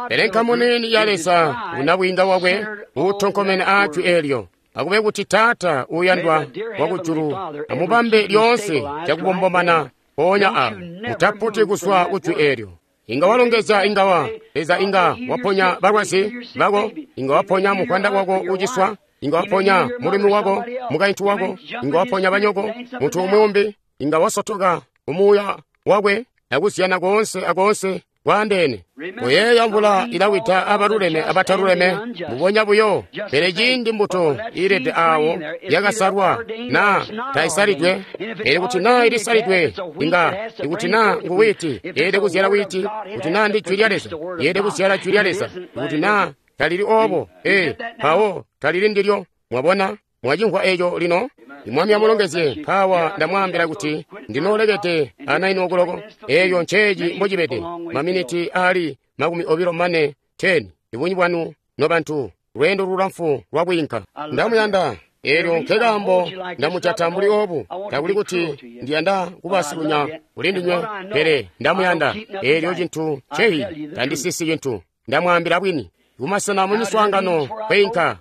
Pele nkamu nini ya Leza unabwiinga wakwe uutonkomene aa jwi eelyo. Akube kuti Taata uuyandwa wakujulu amubambe lyoonse cakubombomana mpoonya awo, mutaputi kuzwa ku jwi eelyo. Inga walongezya, ingawa Leza inga waponya balwazi bako, inga waponya muvwanda wako uciswa, inga waponya mulumi wako, mukaintu wako, inga waponya banyoko, muntu umwi umbi, inga wasotoka umuuya wakwe akuzyana koonse akoonse kwaandeene. Kuyeeya mvula ilawida abaluleme abataluleme mbubonya buyo. Pele ciindi mbuto iilede aawo yakasalwa naa taisalidwe, pele kuti naa ilisalidwe, inga ikuti naa ngu wiiti yeelede kuzyala wiiti, kuti naa ndi jwi lya Leza yeelede kuzyala jwi lya Leza, kuti naa talili oobo, ee, mpawo talili ndilyo. Mwabona, mwacimvwa eeco lino? Mwami amulongezye. Mpaawa ndamwaambila kuti ndinoolekede a naini okuloko. Eeyo nceeci mbocibede, maminiti aali makumi obilo mane teni. Ibunji bwanu nobantu, lweendo lulamfu lwakwiinka. Ndamuyanda. Eelyo nkekaambo ndamujata mbuli oobu. Takuli kuti ndiyanda kuba silunya kuli ndinywe, pele ndamuyanda. Eelyo cintu nceyi, tandisisi cintu, ndamwaambila bwini. Kumasena mu miswaangano kweinka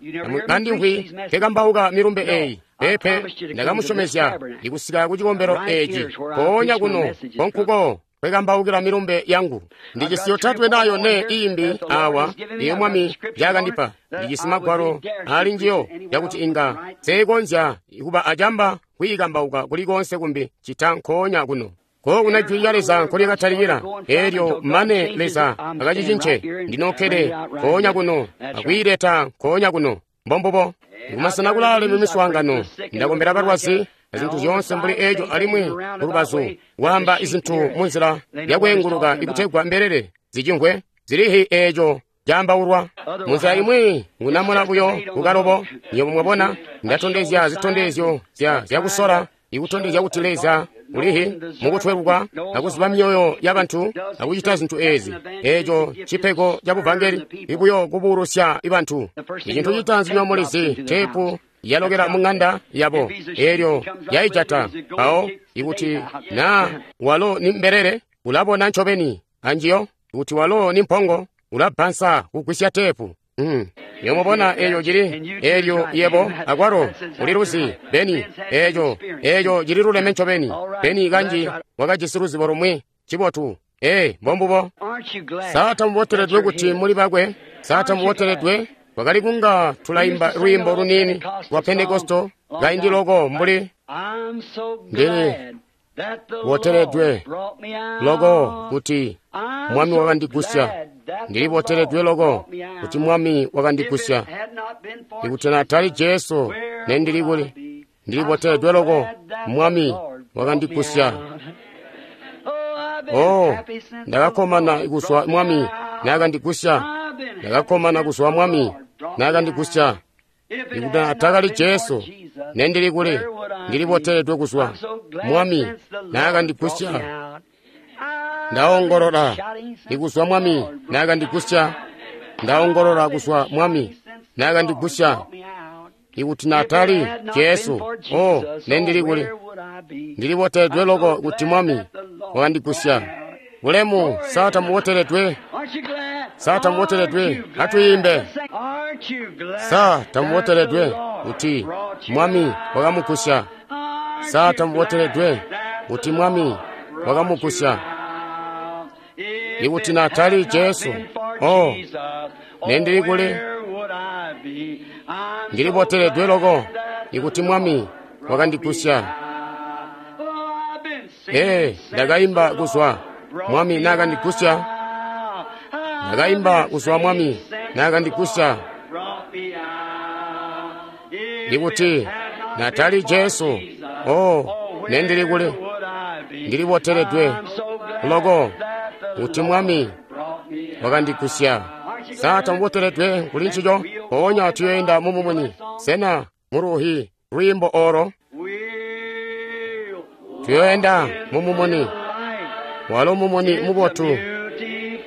kandimvwi nkekambauka milumbe eeyi. Peepe, ndakamusyomezya ikusika ku cikombelo eeci mpoonya kuno konkuko Nkwe milumbe yangu. Ndijisi yotatwe na yone iimbi awa iyo Mwami yakandipa. Ndijisi magwalo ali njiyo yakuti inga seekonzya kuba acamba kwiikambauka kulikonse kumbi cita nkoonya kuno. Kookuna jwi lya Leza nkolyakatalikila, eelyo mane Leza akacicince, ndinokkede nkoonya kuno akwiileta nkoonya kuno. Mbombubo. Kumasena kulaale mu miswaangano, ndakombela balwazi azintu zyoonse mbuli eco alimwi kulubazu waamba izintu munzila yakweenguluka ikutegwa mbelele zicimvwe zilihi eeco caambaulwa. Munzila imwi ngunamuna buyo kukalobo. Nywebo mwabona, ndatondezya zitondezyo zya zyakusola ikutondezya kuti Leza ulihi mukutweluka akuziba myoyo ya bantu akucita zintu ezi. Eeco cipego ca buvangeli ibuyo kubuulusya ibantu. Icintu citaanzi nyomulizi teepu yalokela mu ng'anda yabo, eelyo yaijata. Mpawo ikuti naa walo ni mbelele, ulabona ncobeni anjiyo. Ikuti walo ni mpongo, ulabbansa kugwisya teepu. Mm. Yomubona eeyo cili, eelyo yebo akwalo uliluzi Beni, eeco eeco cililuleme ncobeni. Beni kanji wakajisi luzibo lumwi cibotu. Ee, mbombubo. Sa tamuboteledwe kuti muli bakwe? Sa tamuboteledwe? Kwakali kunga tulaimba lwiimbo luniini lwa Pentekosto kaindi loko mbuli ndili boteledwe loko kuti Mwami wakandigusya. Ndili boteledwe loko kuti Mwami wakandigusya. Ikuti natali Jesu nendili kuli. Ndili boteledwe loko Mwami wakandigusya. Oh, ndakakkomana kuzwa Mwami nakandigusya. Ndakakkomana kuzwa Mwami nakandigusya. Ikuti atakali Jesu nendili kuli. Ndili boteledwe kuzwa Mwami nakandigusya. Ndaongolola ikuzwa Mwami nakandigusya. Ndaongolola kuzwa Mwami nakandigusya. Ikuti natali Jesu, oh, nendili kuli. Ndili boteledwe loko kuti Mwami wakandigusya. Ulemu, sa tamuboteledwe? Sa tamuboteledwe? Atwiimbe. Sa tamuboteledwe kuti Mwami wakamugusya? Sa tamuboteledwe kuti Mwami wakamugusya? Ikuti natali Jesu, oh, nendili kuli. Ndili boteledwe loko ikuti Mwami wakandigusya. Ee, ndakaimba kuzwa Mwami nakandigusya. Ndakaimba kuzwa Mwami nakandigusya. Ikuti natali Jesu, oh, nendili kuli. Ndili boteledwe loko kuti Mwami wakandigusya. Sa tamuboteledwe kuli ncico? Mpoonya tuyoenda mumumuni. Sena muluhi lwiimbo olo? Tuyoenda mumumuni. Walo mumuni mubotu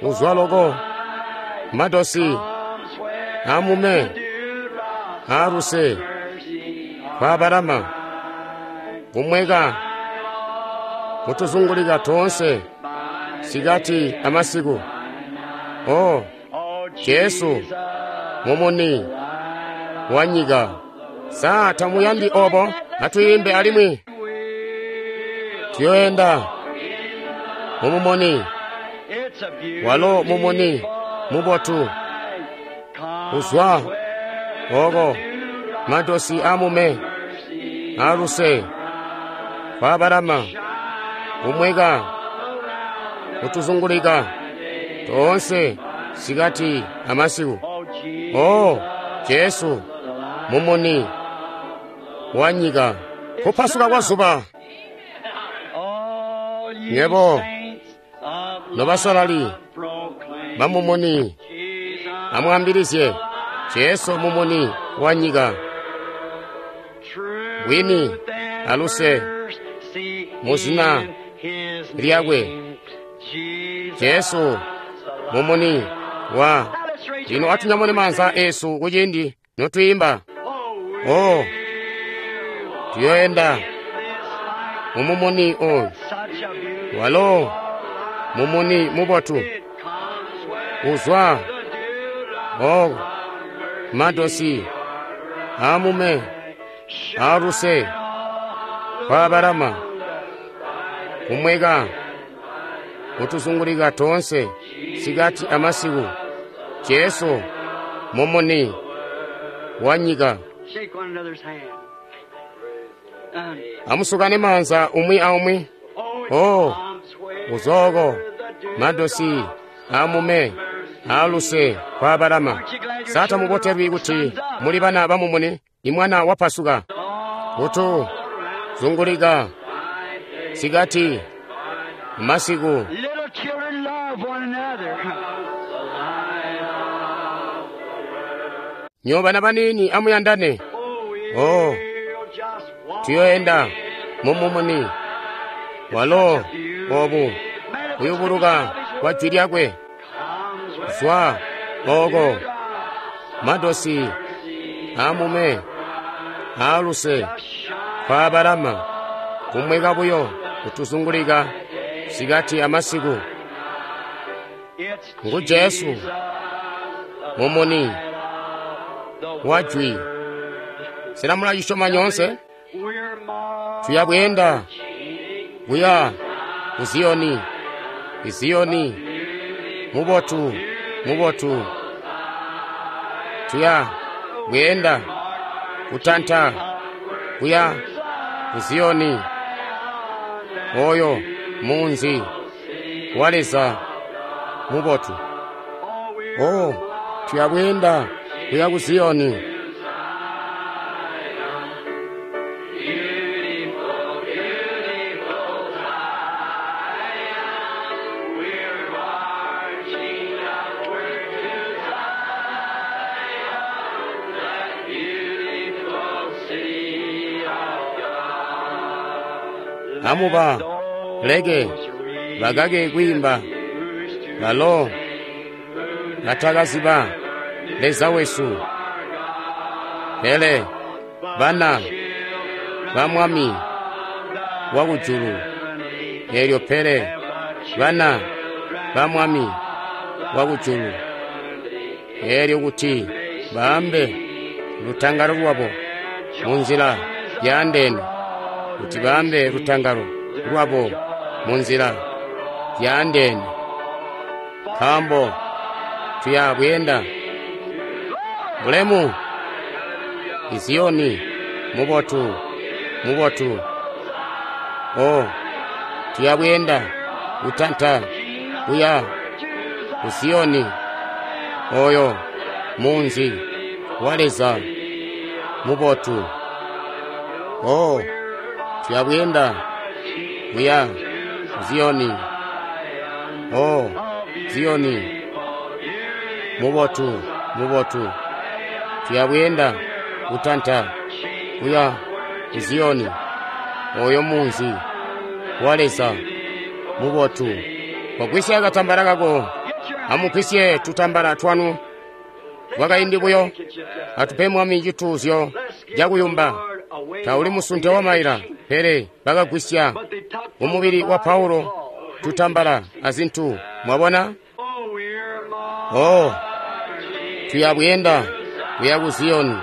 uzwa loko madosi amume aluse kwabalama kumweka kutuzungulika toonse sikati amasiku. Oh, Jesu mumuni wa nyika. Sa tamuyandi obo? Atwiimbe alimwi. Tuyoenda mumumuni. Walo mumuni mubotu uzwa oko madosi amume aluse kwabalama kumweka kutuzungulika toonse sikati amasiku. Oh, Jesu mumuni wa nyika. Kupasuka kwa zuba. Nyebo nobasalali bamumuni amwambilizye Jesu mumuni wa nyika. Bwini aluse muzina lyakwe Jesu mumuni wa. Lino atunyamune maanza esu kuciindi notwiimba. Oh, tuyoenda mumumuni oyu. Walo mumuni mubotu uzwa oh, madosi amume aluse kwabalama kumweka Kutuzungulika toonse, sikati amasiku. Jesu, mumuni wa nyika. Shake one another's hand. Um, Amusukane maanza umwi aumwi. oh, Oh, it comes where uzoko, the dew madosi, amume, aluse, kwa Abalama. Sata mubotelwi kuti muli bana bamumuni, imwana wapasuka. Kutu, zungulika, sikati, masiku. Little children love one another. Nyo bana banini amuyandane. Oh, Oh, we'll just walk tuyoenda mumumuni. Walo, obu, kuyubuluka kwa jwi lyakwe. comes Zwa, oko, madosi, amume, aluse, kwa Abalama, kumweka buyo, kutuzungulika, sikati amasiku. It's Ngu Jesu, mumuni, wa jwi. Sena mulacisyoma nyoonse? we're marching Tuyabweenda, kuya, ku Ziyoni, Ziyoni, mubotu, mubotu. Tuya, bweenda, kutanta, kuya, ku Ziyoni, oyo, munzi, wa Leza, mubotu. Oh, tuya bweenda, kuya ku Ziyoni. Amuba, leke, bakake kwiimba, balo, batakaziba, Leza wesu. Pele, bana, ba mwami, wa kujulu. Elyo pele, bana, ba mwami, wa kujulu. Elyo kuti, baambe, lutangalo lwabo, munzila yaandeene. Kuti baambe lutangalo lwabo munzila yaandeene. Nkaambo tuya bweenda bulemu Iziyoni mubotu mubotu. O tuya bweenda kutanta kuya ku Ziyoni oyo munzi wa Leza mubotu. O tuya bweenda kuya ku Ziyoni. O Ziyoni mubotu mubotu. Tuya bweenda kutanta kuya ku Ziyoni oyo munzi wa Leza mubotu. Kogwisya katambala kako, amugwisye tutambala twanu twakaindi buyo, atupe mwami cituuzyo cakuyumba. Tauli musunte wa maila, pele bakagwisya kumubili wa Paulo tutambala azintu. Mwabona? Oh, we're Oh, tuya bweenda kuya ku Ziyoni.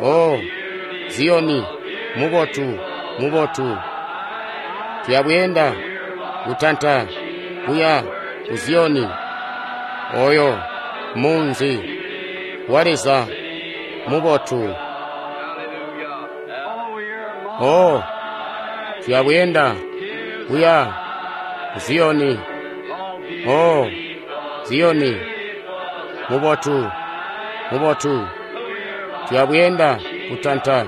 Oh, Ziyoni, mubotu, mubotu. Tuya bweenda kutanta kuya ku Ziyoni. Oyo munzi wa Leza mubotu. oh, we're Oh, tuya bweenda kuya ku Ziyoni. Oh, Ziyoni, mubotu, mubotu. Tuya bweenda kutanta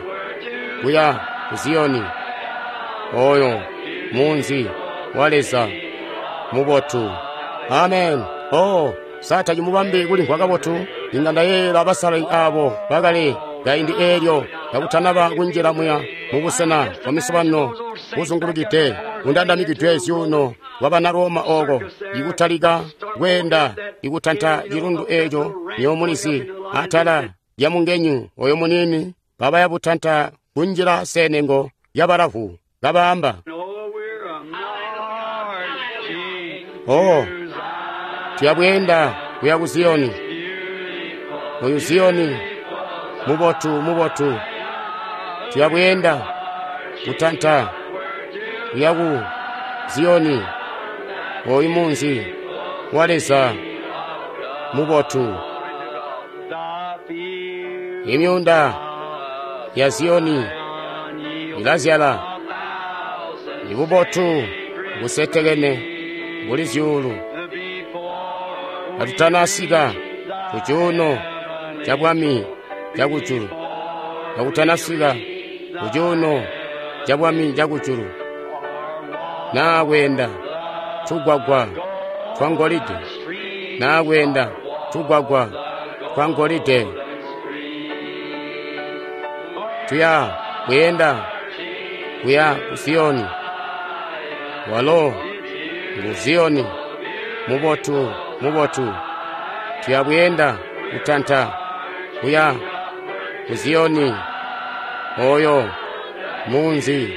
kuya ku Ziyoni. Oyo munzi wa Leza mubotu. Amen. Oh, sata cimubambe kulimvwa kabotu. Inga ndayeeyela basalali abo bakale kaindi eelyo kakutanaba kunjila muya mubusena bwa misobano buzungulukide bundandamikidwe zyuuno bwa bana Roma oko ikutalika kweenda ikutanta cilundu eeco nyomulizi atala lya mungenyu oyo munini kabaya butanta kunjila senengo ya balavu kabaamba Oh, we're a marching oh tuya bweenda kuya ku Ziyoni. Oyu Ziyoni mubotu mubotu. Tuya bweenda kutanta kuya ku Ziyoni. Oyu munzi wa Leza mubotu. Imyuunda ya Ziyoni ilazyala ibubotu busetekene buli zyuulu. Katutanasika ku cuuno ca bwami ca kujulu, katutanasika ku cuuno ca bwami ca kujulu, naa kweenda tugwagwa twa ngolide, naa kweenda tugwagwa twa ngolide, tuya kweenda kuya ku Ziyoni. Walo ngu Ziyoni mubotu, mubotu. Tuya kweenda kutanta kuya ku Ziyoni, oyo munzi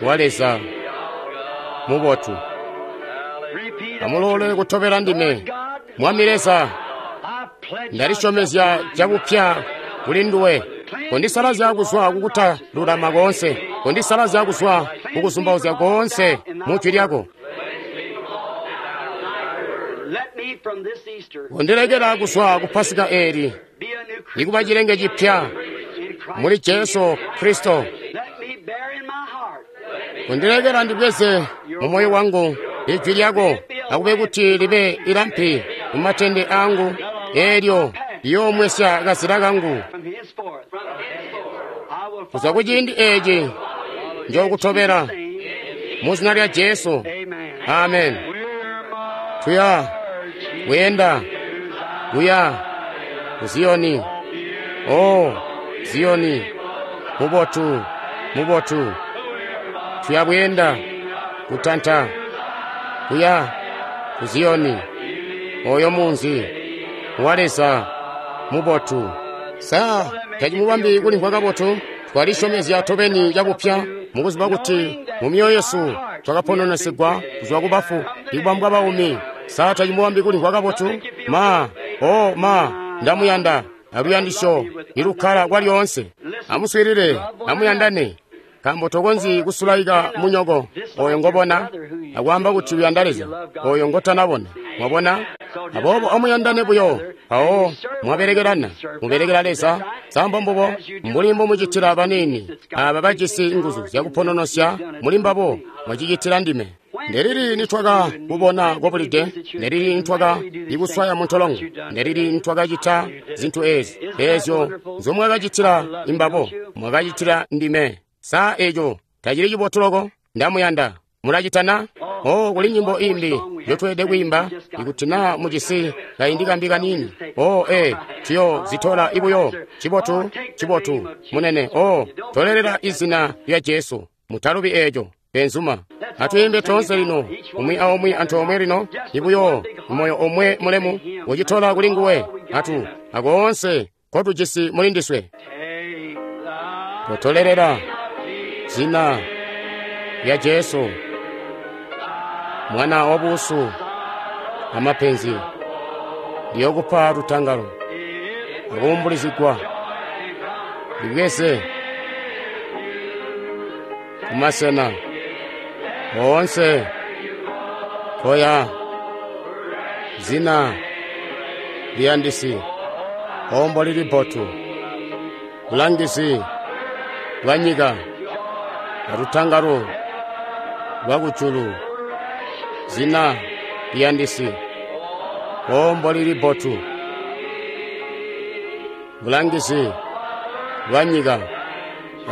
wa Leza mubotu. Amulole kutobela ndime. Mwami Leza, ndalisyomezya cabupya kuli nduwe. Kondisalazya kuzwa kukutalulama koonse, kondisalazya kuzwa kukuzumbauzya koonse mu jwi lyako. Kondilekela kuzwa ku Pasika eeli ikuba cilenge cipya muli Jesu Kristo. Kondilekela ndibweze mu moyo wangu ijwi lyako, akube kuti libe ilampi mu matende angu, eelyo liyoomwesya kazila kangu. Kuzwa ku ciindi eeci njookutobela mu zina lya Jesu. Amen. Tuya kweenda kuya ku Ziyoni. Oh, Ziyoni mubotu, mubotu. Tuya kweenda kutanta kuya ku Ziyoni, oyo munzi wa Leza mubotu. Sa tacimubambi kulimvwa kabotu? Twalisyomezya tobeni cabupya mukuziba kuti mu myoyo yesu twakapononesigwa kuzwa ku bafu ikubambwa baumi. Sa tacimubambi kulimvwa kabotu? Ma, oh ma, ndamuyanda aluyandisyo ilukkala kwalyoonse. Amuswiilile, amuyandane, nkaambo tokonzyi kusulaika munyoko oyo ngobona akwaamba kuti uyanda Leza oyo ngotanabona. Mwabona? Aboobo amuyandane buyo, mpawo mwabelekelana, mubelekela Leza. Sa mbubo mbuli mbomucitila baniini aaba bajisi nguzu zyakupononosya muli mbabo, mwacicitila ndime. Ndelili nitwaka kubona kobulide? Ndelili nitwaka ikuswaya muntolongo? Ndelili nitwakacita zintu eezi? Eezyo nzomwakacitila imbabo, mwakacitila ndime. Sa eeco tacili cibotu loko? Ndamuyanda. Mulacitana? Oh, kuli nyimbo imbi yotweelede kwiimba ikuti naa mujisi kaindi kambi kaniini. Oh, eh, tuyo zitola ibuyo. Cibotu, cibotu, munene. Oh, tolelela izina lya Jesu. Mutalubi eeco, benzuma. Atwiimbe toonse lino, umwi aumwi antoomwe lino, ibuyo, moyo omwe mulemu, ucitola kuli nguwe. Atu, akoonse kotujisi muli ndiswe. Totolelela zina lya Jesu, mwana wabusu amapenzi, liyokupa lutangalo akuumbulizigwa, libweze kumasena oonse koya zina liyandisi ombo lili bbotu, bulangizi bwa nyika alutangalo lwa kujulu, zina liyandisi ombo lili bbotu, bulangizi bwa nyika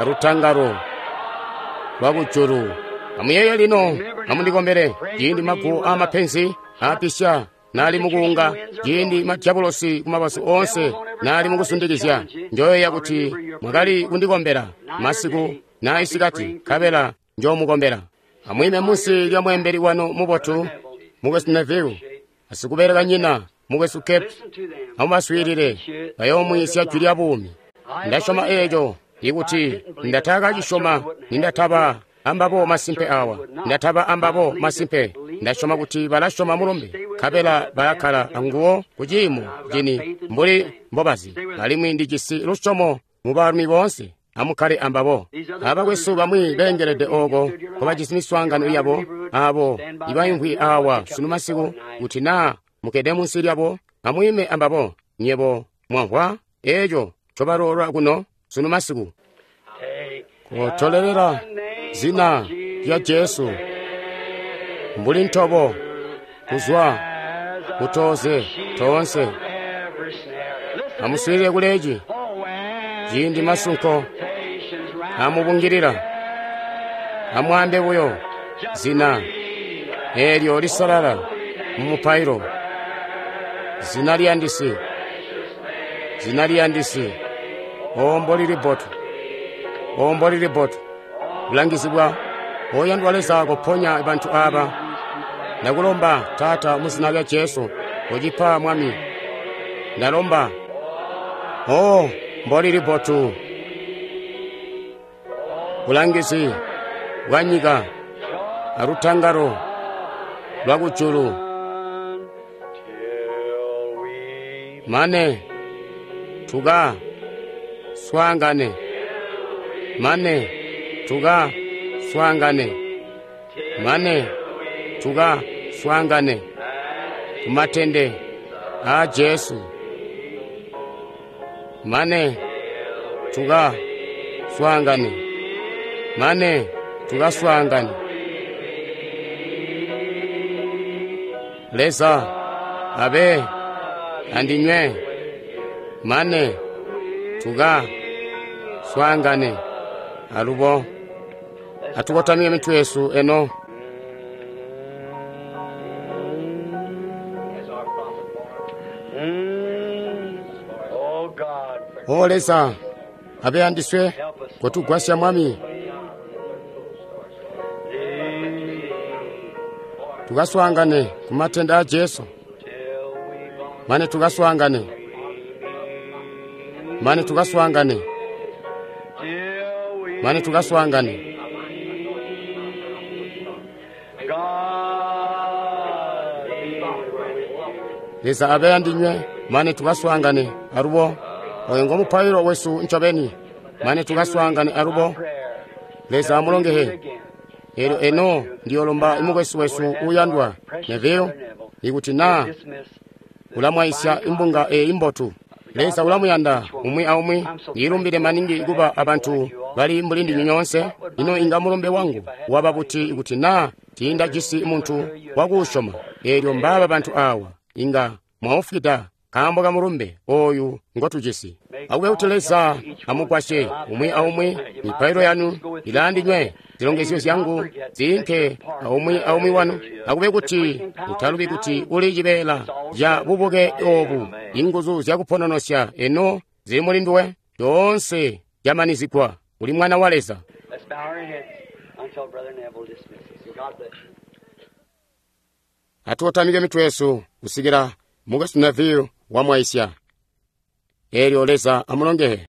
alutangalo lwa kujulu. Amuyeeye lino, amundikombele ciindi maguwo aamapenzi aapisya naali mukuunga, ciindi madyabulosi kumabazu oonse naali mukusundikizya. Njoyeeya kuti mwakali kundikombela masiku na isikati, nkabela njoomukombela. Amwiime munsi lya mweembeli wanu mubotu, mukwesu Neville, asikubelekanyina mukwesu Cape. Amubaswiilile, bayoomwiisya jwi lya buumi. Ndasyoma eeco, ikuti ndatakacisyoma nindataba ambabo masimpe awa, ndataba ambabo masimpe. Ndasyoma kuti balasyoma mulumbe, nkabela balakkala anguwo kuciimo cini mbuli mbobazi. Alimwi ndijisi lusyomo mu baalumi boonse. Amukkale ambabo. Abakwesu bamwi beengelede ooko nkobajisi miswaangano yabo, abo ibaimvwi awa sunu masiku, kuti naa mukkede munsi lyabo, amwiime ambabo. Nywebo mwamvwa eeco ncobaloola kuno sunu masiku. Kotolelela zina lya Jesu mbuli ntobo kuzwa kutoze toonse. Amuswiilile kuleeci ciindi masunko amubungilila, amwaambe buyo zina eelyo lisalala mumupailo, zina liyandisi, zina liyandisi. O mbolili bbotu, o mbolili bbotu, bulangizi bwa oyandwa Leza, koponya bantu aba. Ndakulomba Taata mu zina lya Jesu, kocipa Mwami. Ndalomba. O mbolili bbotu, bulangizi bwa nyika alutangalo lwa kujulu, mane tuka swaangane, mane tuka swaangane, mane tuka swaangane kumatende a Jesu, mane tuka swaangane, mane tuka swaangane. Leza abe andinywe, mane tuka swaangane. Alubo atukotamike mitwe yesu eno. Oh God, O Leza abe andiswe, kotugwasya Mwami, tukaswaangane kumatende a Jesu, mane tukaswaangane, mane tukaswaangane, till we mane tukaswaangane. God be with Leza abe andinywe, mane tukaswaangane alubo. Oyo ngomupailo wesu ncobeni, mane tukaswaangane alubo. prayer. Leza amulongehe. Again. Eelyo eno ndiyolomba imukwesu wesu uyandwa Neville, ikuti naa ulamwaisya imbunga eyi imbotu. Leza ulamuyanda umwi aumwi. Ndiilumbile maningi kuba abantu bali mbuli ndinywe nyoonse. Ino inga mulumbe wangu waba buti ikuti naa tiindajisi muntu wakuusyoma? Eelyo mbaaba bantu awa inga mwaufwida nkaambo ka mulumbe oyu ngotujisi. Akube kuti Leza amugwasye umwi aumwi. Mipailo yanu ilaandinywe, zilongezyo zyangu ziinke aumwi aumwi wanu. Akube kuti mutalubi kuti uli cibeela ca bubuke obu, inguzu zyakupononosya eno zili muli nduwe, zyoonse zyamanizigwa. Uli mwana wa Leza. Let's bow our heads until Brother Neville dismisses. God bless you. Atukotamike mitwe yesu kusikila mukwesu Neville wamwaisya. Eelyo Leza amulongehe.